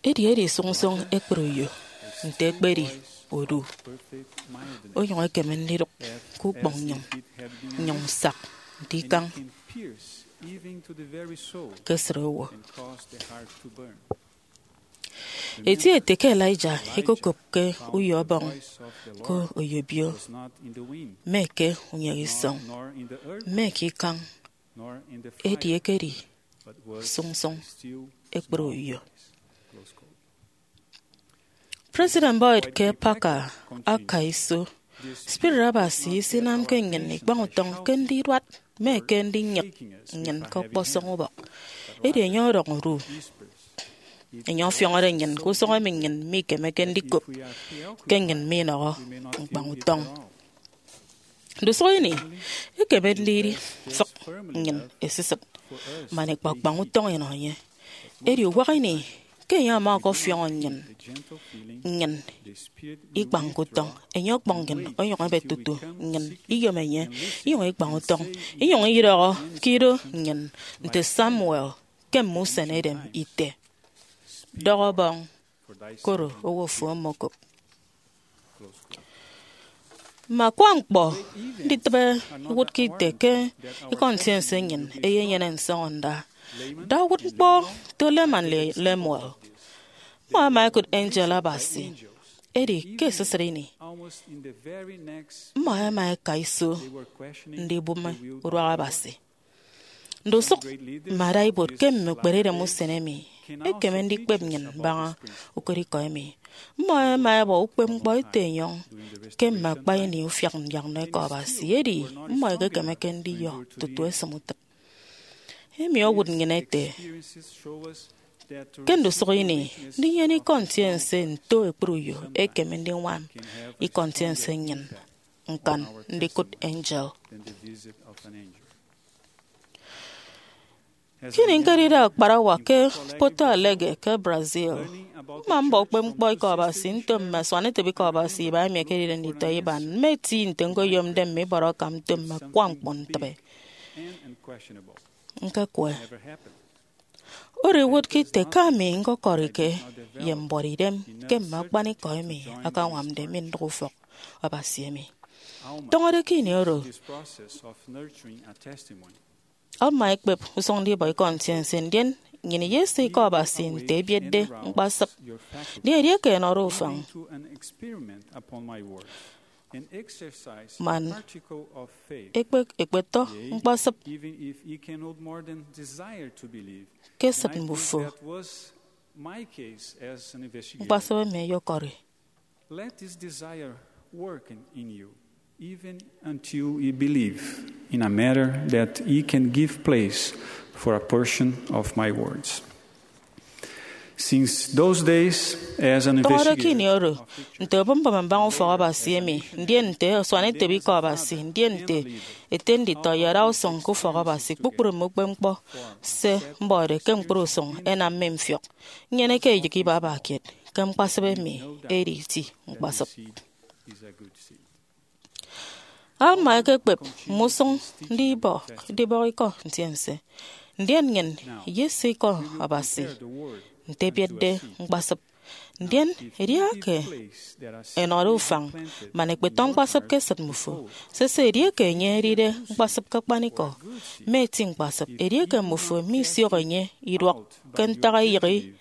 Edi edi sụñsụñ ekpri uyo nte ekpedi odu, onyụñ ekeme ndidụk ke ukpọñ nnyụñ, nnyụñ nsak nte ikañ ke esịt owo. Eti ete ke Elijah ikokopke uyo ọbọñ ke oyobio, mme ke unyek isọñ, mme ke ikañ, edi ekedi sụñsụñ ekpri uyo. President Boyd K. Packer aka iso, Spirit Abasi isinamke nnyịn ikpañ utọñ ke ndiduat mme ke ndinyịk nnyịn ke ọkpọsọñ ubọk. Edi enye ọdọñ odu. Enye ọfiọñọde nnyịn ke usụñ emi nnyịn mikemeke ndikop, ke nnyịn minọhọ ñkpañ utọñ. Ndusụk ini, ekeme ndidi mfịk nnyịn esisịt man ikpakpañ utọñ inọ enye. Edi uwak ini ke enye ama ọkọfiọñọ nnyịn, nnyịn ikpañke utọñ. Enye ọkpọñ nnyịn onyụñ ebet tutu nnyịn iyom enye, inyụñ ikpañ utọñ, inyụñ idọhọ ke ido nnyịn nte Samuel ke mme usen edem ite, Dọhọ ọbọñ, koro owo fo omokop. Mme akwa ñkpọ nditịbe iwụtke ite ke ikọ ntiense nnyịn eyenyene nsọñọnda. Da uwụtñkpọ to Laman ye Lemuel. Mmọ ẹma ẹkụt angel Abasi, edi ke esisịt ini, mmọ ẹma ẹka iso ndibụme uduak Abasi. Ndusụk mme adaibuot ke mme ukperedem usen emi ẹkeme ndikpep nnyịn mbaña ukot ikọ emi. Mmọ ẹma ẹbọ ukpepñkpọ ete enyọñ ke mme akpa ini ufiak nyak nnọ Ikọ Abasi, edi mmọ ẹkekemeke ndiyọ tutu ẹsịm utịp. Emi owụt nnyịn ete ke ndusụk ini, ndinyene ikọ ntiense nto ekpri uyo ekeme ndiñwam ikọ ntiense nnyịn ñkan ndikụt angel. Ke ini ñkedide akparawa ke Porto Alegre ke Brazil, mma mbọ ukpepñkpọ Ikọ Abasi nto mme asuanetịbe Ikọ Abasi iba emi ẹkedide nditọ iban, mme eti nte ñkoyomde mme ibọrọ akam nto mme akwa ñkpọ ntịbe. Ñkekwe. Oro iwụtke ite ke ami ñkọkọrike ye mbuọt idem ke mme akpanikọ emi akañwamde mi ndịk ufọk Abasi emi. Tọñọde ke ini oro, Alma ekpep usụñ ndibọ ikọ ntiense, ndien nnyịn iyese Ikọ Abasi nte ebietde ñkpasịp. Ndien edieke ẹnọde ufañ man ekpe- ekpetọ ñkpasịp ke esịt mbufo, ñkpasịp emi eyokọri. Let this desire work in, in you, even until you believe in a matter that he can give place for a portion of my words. Since those days, as an Tọñọde ke ini investigator oro, nte obụmbụm mbaña ufọk Abasi emi, ndien nte asuanetịbe Ikọ Abasi, ndien nte ete nditọ ye adausụñ ke ufọk Abasi, kpukpru mme ukpepñkpọ se mbọde ke ñkpri usụñ ẹnam mi mfiọk. Nnyeneke eyịk ibaba kiet ke ñkpasịp emi edi eti ñkpasịp. Alma ekekpep mme usụñ ndibọ- ndibọk ikọ ntiense, ndien nnyịn iyese Ikọ Abasi nte ebietde ñkpasịp. Ndien edieke ẹnọde ufañ man ẹkpetọ ñkpasịp ke esịt mbufo, sese, edieke enye edide ñkpasịp ke akpanikọ, mme eti ñkpasịp, edieke mbufo misiọk enye iduọk ke ntak eyịghi,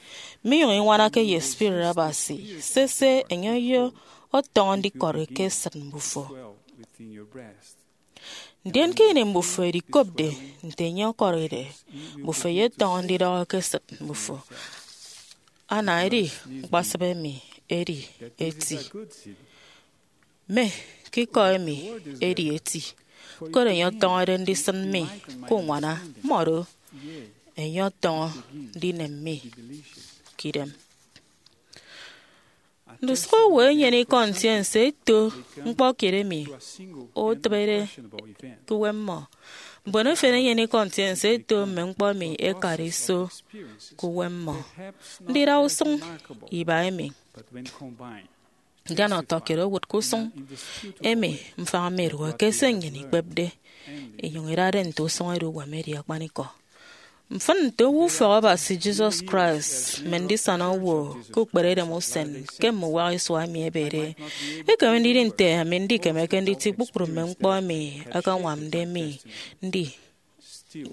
minyụñ iñwanake ye Spirit Abasi, sese, enye oyo- ọtọñọ ndikọri ke esịt mbufo. Ndien ke ini mbufo ẹdikopde nte enye ọkọride, mbufo ẹyetọñọ ndidọhọ ke esịt mbufo. Anaedi ñkpasịp emi edi eti, mme ke ikọ emi edi eti, koro enye ọtọñọde ndisịn mi ke uñwana, mmọdo, enye ọtọñọ ndinem mi ke idem. Ndusụk owo ẹnyene ikọ ntiense ẹto ñkpọ kiet emi otịbede ke uwem mmọ. Mbon efen ẹnyene ikọ ntiense ẹto mme ñkpọ emi ẹkade iso ke uwem mmọ. Ndida usụñ iba emi, ndian ọtọkiet owụt ke usụñ emi mfañ mi idụhe ke se nnyịn ikpepde, inyụñ idade nte usụñ edi uwem edi akpanikọ. Mfịn nte owo ufọk Abasi Jesus Christ mme ndisana owo ke ukperedem usen ke mme uwak isua emi ẹbede, ekeme ndidi nte ami ndikemeke nditi kpukpru mme ñkpọ emi ẹkañwamde mi ndi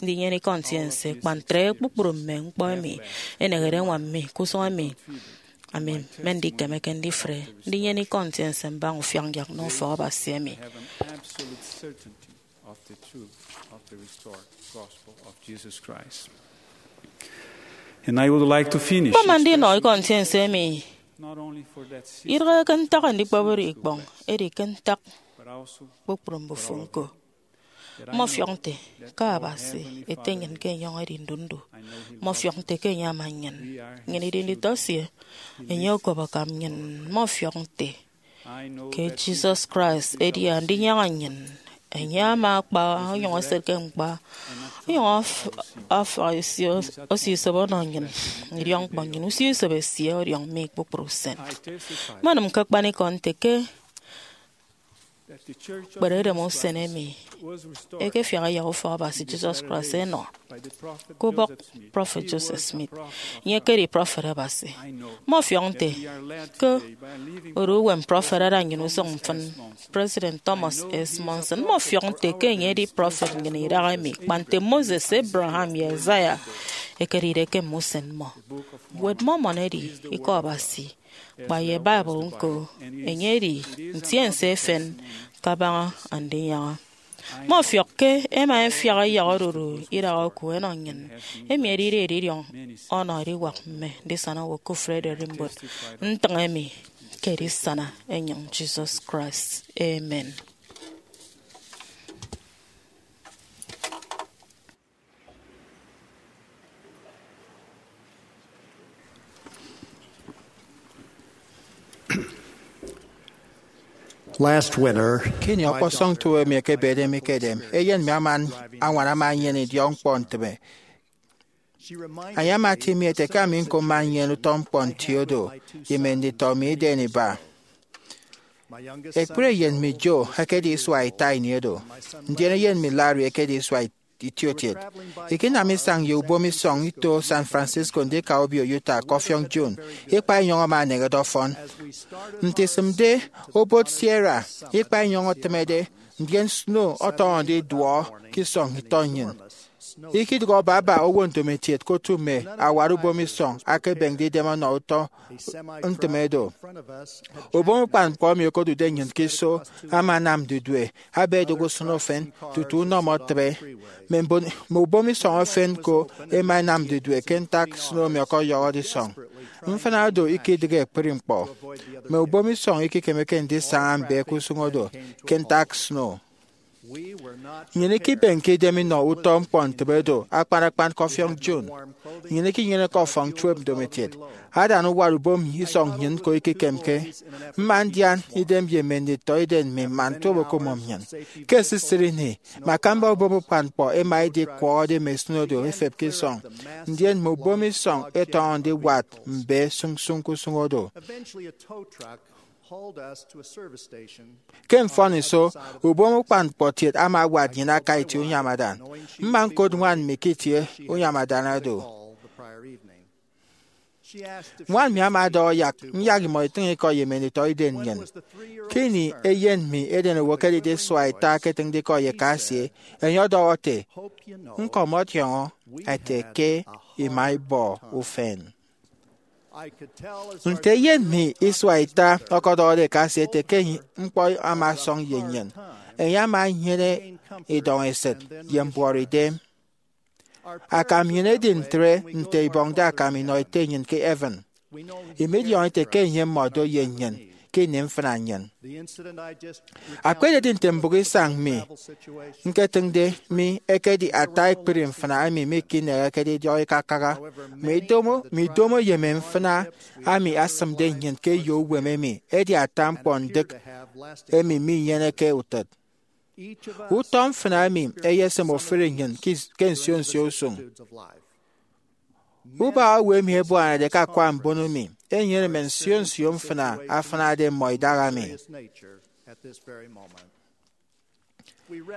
ndinyene ikọ ntiense. Kpa ntre, kpukpru mme ñkpọ emi ẹnehede ẹñwam mi ke usụñ emi ami mmende ikemeke ndifre ndinyene ikọ ntiense mbaña ufiakñyak nnọ ufọk Abasi emi. And I would like to finish. Mkpama ndinọ ikọ ntiense emi idịghe ke ntak andikpep oro ikpọñ, edi ke ntak kpukpru mbufo ñko. Mmọfiọk nte ke Abasi ete nnyịn ke enyọñ edi ndu ndu. Mmọfiọk nte ke enye ama nnyịn, nnyịn idi nditọ esie, enye okop akam nnyịn. Mmọfiọk nte ke Jesus Christ edi Andinyaña nnyịn. Enye ama akpa onyụñ eset ke ñkpa, onyụñ af- afak esie osio isop ọnọ nnyịn, idiọkñkpọ nnyịn, usio isop esie ọdiọñ mi kpukpru usen. Mmenịm ke akpanikọ nte ke ukperedem usen emi ekefiak ẹyak ufọk Abasi Jesus Christ ẹnọ ke ubọk prọfet Joseph Smith. Enye ekedi prọfet Abasi. Mmọfiọk nte ke oro uwem prọfet ada nnyịn usụñ mfịn, President Thomas S. Monson. Mmọfiọk nte ke enye edi prọfet nnyịn idahaemi, kpa nte Moses, Abraham, ye Isaiah ẹkedide ke mme usen mmọ. Ñwed Mormon edi Ikọ Abasi, kpa ye Bible ñko, enye edi ntiense efen kabaña Andinyaña. Mmọfiọk ke ẹma ẹfiak ẹyak odudu idaha oku ẹnọ nnyịn, emi edide edidiọñ ọnọ ediwak mme ndisana owo ke ufreeredimbot ntịñ emi ke edisana enyịñ Jesus Christ. Amen. Last winter, ke ini ọkpọsọñ tuo emi ekebede mi ke edem, eyen mi ama añwana ama enyene idiọkñkpọ ntịbe. Enye ama atie mi ete ke ami ñko mma nnyene utọ ñkpọ nti odo ye mme nditọ mi iden iba. Ekpri eyen mi, Joe, ekedi isua ita ini oro, ndien eyen mi, Larry, ekedi isua itietiet. Ikinam isañ ye ubomisọñ ito San Francisco ndika obio Utah ke ọfiọñ June, ikpa inyọñ ama eneñede ọfọn. Nte isịmde obot Sierra, ikpa inyọñ etịmede, ndien snow ọtọñọde iduọ ke isọñ itọ nnyịn. Ikidịghe baba owo ndomokiet ke otu mme awat ubomisọñ akebemde idem ọnọ utọ ntịme do. Ubom ukpan ñkpọ emi okodude nnyịn ke iso ama anam didue, aba edụk usụñ ufen tutu unọmọ etịbe. Mme mbon, mme ubomisọñ efen ko ẹma ẹnam didue ke ntak snow emi ọkọyọhọde isọñ. Mfịna do ikidịghe ekpri ñkpọ. Mme ubomisọñ ikikemeke ndisaña mbe ke usụñ odo ke ntak snow. Nnyịn ikibenke idem inọ utọ ñkpọ ntịbe do akpan akpan ke ọfiọñ June. Nnyịn ikinyeneke ọfọñ tuep ndomokiet. Adana uwat ubom isọñ nnyịn ñko ikikemke. Mma ndian idem ye mme nditọiden mi man tuop okomụm nnyịn. Ke esisịt ini, mme akamba ubom ukpan ñkpọ ẹma ẹdikwọhọde mme snow do ẹfep ke isọñ, ndien mme ubomisọñ ẹtọñọ ndiwat mbe sụñsụñ ke usụñ odo. Ke mfọniso, ubom ukpan ñkpọ kiet ama awat nnyịn aka itie unyamadan. Mma ñkot ñwan mi ke itie unyamadan oro. Ñwan mi ama ọdọhọ yak nyak imọ itịñ ikọ ye mme nditọiden nnyịn. Ke ini eyen mi edenowo ekedide isua ita eketịñde ikọ ye eka esie, enye ọdọhọ ete, ñko mọdiọñọ ete ke ima ibọ ufen. Nte eyen mi isua ita ọkọdọhọde ekasi ete ke ñkpọ ama ọsọñ ye nnyịn, enye ama enyene idọñ esịt ye mbuọrọ idem. Akam nnyịn edi ntre nte ibọñde akam inọ Ete nnyịn ke heaven. Imidiọñọ ete ke enye ama odo ye nnyịn ke ini mfịna nnyịn. Akpa ededi nte mbụk isañ mi ñketịñde mi ekedi ata ekpri mfịna emi mikinehekede idiọk ikakaha. Mi idomo, mi idomo ye mme mfịna emi asịmde nnyịn ke eyo uwem emi edi ata ñkpọ ndịk emi minyeneke utịt. Utọ mfịna emi eyesịm ofụri nnyịn ke, ke nsio nsio usụñ. Ubak owo emi ebuanade ke akwa mbono mi enyene mme nsio nsio mfịna afịnade mmọ idaha mi.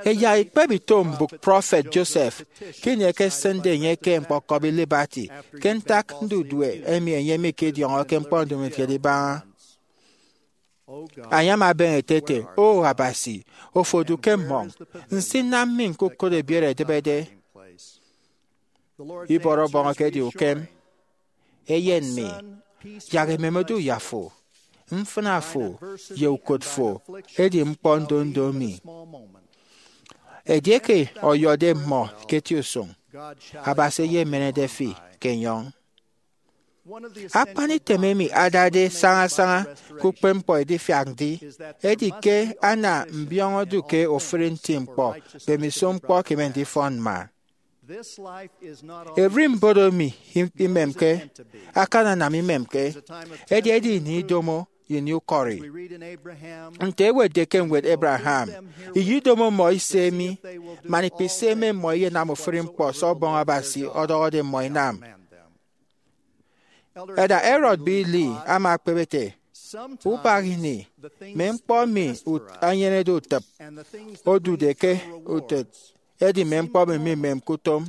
Ẹyak ikpep ito mbụk prọfet Joseph ke ini ẹkesịnde enye ke ñkpọkọbi Liberty ke ntak ndudue emi enye mikidiọñọke ñkpọ ndomokiet ibaña. Enye ama ebeñe ete ete, O Abasi, ofo odu ke mmọñ, nsinam mi ñkukụt ebiet ẹdịbede. Ibọrọ ọbọñ ekedi ukem. Eyen mi, yak emem odu ye afo, mfịna fo, ye ukot fo edi ñkpọ ndondo mi. Edieke ọyọde mmọ ke eti usụñ, Abasi eyemenede fi ke enyọñ. Akpan item emi adade sañasaña ke ukpepñkpọ edifiak ndi edi ke ana mbiọñọ odu ke ofụri nti ñkpọ mbemiso ñkpọ ekeme ndifọn mma. Ererimbot emi imemke akananam imemke, edi edi ini idomo ye ini ukọri. Nte ẹwetde ke ñwed Abraham, iyidomo mmọ ise mi, man ikpise eme mmọ iyenam ofụri ñkpọ se Ọbọñ Abasi ọdọhọde mmọ inam. Elder Harold B. Lee ama ekpep ete, Ubak ini, mme ñkpọ emi ut-, enyenede utịp odude ke utịt edi mme ñkpọ emi mimemke utom,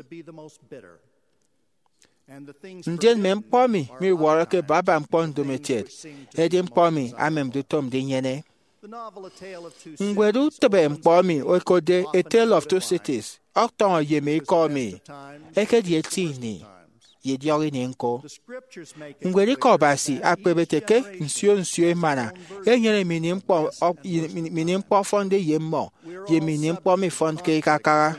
ndien mme ñkpọ emi miwọrọke baba ñkpọ ndomokiet edi ñkpọ emi amemde utom ndinyene. Ñwed utịbe ñkpọ emi ẹkotde A Tale of Two Cities ọtọñọ ye mme ikọ emi. Ekedi eti ini ye idiọk ini ñko. Ñwed Ikọ Abasi ekpep ete ke nsio nsio emana enyene mme ini ñkpọ, mme ini ñkpọ ọfọnde ye mmọ, ye mme ini ñkpọ mifọnke ikakaha.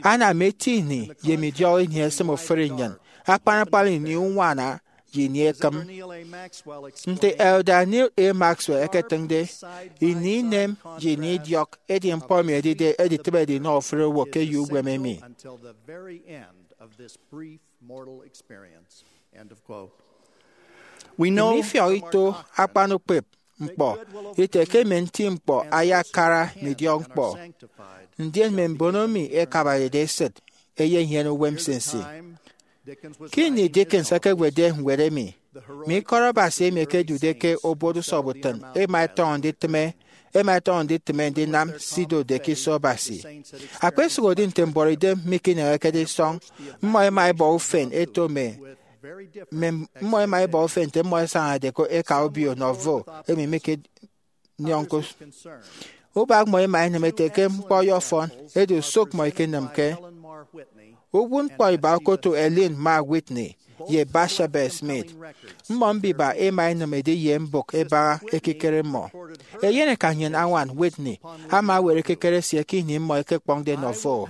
Ana mme eti ini ye mme idiọk ini ẹsịm ofụri nnyịn, akpan akpan ini uñwana ye ini ekịm. Nte Elder Neal A. Maxwell eketịñde, ini inem ye ini idiọk edi ñkpọ emi edide editịbede inọ ofụri owo ke eyo uwem emi. Emi ifiọk ito akpan ukpep ñkpọ ite ke mme nti ñkpọ ayakara mme idiọk ñkpọ, ndien mme mbono emi ẹkabarede esịt ẹyenyene uwem nsinsi. Ke ini Dickens ekewetde ñwed emi, mme ikọt Abasi emi ẹkedude ke obot usọbutịn ẹma ẹtọñọ nditịme, ẹma ẹtọñọ nditịme ndinam se idotde ke iso Abasi. Akpesụhodi nte mbuọtidem mikinehekede isọñ, mmọ ẹma ẹbọ ufen ẹto mme, mme, mmọ ẹma ẹbọ ufen nte mmọ ẹsañade ke eka obio nọvo emi mike niọñ ke us-, ubak mmọ ẹma ẹnịm ete ke ñkpọ ọyọfọn, edi osụk mmọ ikenịmke. Uwụtñkpọ iba okoto Eileen Mar Whitney ye Bathsheba Smith. Mmọ mbiba ẹma ẹnịm ediye mbụk ẹbaña ekikere mmọ. Eyeneka nnyịn añwan Whitney ama ewet ekikere esie ke ini mmọ ẹkekpọñde nọvo.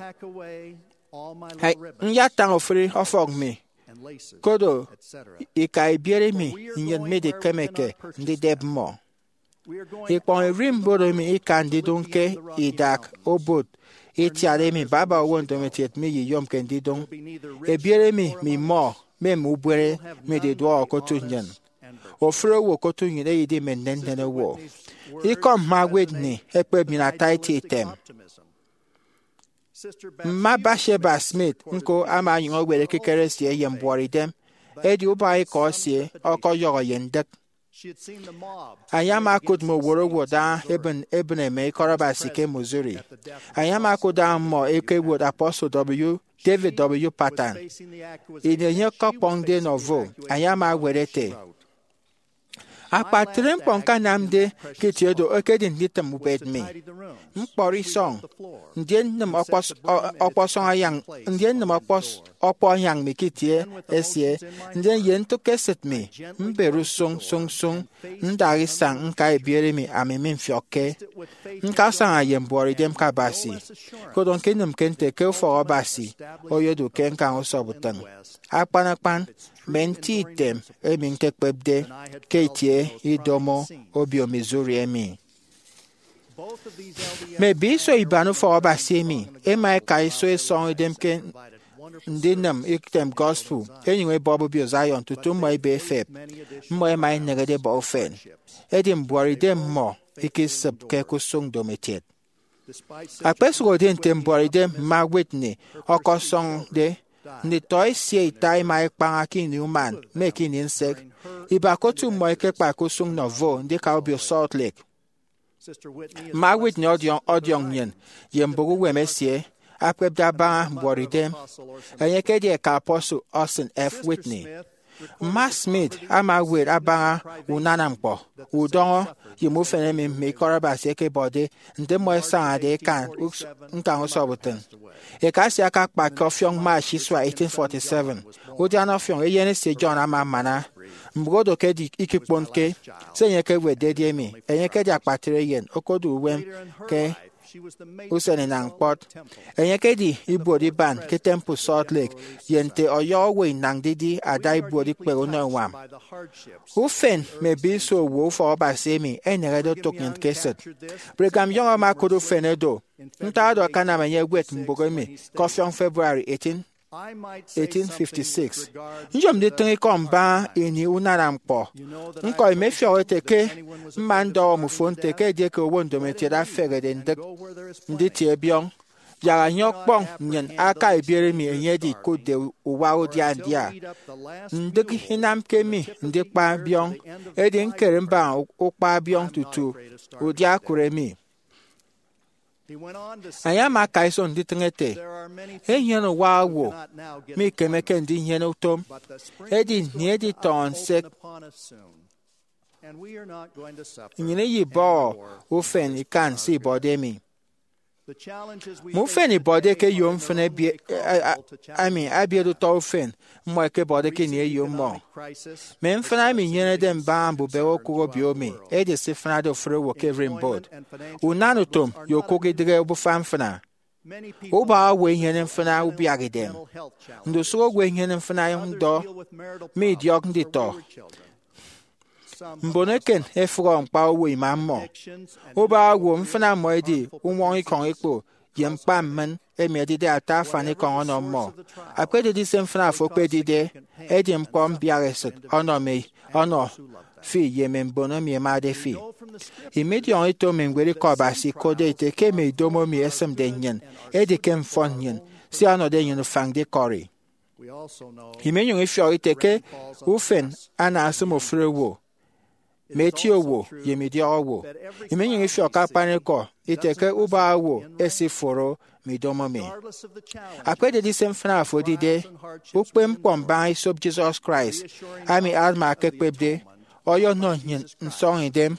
Nyatañ ofụri ọfọk mi, kodo ika ibiere mi nnyịn midikemeke ndidep mmọ. Ikpọñ ererimbot emi ika ndidụñ ke idak obot itiat emi baba owo ndomokiet miyiyomke ndidụñ. Ebiere mi, mi mmọ, me mme ubụene mididuọhọ ke otu nnyịn. Ofụri owo ke otu nnyịn eyedi mme nnennen owo. Ikọ mma Whitney ekpep nnyịn ata eti item. Mma Bathsheba Smith ñko ama onyụñ ewet ekikere esie ye mbuọtidem, edi ubak ikọ esie ọkọyọhọ ye ndịk. Enye ama okụt mme owot owot daña ebịn, ebịne mme ikọt Abasi ke Missouri. Enye ama okụt daña mmọ ẹkewot Apostle W. David W. Pattern. Ini enye ọkọkpọñde nọvo, enye ama ewet ete, Akpatre ñkpọ ñkanamde ke itie do ekedi nditịm ubet mi, ñkpọri isọñ, ndien nnịm ọkpọsọñ ayan, ndien nnịm ọkpọ ayan mi ke itie esie, ndien ye ntụk esịt mi, mbere usụñ sụñsụñ, ndaha isañ ñka ebiere mi ami mimfiọkke. Ñkasaña ye mbuọtidem ke Abasi, koro ñkịnịmke nte ke ufọk Abasi oyodu ke ñkañ usọp utịn, akpan akpan mme nti item emi ñkekpepde ke itie idomo obio Missouri emi. Mme ebiso iban ufọk Abasi emi ẹma ẹka iso ẹsọñọ idem ke ndinịm item gospel ẹnyụñ ẹbọp Obio Zion tutu mmọ ẹbe ẹfep. Mmọ ẹma ẹneñede ẹbọ ufen, edi mbuọtidem mmọ ikisịpke ke usụñ ndomokiet. Akpesụhode nte mbuọtidem mma Whitney ọkọsọñde, nditọ esie ita ẹma ẹkpaña ke ini uman mme ke ini nsek. Ibak otu mmọ ẹkekpa ke usụñ Nauvoo ndika Obio Salt Lake. Mma Whitney ọdiọñ, ọdiọñ nnyịn ye mbụk uwem esie akpepde abaña mbuọtidem. Enye ekedi eka apostle Austin F. Whitney. Mma Smith ama ewet abaña unana ñkpọ, udọñọ, ye mme ufen emi mme ikọt Abasi ẹkebọde nte mmọ ẹsañade ẹkan us-, ñkañ usọp utịn. Eka esie akakpa ke ọfiọñ March isua eighteen forty-seven. Udiana ọfiọñ, eyen esie John ama amana. Mbụk odo ke edi ikikponke se enye ekewetde edi emi. Enye ekedi akpatre eyen, okodu uwem ke usen inañ kpọt. Enye ekedi ibuot iban ke Temple Salt Lake, ye nte ọyọhọ owo inañ didie ada ibuot ikpehe unọ uñwam. Ufen mme ebiso owo ufọk Abasi emi ẹneñede otụk nnyịn ke esịt. Brigham Young ama okụt ufen oro. Ntak oro akanam enye ewet mbụk emi ke ọfiọñ February eighteen, eighteen fifty-six. Nyom nditịñ ikọ mbaña ini unana ñkpọ. Ñkọ imefiọk ete ke mma ndọhọ mmufo nte ke edieke owo ndomokiet afehede ndịk nditie biọñ, yak enye ọkpọñ nnyịn aka ebiere emi enye edikụtde uwa udia ndia. Ndịk inamke mi ndikpa biọñ, edi ñkere mbaña ukpa biọñ tutu udia okụre mi. Enye ama aka iso nditịñ ete, enyene uwa owo mikemeke ndinyene utom, edi nnyịn iditọñọ nsek, nnyịn iyibọhọ ufen ikan se ibọde mi. Mme ufen ibọde ke eyo mfịn ebi-, a-, a-, ami abiet utọ ufen mmọ ẹkebọde ke ini eyo mmọ. Mme mfịna emi inyenede mbaña mbubehe okụk obio mi edi se ifịnade ofụri owo ke ererimbot, unanutom ye okụk idịghe obufa mfịna. Ubak owo inyene mfịna ubiak idem. Ndusụk owo inyene mfịna ndọ mme idiọk nditọ. Mbon eken efụhọ ñkpa owo ima mmọ. Ubak owo mfịna mmọ edi uñwọñikọñ ikpo ye ñkpa mmịn emi ẹdide ata afanikọñ ọnọ mmọ. Akpededi se mfịna fo okpedide, edi ñkpọ mbiaha esịt ọnọ mi, ọnọ fi ye mme mbon emi ẹmade fi. Imidiọñọ ito mme ñwed ikọ Abasi ikotde ete ke mme idomo emi ẹsịmde nnyịn edi ke mfọn nnyịn, sia ọnọde nnyịn ufañ ndikọri. Iminyụñ ifiọk ite ke ufen ana asịm ofụri owo, mme eti owo, ye mme idiọk owo. Iminyụñ ifiọk ke akpanikọ ite ke ubak owo esiforo mme idomo mi. Akpededi se mfịna fo edide, ukpepñkpọ mbaña isop Jesus Christ, ami Alma ekpepde, ọyọnọ nnyịn nsọñidem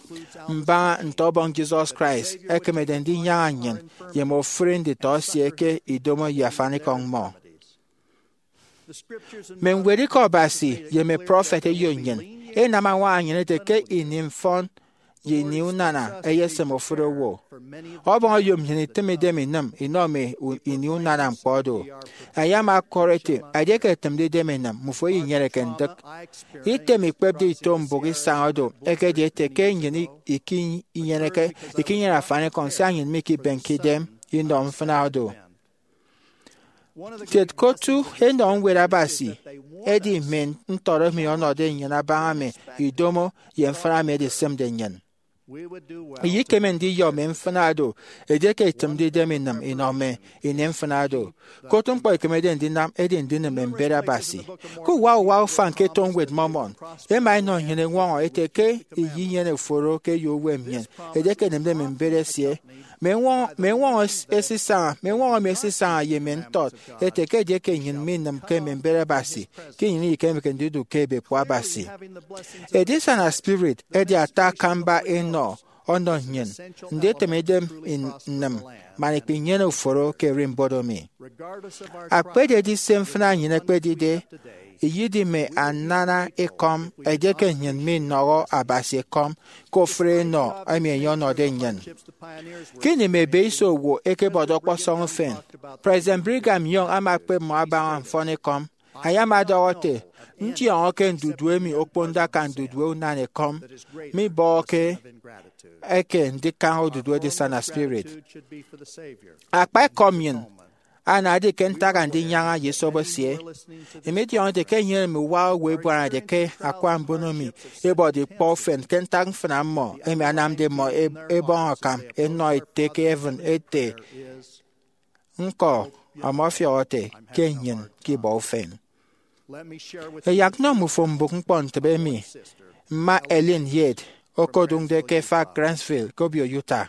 mbaña nte Ọbọñ Jesus Christ ekemede ndinyaña nnyịn ye mme ofụri nditọ esie ke idomo ye afanikọñ mmọ. Mme ñwed ikọ Abasi ye mme prọfet eyo nnyịn ẹnam añwaña nnyịn ete ke ini mfọn ye ini unana ẹyesịm ofụri owo. Ọbọñ oyom nnyịn itịm idem inịm inọ mme u-, ini unana ñkpọ do. Enye ama ọkọrọ ete, edieke itịmde idem inịm, mmufo iyinyeneke ndịk. Item ikpepde ito mbụk isañ odo ekedi ete ke nnyịn i-, ikinyeneke, ikinyene afanikọñ sia nnyịn mikibenke idem inọ mfịna odo. Kiet ke otu enọ ñwed Abasi edi mme ntọt emi ọnọde nnyịn abaña mme idomo ye mfịna emi ẹdisịmde nnyịn. Iyekeme ndiyọ mme mfịna do edieke itịmde idem inịm inọ mme ini mfịna do. Ke otu ñkpọ ikemede ndinam edi ndinịm mme mbet Abasi. Ke uwa uwa ufañ ke eto ñwed Mormon, ẹma ẹnọ nnyịn eñwọñọ ete ke iyinyene uforo ke eyo uwem nnyịn edieke ẹnịmde mme mbet esie. Mme ñwọñọ esisaña mme ñwọñọ emi esisaña ye mme ntọt ete ke edieke nnyịn minịmke mme mbet Abasi, ke nnyịn ikemeke ndidu ke ebekpo Abasi. Edisana spirit edi ata akamba enọ ọnọ nnyịn nditịm idem nnịm man ikpinyene uforo ke ererimbot emi. Akpededi se mfịna nnyịn ekpedide, iyidi mme anana ekọm edieke nnyịn minọhọ Abasi ekọm ke ofụri enọ emi enye ọnọde nnyịn. Ke ini mme ebeiso owo ẹkebọde ọkpọsọñ ufen, President Brigham Young ama ekpep mmọ abaña mfọnikọm. Enye ama ọdọhọ ete, ndiọñọ ke ndudue mi okponde akan ndudue unan ekọm, mibọhọke eke ndikañ odudu edisana spirit. Akpa ekọm nnyịn anade ke ntak Andinyaña ye esop esie. Emi idiọñọ ete ke enyene mme uwa owo ebuanade ke akwa mbono emi ebọde ikpọ ufen ke ntak mfịna mmọ emi anamde mmọ ebọñ akam enọ Ete ke heaven ete, ñko ọmọfiọk ete ke nnyịn ke ibọ ufen. Ẹyak nnọ mmufo mbụk ñkpọntịbe emi mma Ellen Yates okodụñde ke efak Grantsville ke obio Utah.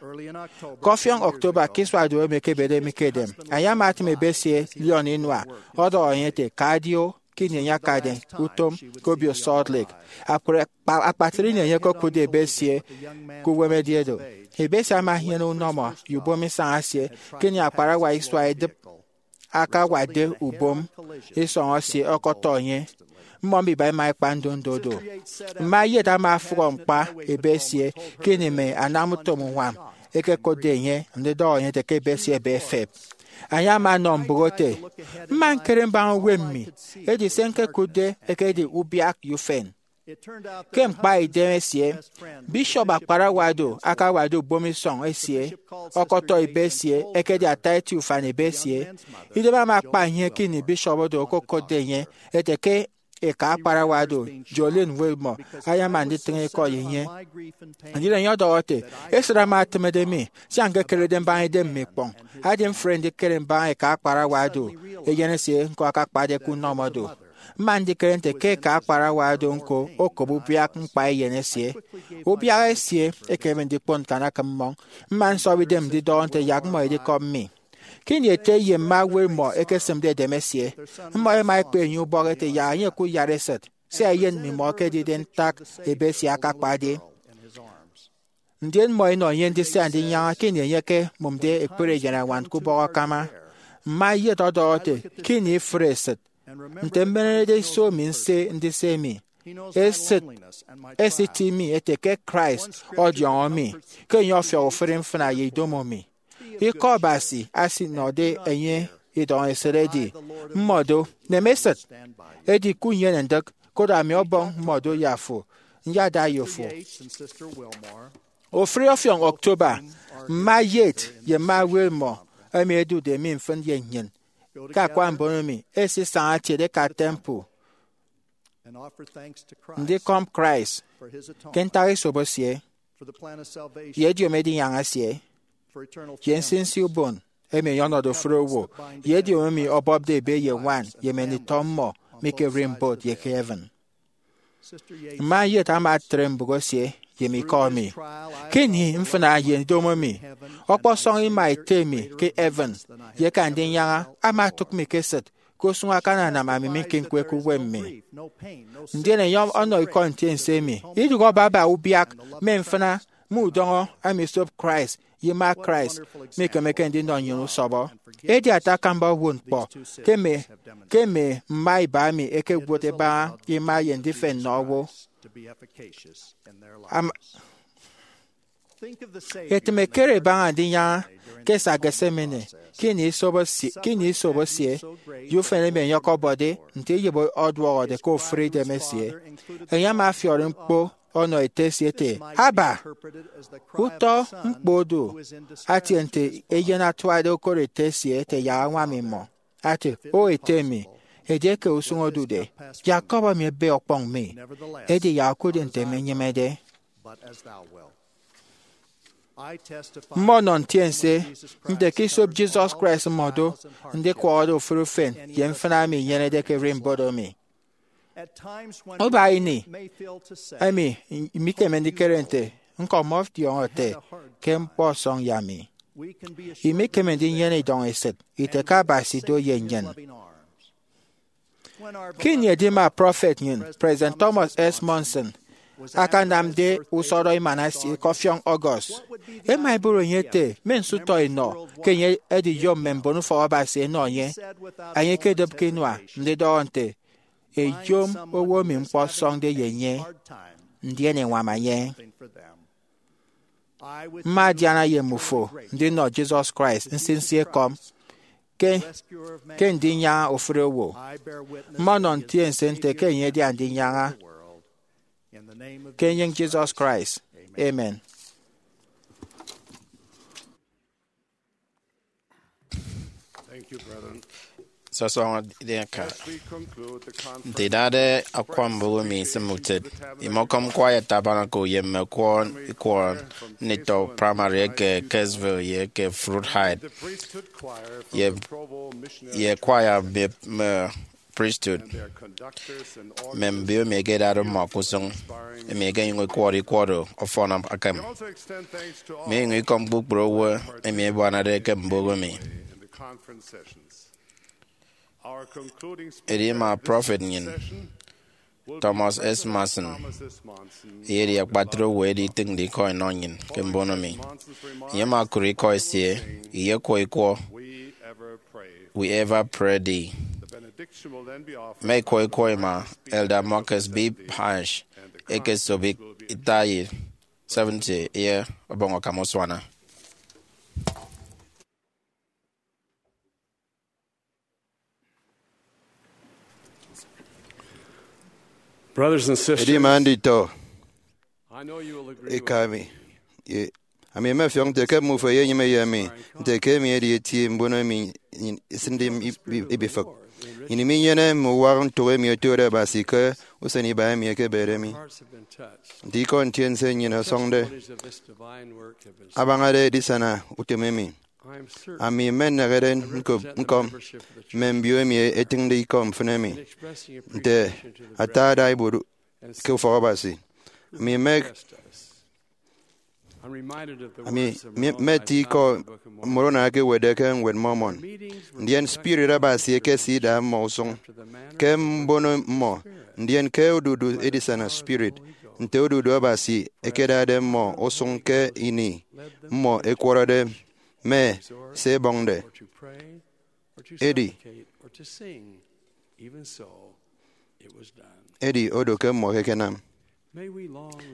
Ke ọfiọñ October, ke isua duop emi ẹkebede mi ke edem, enye ama atịm ebe esie Leon Inua ọdọhọ enye ete, ka adio. Ke ini enye akade utom ke obio Salt Lake, akpatre ini enye okokụtde ebe esie ke uwem edi edo. Ebe esie ama enyene unọmọ ye ubom isañ esie ke ini akparawa isua edịp akawade ubom isọñ esie ọkọtọ enye. Mmọ mbiba ẹma ẹkpa ndondo do. Mma Yates ama ọfụhọ ñkpa ebe esie ke ini mme anamutom uñwam ẹkekotde enye ndidọhọ enye ete ke ebe esie ebe efep. Enye ama ọnọ mbụk ete, mma ñkere mbaña uwem mi, edi se ñkekụtde ekedi ubiak ye ufen. Ke ñkpa idem esie, bishop akparawa do akawade ubom isọñ esie ọkọtọ ebe esie ekedi ata eti ufan ebe esie. Idem ama akpa enye ke ini bishop do okokotde enye ete ke eka akparawa do, Jolene Wilmore, ayama nditịñ ikọ ye enye. Ndien enye ọdọhọ ete, esịt ama etịmede mi sia ñkekerede mbaña idem mi ikpọñ. Adi mfre ndikere mbaña eka akparawa do, eyen esie ñko akakpade ke unọmọ do. Mma ndikere nte ke eka akparawa do ñko okop ubiak ñkpa eyen esie. Ubiak esie ekeme ndikpon ñkanakịm mmọñ. Mma nsọbọ idem ndidọhọ nte yak mmọ edikọm mi. Ke ini ete ye mma Wilmore ẹkesịmde edem esie, mmọ ẹma ẹkpe enye ubọk ete yak enye ẹkụt iyatesịt, sia eyen mmimọ ekedide ntak ebe esie akakpade. Ndien mmọ ẹnọ enye ndise Andinyaña ke ini enye ekemụmde ekpere eyenañwan ke ubọk akama. Mma Yates ọdọhọ ete, ke ini ifụre esịt, nte mmenerede iso mi nse ndise emi, esịt esiti mi ete ke Christ ọdiọñọ mi ke enye ọfiọk ofụri mfịna ye idomo mi. Ikọ Abasi asinọde enye idọñ esịt edi, mmọ do, nem esịt, edi kunyene ndịk, koro ami ọbọñ mmọ do ye afo, nyada ye fo. Ofụri ọfiọñ October, mma Yates ye mma Wilmore emi ẹdude mi mfịn ye nnyịn ke akwa mbono mi ẹsisaña ẹtiede ẹka temple ndikọm Christ ke ntak esop esie, ye ediomi edinyaña esie, ye nsinsi ubon emi enye ọnọde ofụri owo, ye ediomi emi ọbọpde ebe ye ñwan ye mme nditọ mmọ mi ke ererimbot ye ke heaven. Mma Yates ama etre mbụk esie ye mi ikọ mi. Ke ini mfịna ye idomo mi, ọkpọsọñ ima Ete mi ke heaven ye eke Andinyaña ama otụk mi ke esịt ke usụñ akananam ami mikiñkueke uwem mi. Ndien enye ọnọ ikọ ntiense emi, idụhe baba ubiak mme mfịna mme udọñọ emi esop Christ ye ima Christ mikemeke ndinọ nnyịn usọbọ. Edi ata akamba owo ñkpọ ke mme ke mme mma iba emi ẹkewot ẹbaña ima ye ndifen nnọ owo. Am- Etịm ekere ẹbaña Andinyaña ke esak Gethsemane ke ini isobo esie, ke ini isobo esie, ye ufen emi enye ọkọbọde nte iyịp ọduọhọde ke ofụri idem esie. Enye ama ọfiọri ñkpo ọnọ Ete esie ete, Abba! Utọ ñkpọ odu atie nte eyen atuade okot Ete esie ete yak añwam imọ, ate, O Ete mi, edieke usụñ odude, yak kọbọ mi ebe ọkpọñ mi, edi yak okụre nte mi nyịmede. Mmọnọ ntiense nte ke esop Jesus Christ mmọdo ndikwọhọde ofụri ufen ye mfịna emi inyenede ke ererimbot emi. Ubak ini emi mikeme ndikere nte ñko ọmọdiọñọ ete ke ñkpọ ọsọñ ye ami. Imikeme ndinyene idọñ esịt ite ke Abasi do ye nnyịn. Ke ini edima prọfet nnyịn, President Thomas S. Monson, akanamde usọrọ emana esie ke ọfiọñ August, ẹma ẹbọrọ enye ete mme nsụtọ enọ ke enye ediyom mme mbon ufọk Abasi ẹnọ enye, enye ikedịpke inua ndidọhọ nte, Ẹyom owo emi ñkpọ ọsọñde ye enye, ndien ẹñwam enye. Mma adiana ye mmufo ndinọ Jesus Christ nsinsi ekọm ke, ke ndinyaña ofụri owo. Mma ọnọ ntiense nte ke enye edi andinyaña. Ke enyịñ Jesus Christ, amen. Sọsọñọ dịka nte idade akwa mbụk emi isịm utịt, imọkọm Choir Tabernacle ye mme kwọ ikwọ nditọ primary eke Kirksville ye eke Fruit Heights, ye, ye kwaya mme, mme priesthood, mme mbio emi ẹkedade mmọ ke usụñ, emi ẹkenyụñ ẹkwọrọ ikwọ do ọfọn akam. Mme inyụñ ikọm kpukpru owo emi ẹbuanade ke mbụk emi. Edima prọfet nnyịn, Thomas S. Monson, eyedi akpatre owo edi itịñde ikọ inọ nnyịn ke mbono mi. Enye ama okụt ikọ esie, iyekwọ ikwọ, We Ever Pray Thee. Mme ikwọ ikwọ ima Elder Marcus B. Parrish ekesobo ita ye seventy ye ọbọñ akam usuana. Brothers and sisters, Edima nditọ, I know you will agree with eka mi, ye, ami mmefiọk nte ke mmufo eyenyịme ye mi nte ke emi edi eti mbon emi nnyịn isịnde im-, ib-, ib-, ibifịk. Nnyịn minyene mme uwak ntụk emi otode Abasi ke usen iba emi ekebede mi. Nte ikọ ntiense nnyịn ọsọñde abañade edisana utom emi, ami mmenehede ñkop ñkọm mme mbio emi ẹtịñde ikọ mfịn emi nte ata ada ibuot ke ufọk Abasi. Ami mme, ami mme eti ikọ Moroni eke ẹwetde ke Ñwed Mormon. Ndien spirit Abasi ekesida mmọ usụñ ke mbono mmọ, ndien ke odudu edisana spirit, nte odudu Abasi ekedade mmọ usụñ ke ini mmọ ẹkwọrọde mme se ẹbọñde. Edi, edi odo ke mmọ ẹkenam.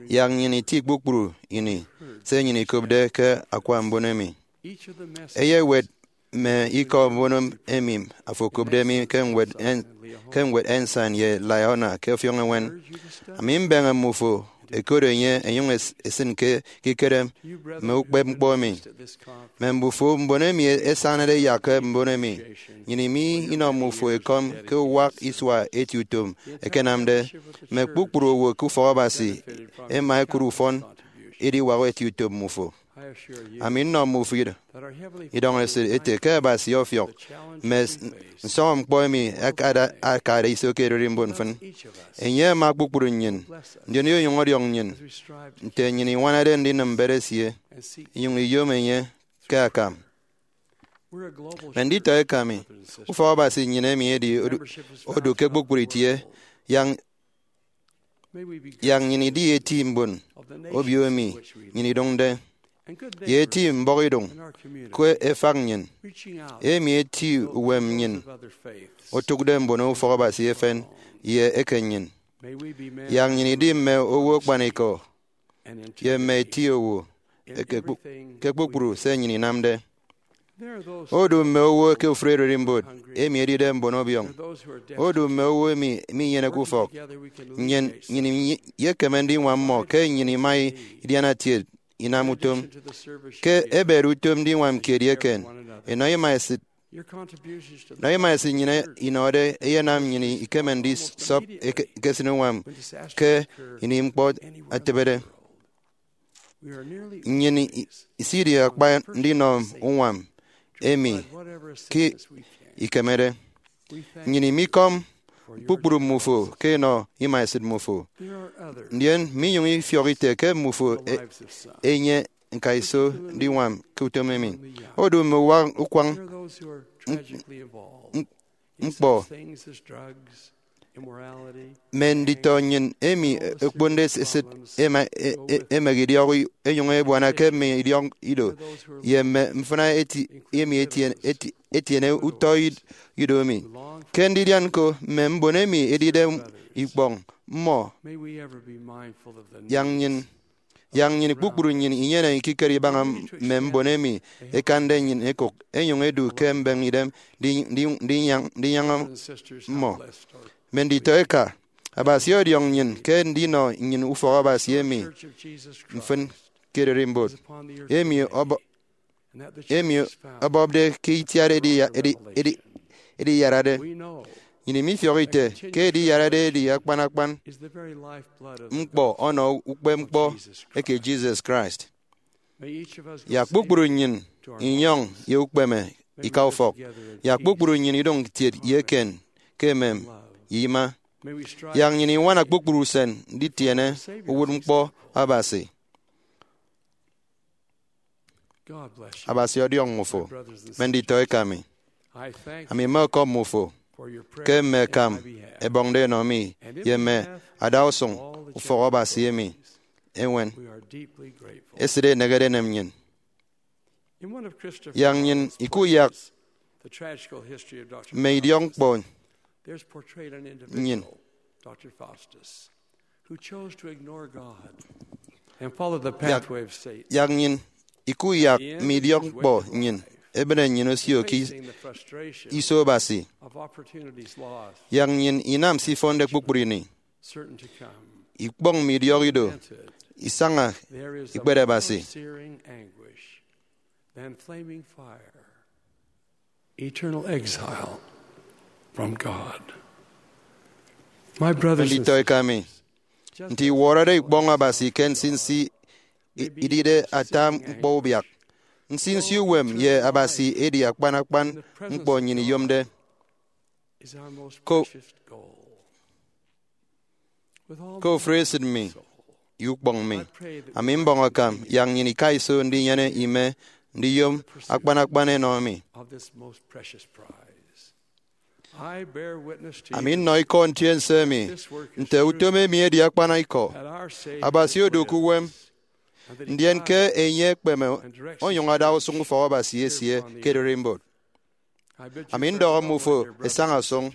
Yak nnyịn iti kpukpru ini se nnyịn ikopde ke akwa mbon emi. Eyewet mme ikọ mbono emi afo okopde mi ke ñwed en-, ke ñwed Ensign ye Liahona ke ọfiọñ eñwen. Ami mbeñe mmufo ẹkot enye ẹnyụñ es-, ẹsịn ke ekikere mme ukpepñkpọ emi. Mme mbufo mbon emi ẹsañade ẹyak ke mbon emi, nnyịn imi inọ mmufo ekọm ke uwak isua eti utom ẹkenamde. Mme kpukpru owo ke ufọk Abasi ẹma ẹkụt ufọn ediwak eti utom mmufo. Ami nnọ mmufo id-, idọñ esịt ete ke Abasi ọfiọk mme s-, nsọñọñkpọ emi akada-, akade iso ke ererimbot mfịn. Enye ama kpukpru nnyịn, ndien iyonyụñ ọdiọñ nnyịn nte nnyịn iñwanade ndinịm mbet esie, inyụñ iyom enye ke akam. Mme nditọ eka mi, ufọk Abasi nnyịn emi edi odu, odu ke kpukpru itie, yak, yak nnyịn idi eti mbon obio emi nnyịn idụñde, ye eti mbọhọidụñ ke efak nnyịn, emi eti uwem nnyịn otụkde mbono ufọk Abasi efen ye eken nnyịn. Yak nnyịn idi mme owo akpanikọ ye mme eti owo eke kpu-, ke kpukpru se nnyịn inamde. Odu mme owo ke ofụri ererimbot emi edide mbon ọbiọñ. Odu mme owo emi minyeneke ufọk. Nnyịn, nnyịn imi-, iyekeme ndiñwam mmọ ke nnyịn ima idiana kiet inam utom. Ke ebede utom ndiñwam kiet ye eken, enọ ima esịt, enọ ima esịt nnyịn inọde eyenam nnyịn ikeme ndisọp eke-, ekesịn uñwam ke ini ñkpọ etịbede. Nnyịn i-, isidi akpa ndinọ uñwam emi ke ikemede. Nnyịn imikọm kpukpru mmufo ke enọ ima esịt mmufo. Ndien minyụñ ifiọk ite ke mmufo e-, enye ñka iso ndiñwam ke utom emi. Odu mme uwa-, ukwañ ñkpọ mme nditọ nnyịn emi okponde esịt ema-, e-, e-, emek idiọk enyụñ ebuana ke mme idiọk ido ye mme mfịna eti-, emi etien-, eti-, etiene utọ id-, ido emi. Ke ndidian ñko mme mbon emi edide ikpọñ mmọ, yak nnyịn, yak nnyịn kpukpru nnyịn inyene ekikere ibaña mme mbon emi ẹkande nnyịn ẹkụk, ẹnyụñ ẹdu ke mbeñe idem ndi-, ndi-, ndinyañ-, ndinyaña mmọ. Mme nditọ eka, Abasi ọdiọñ nnyịn ke ndinọ nnyịn ufọk Abasi emi mfịn ke ererimbot, emi ọbọ-, emi ọbọpde ke itiat edi-, edi-, edi-, ediyarade. Nnyịn mifiọk ite ke ediyarade edi akpan akpan ñkpọ ọnọ ukpepñkpọ eke Jesus Christ. Yak kpukpru nnyịn inyọñ ye ukpeme ika ufọk. Yak kpukpru nnyịn idụñ kiet ye eken ke emem ye ima. Yak nnyịn iñwana kpukpru usen nditiene uwụtñkpọ Abasi. Abasi ọdiọñ mmufo, mme nditọ eka mi. Ami mmeọkọm mmufo ke mme akam ẹbọñde ẹnọ mi ye mme adausụñ ufọk Abasi emi eñwen esịt enehede enem nnyịn. Yak nnyịn ikuyak mme idiọkñkpọ nnyịn. Yak, yak nnyịn ikuyak mme idiọkñkpọ nnyịn, ebịne nnyịn osio ke is-, iso Abasi. Yak nnyịn inam se ifọnde kpukpru ini, ikpọñ mme idiọk ido, isaña ikpere Abasi. Eternal exile from God. My brothers and Nditọ eka mi, nte iwọrọde ikpọñ Abasi ke nsinsi i-, idide ata ñkpọ ubiak, nsinsi uwem ye Abasi edi akpan akpan ñkpọ nnyịn iyomde. Ko-, ke ofụri esịt mi ye ukpọñ mi, ami mbọñ akam yak nnyịn ika iso ndinyene ime ndiyom akpan akpan enọ emi. Ami nnọ ikọ ntiense emi nte utom emi edi akpana ikọ. Abasi odu ke uwem, ndien ke enye ekpeme onyụñ ada usụñ ufọk Abasi esie ke ererimbot. Ami ndọhọ mmufo ẹsaña sụñ,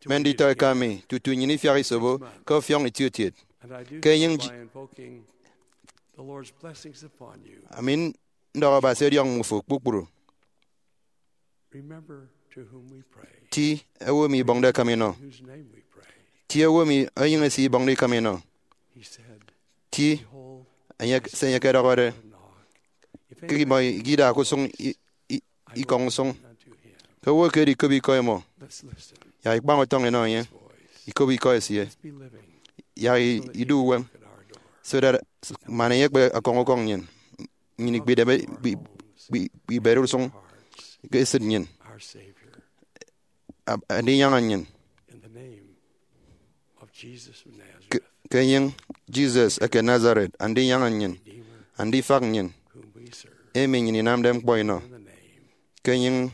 mme nditọ eka mi, tutu nnyịn ifiak isobo ke ọfiọñ itiokiet. Ke enyịñ Ji-, ami ndọhọ Abasi ọdiọñ mmufo kpukpru. Ti owo emi ibọñde akam inọ. Ti owo emi enyịñ esie ibọñde ikam inọ. Ti enye, se enye ẹkedọhọde, ke imọ ikidaha ke usụñ i-, i-, ikọñ usụñ, ke owo eke edi ikop ikọ imọ, yak ikpañ utọñ inọ enye, ikop ikọ esie, yak i-, idu uwem, so that man enye ekpe ọkọñ ukọñ nnyịn, nnyịn ikpideme, ikpi-, ikpi-, ikpibet usụñ ke esịt nnyịn, ab-, andinyaña nnyịn. Ke, ke enyịñ Jesus eke Nazareth, andinyaña nnyịn, andifak nnyịn, emi nnyịn inamde ñkpọ inọ. Ke enyịñ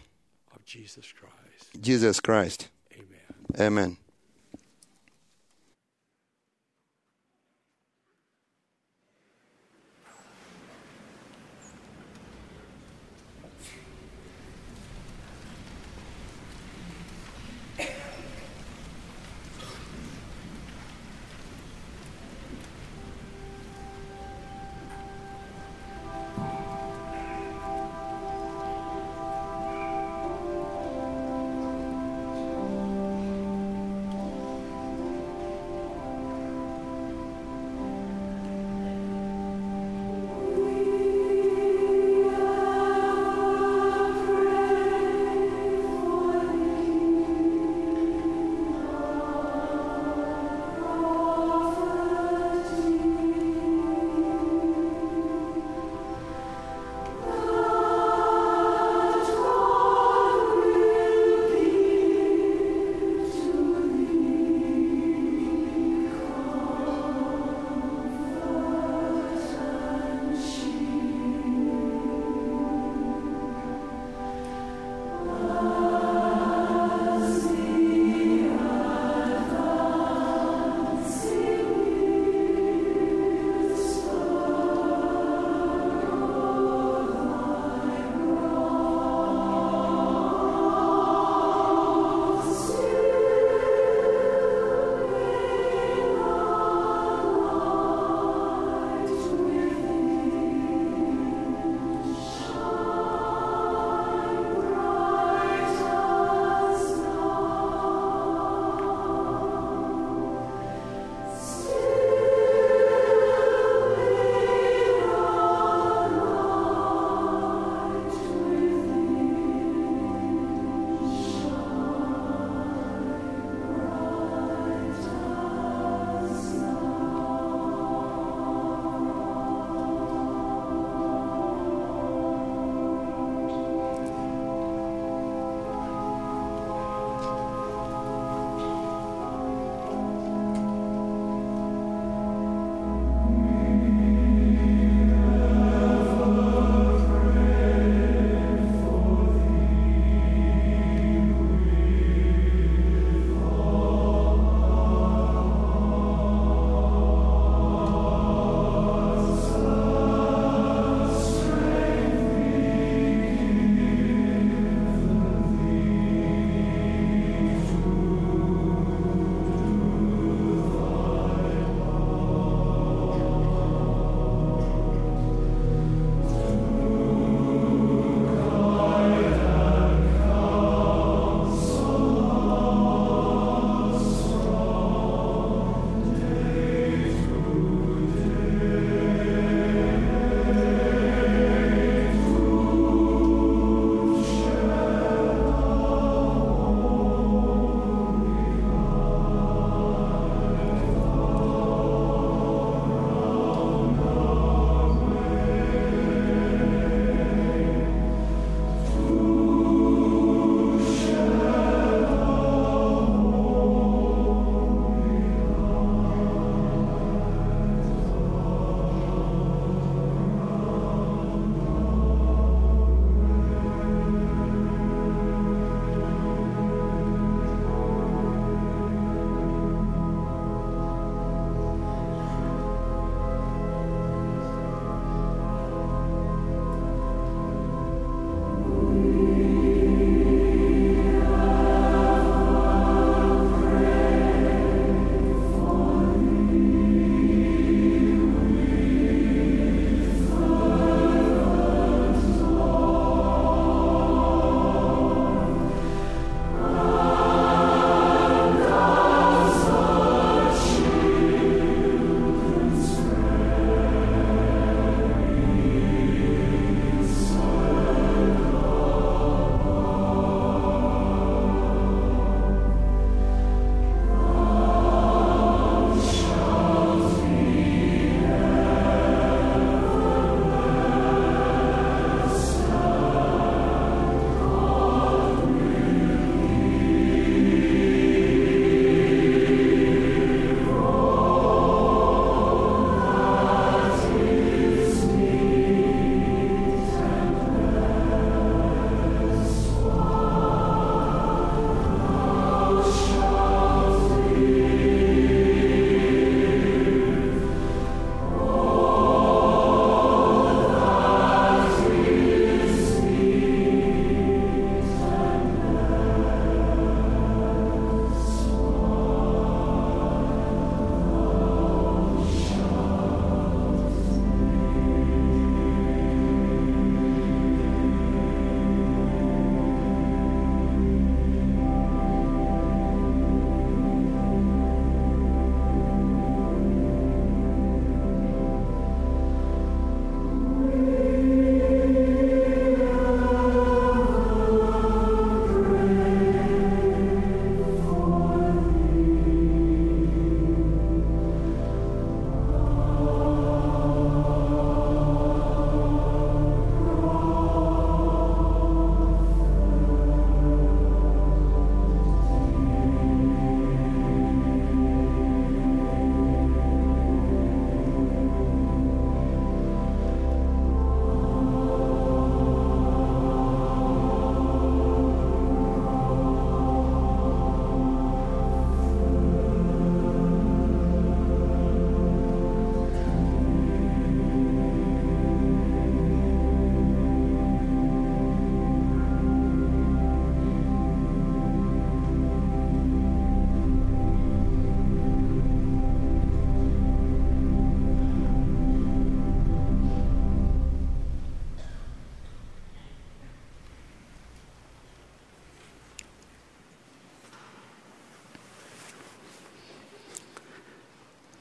Jesus Christ. Amen.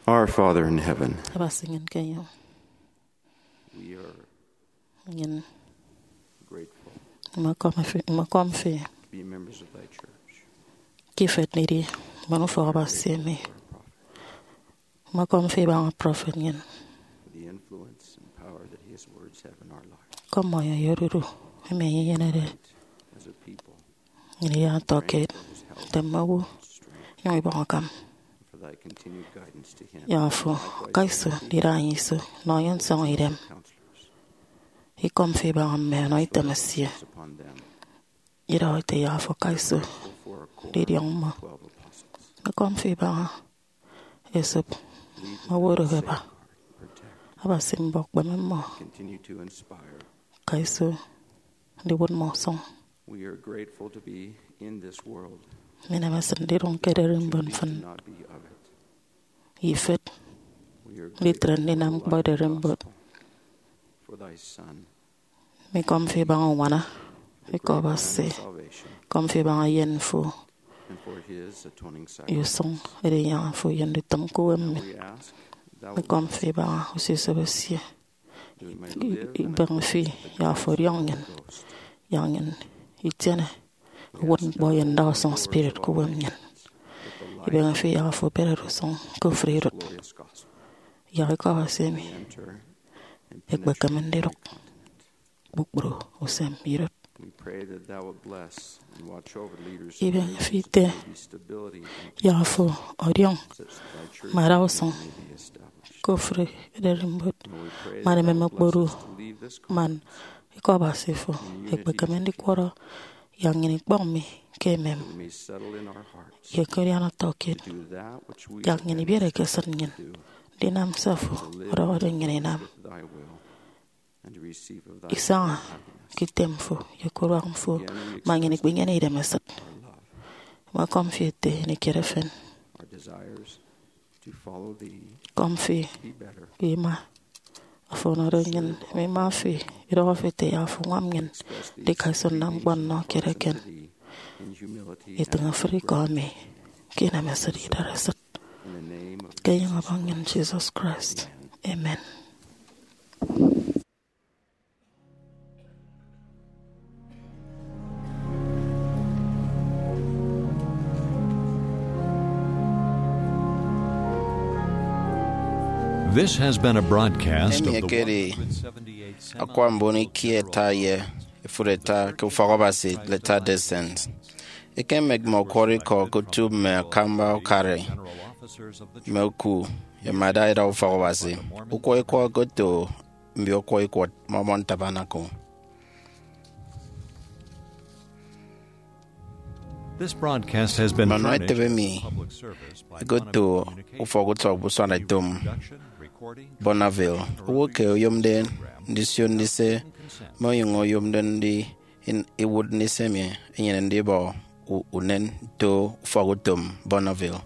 Our Father in heaven, Abasi nnyịn ke enyọñ, we are nnyịn grateful imekọm fi, imekọm fi to be members of thy church, ke ifet ndidi mbon ufọk Abasi emi. Imekọm fi ibaña prọfet nnyịn, the influence and power that his words have in our life. Kọmmọ ye odudu emi enye enyenede as a people, nnyịn idiọñọ ọtọkiet nte mme owo, inyụñ ibọñ akam. For thy continued guidance to him. Ya afo, kaiso ndida enye iso, nọ enye nsọñọ idem. Counselors, ikọm fi ibaña mme ọnọ item esie. Upon them. Idọhọ ete ya afo, kaiso ndidiọñ mmọ. Ikọm fi ibaña esop mme owo odụhe aba. Abasi mbọ kpeme mmọ. Continue to inspire. Kaiso ndiwụt mmọ usụñ. We are grateful to be in this world. Mminem esịt ndidụñ ke ererimbot mfịn. To not be of it. Ifet. We are nditre ndinam ñkpọ ererimbot. For thy Son. Mikọm fi ibaña uñwana, ikọ Abasi. Salvation. Kọm fi ibaña eyen fo. And for his atoning ye sacrifice. Usụñ edinyaña fo ye ndutịm ke uwem mi. We ask thou. Mikọm fi ibaña usisop esie. That we may live and ibeñe fi yak afo ọdiọñ nnyịn, yak nnyịn itiene uwụtñkpọ ye ndausụñ spirit ke uwem nnyịn. Ibeñe fi yak afo eberede usụñ ke ofụri idụt. Yak ikọ Abasi emi ekpekeme ndidụk kpukpru usem idụt. We pray that thou wilt bless and watch over leaders. Ibeñe fi ite yak afo ọdiọñ mme adausụñ ke ofụri ererimbot man emem okpodu man ikọ Abasi fo ekpekeme ndikwọrọ yak nnyịn ikpọñ mi ke emem ye ke udiana ọtọkiet, yak nnyịn ibiere ekesịt nnyịn ndinam se afo ọdọhọde nnyịn inam. Isaña ke item fo ye ke uduak fo, ma nnyịn ikpinyene idem esịt. Ima kọm fi ete ini kiet efen. Kọm fi ke ima afo ọnọde nnyịn. Ima fi idọhọ fi ete ya afo ñwam nnyịn ndika iso nnam ñkpọ nnọ kiet eken. Itịñ ofụri ikọ emi ke inemesịt idaresịt. Ke enyịñ Ọbọñ nnyịn Jesus Christ. Amen. This has been a broadcast of the ekedi one hundred seventy-eighth Akwa Mbon Ikie Ita ye Efuri Ita ke Ufọk Abasi Latter-day Saint. Ekemek mme ọkwọrọ ikọ ke otu mme akamba ukara, mme oku, ye mme adaida ufọk Abasi. Ukwọ ikọ okoto mbio ọkwọ ikwọt Mormon Tabernacle. This broadcast has been Manua furnished etebe mi as a public service by ekoto Quantum Communications. Ufọk utọk Busuan Etom Production, recording, Bonneville. Owo ke oyomde ndisio ndise, mme onyụñ oyomde ndi in-, iwụt ndise mi enyene ndibọ u-, unen nto ufọk utom Bonneville.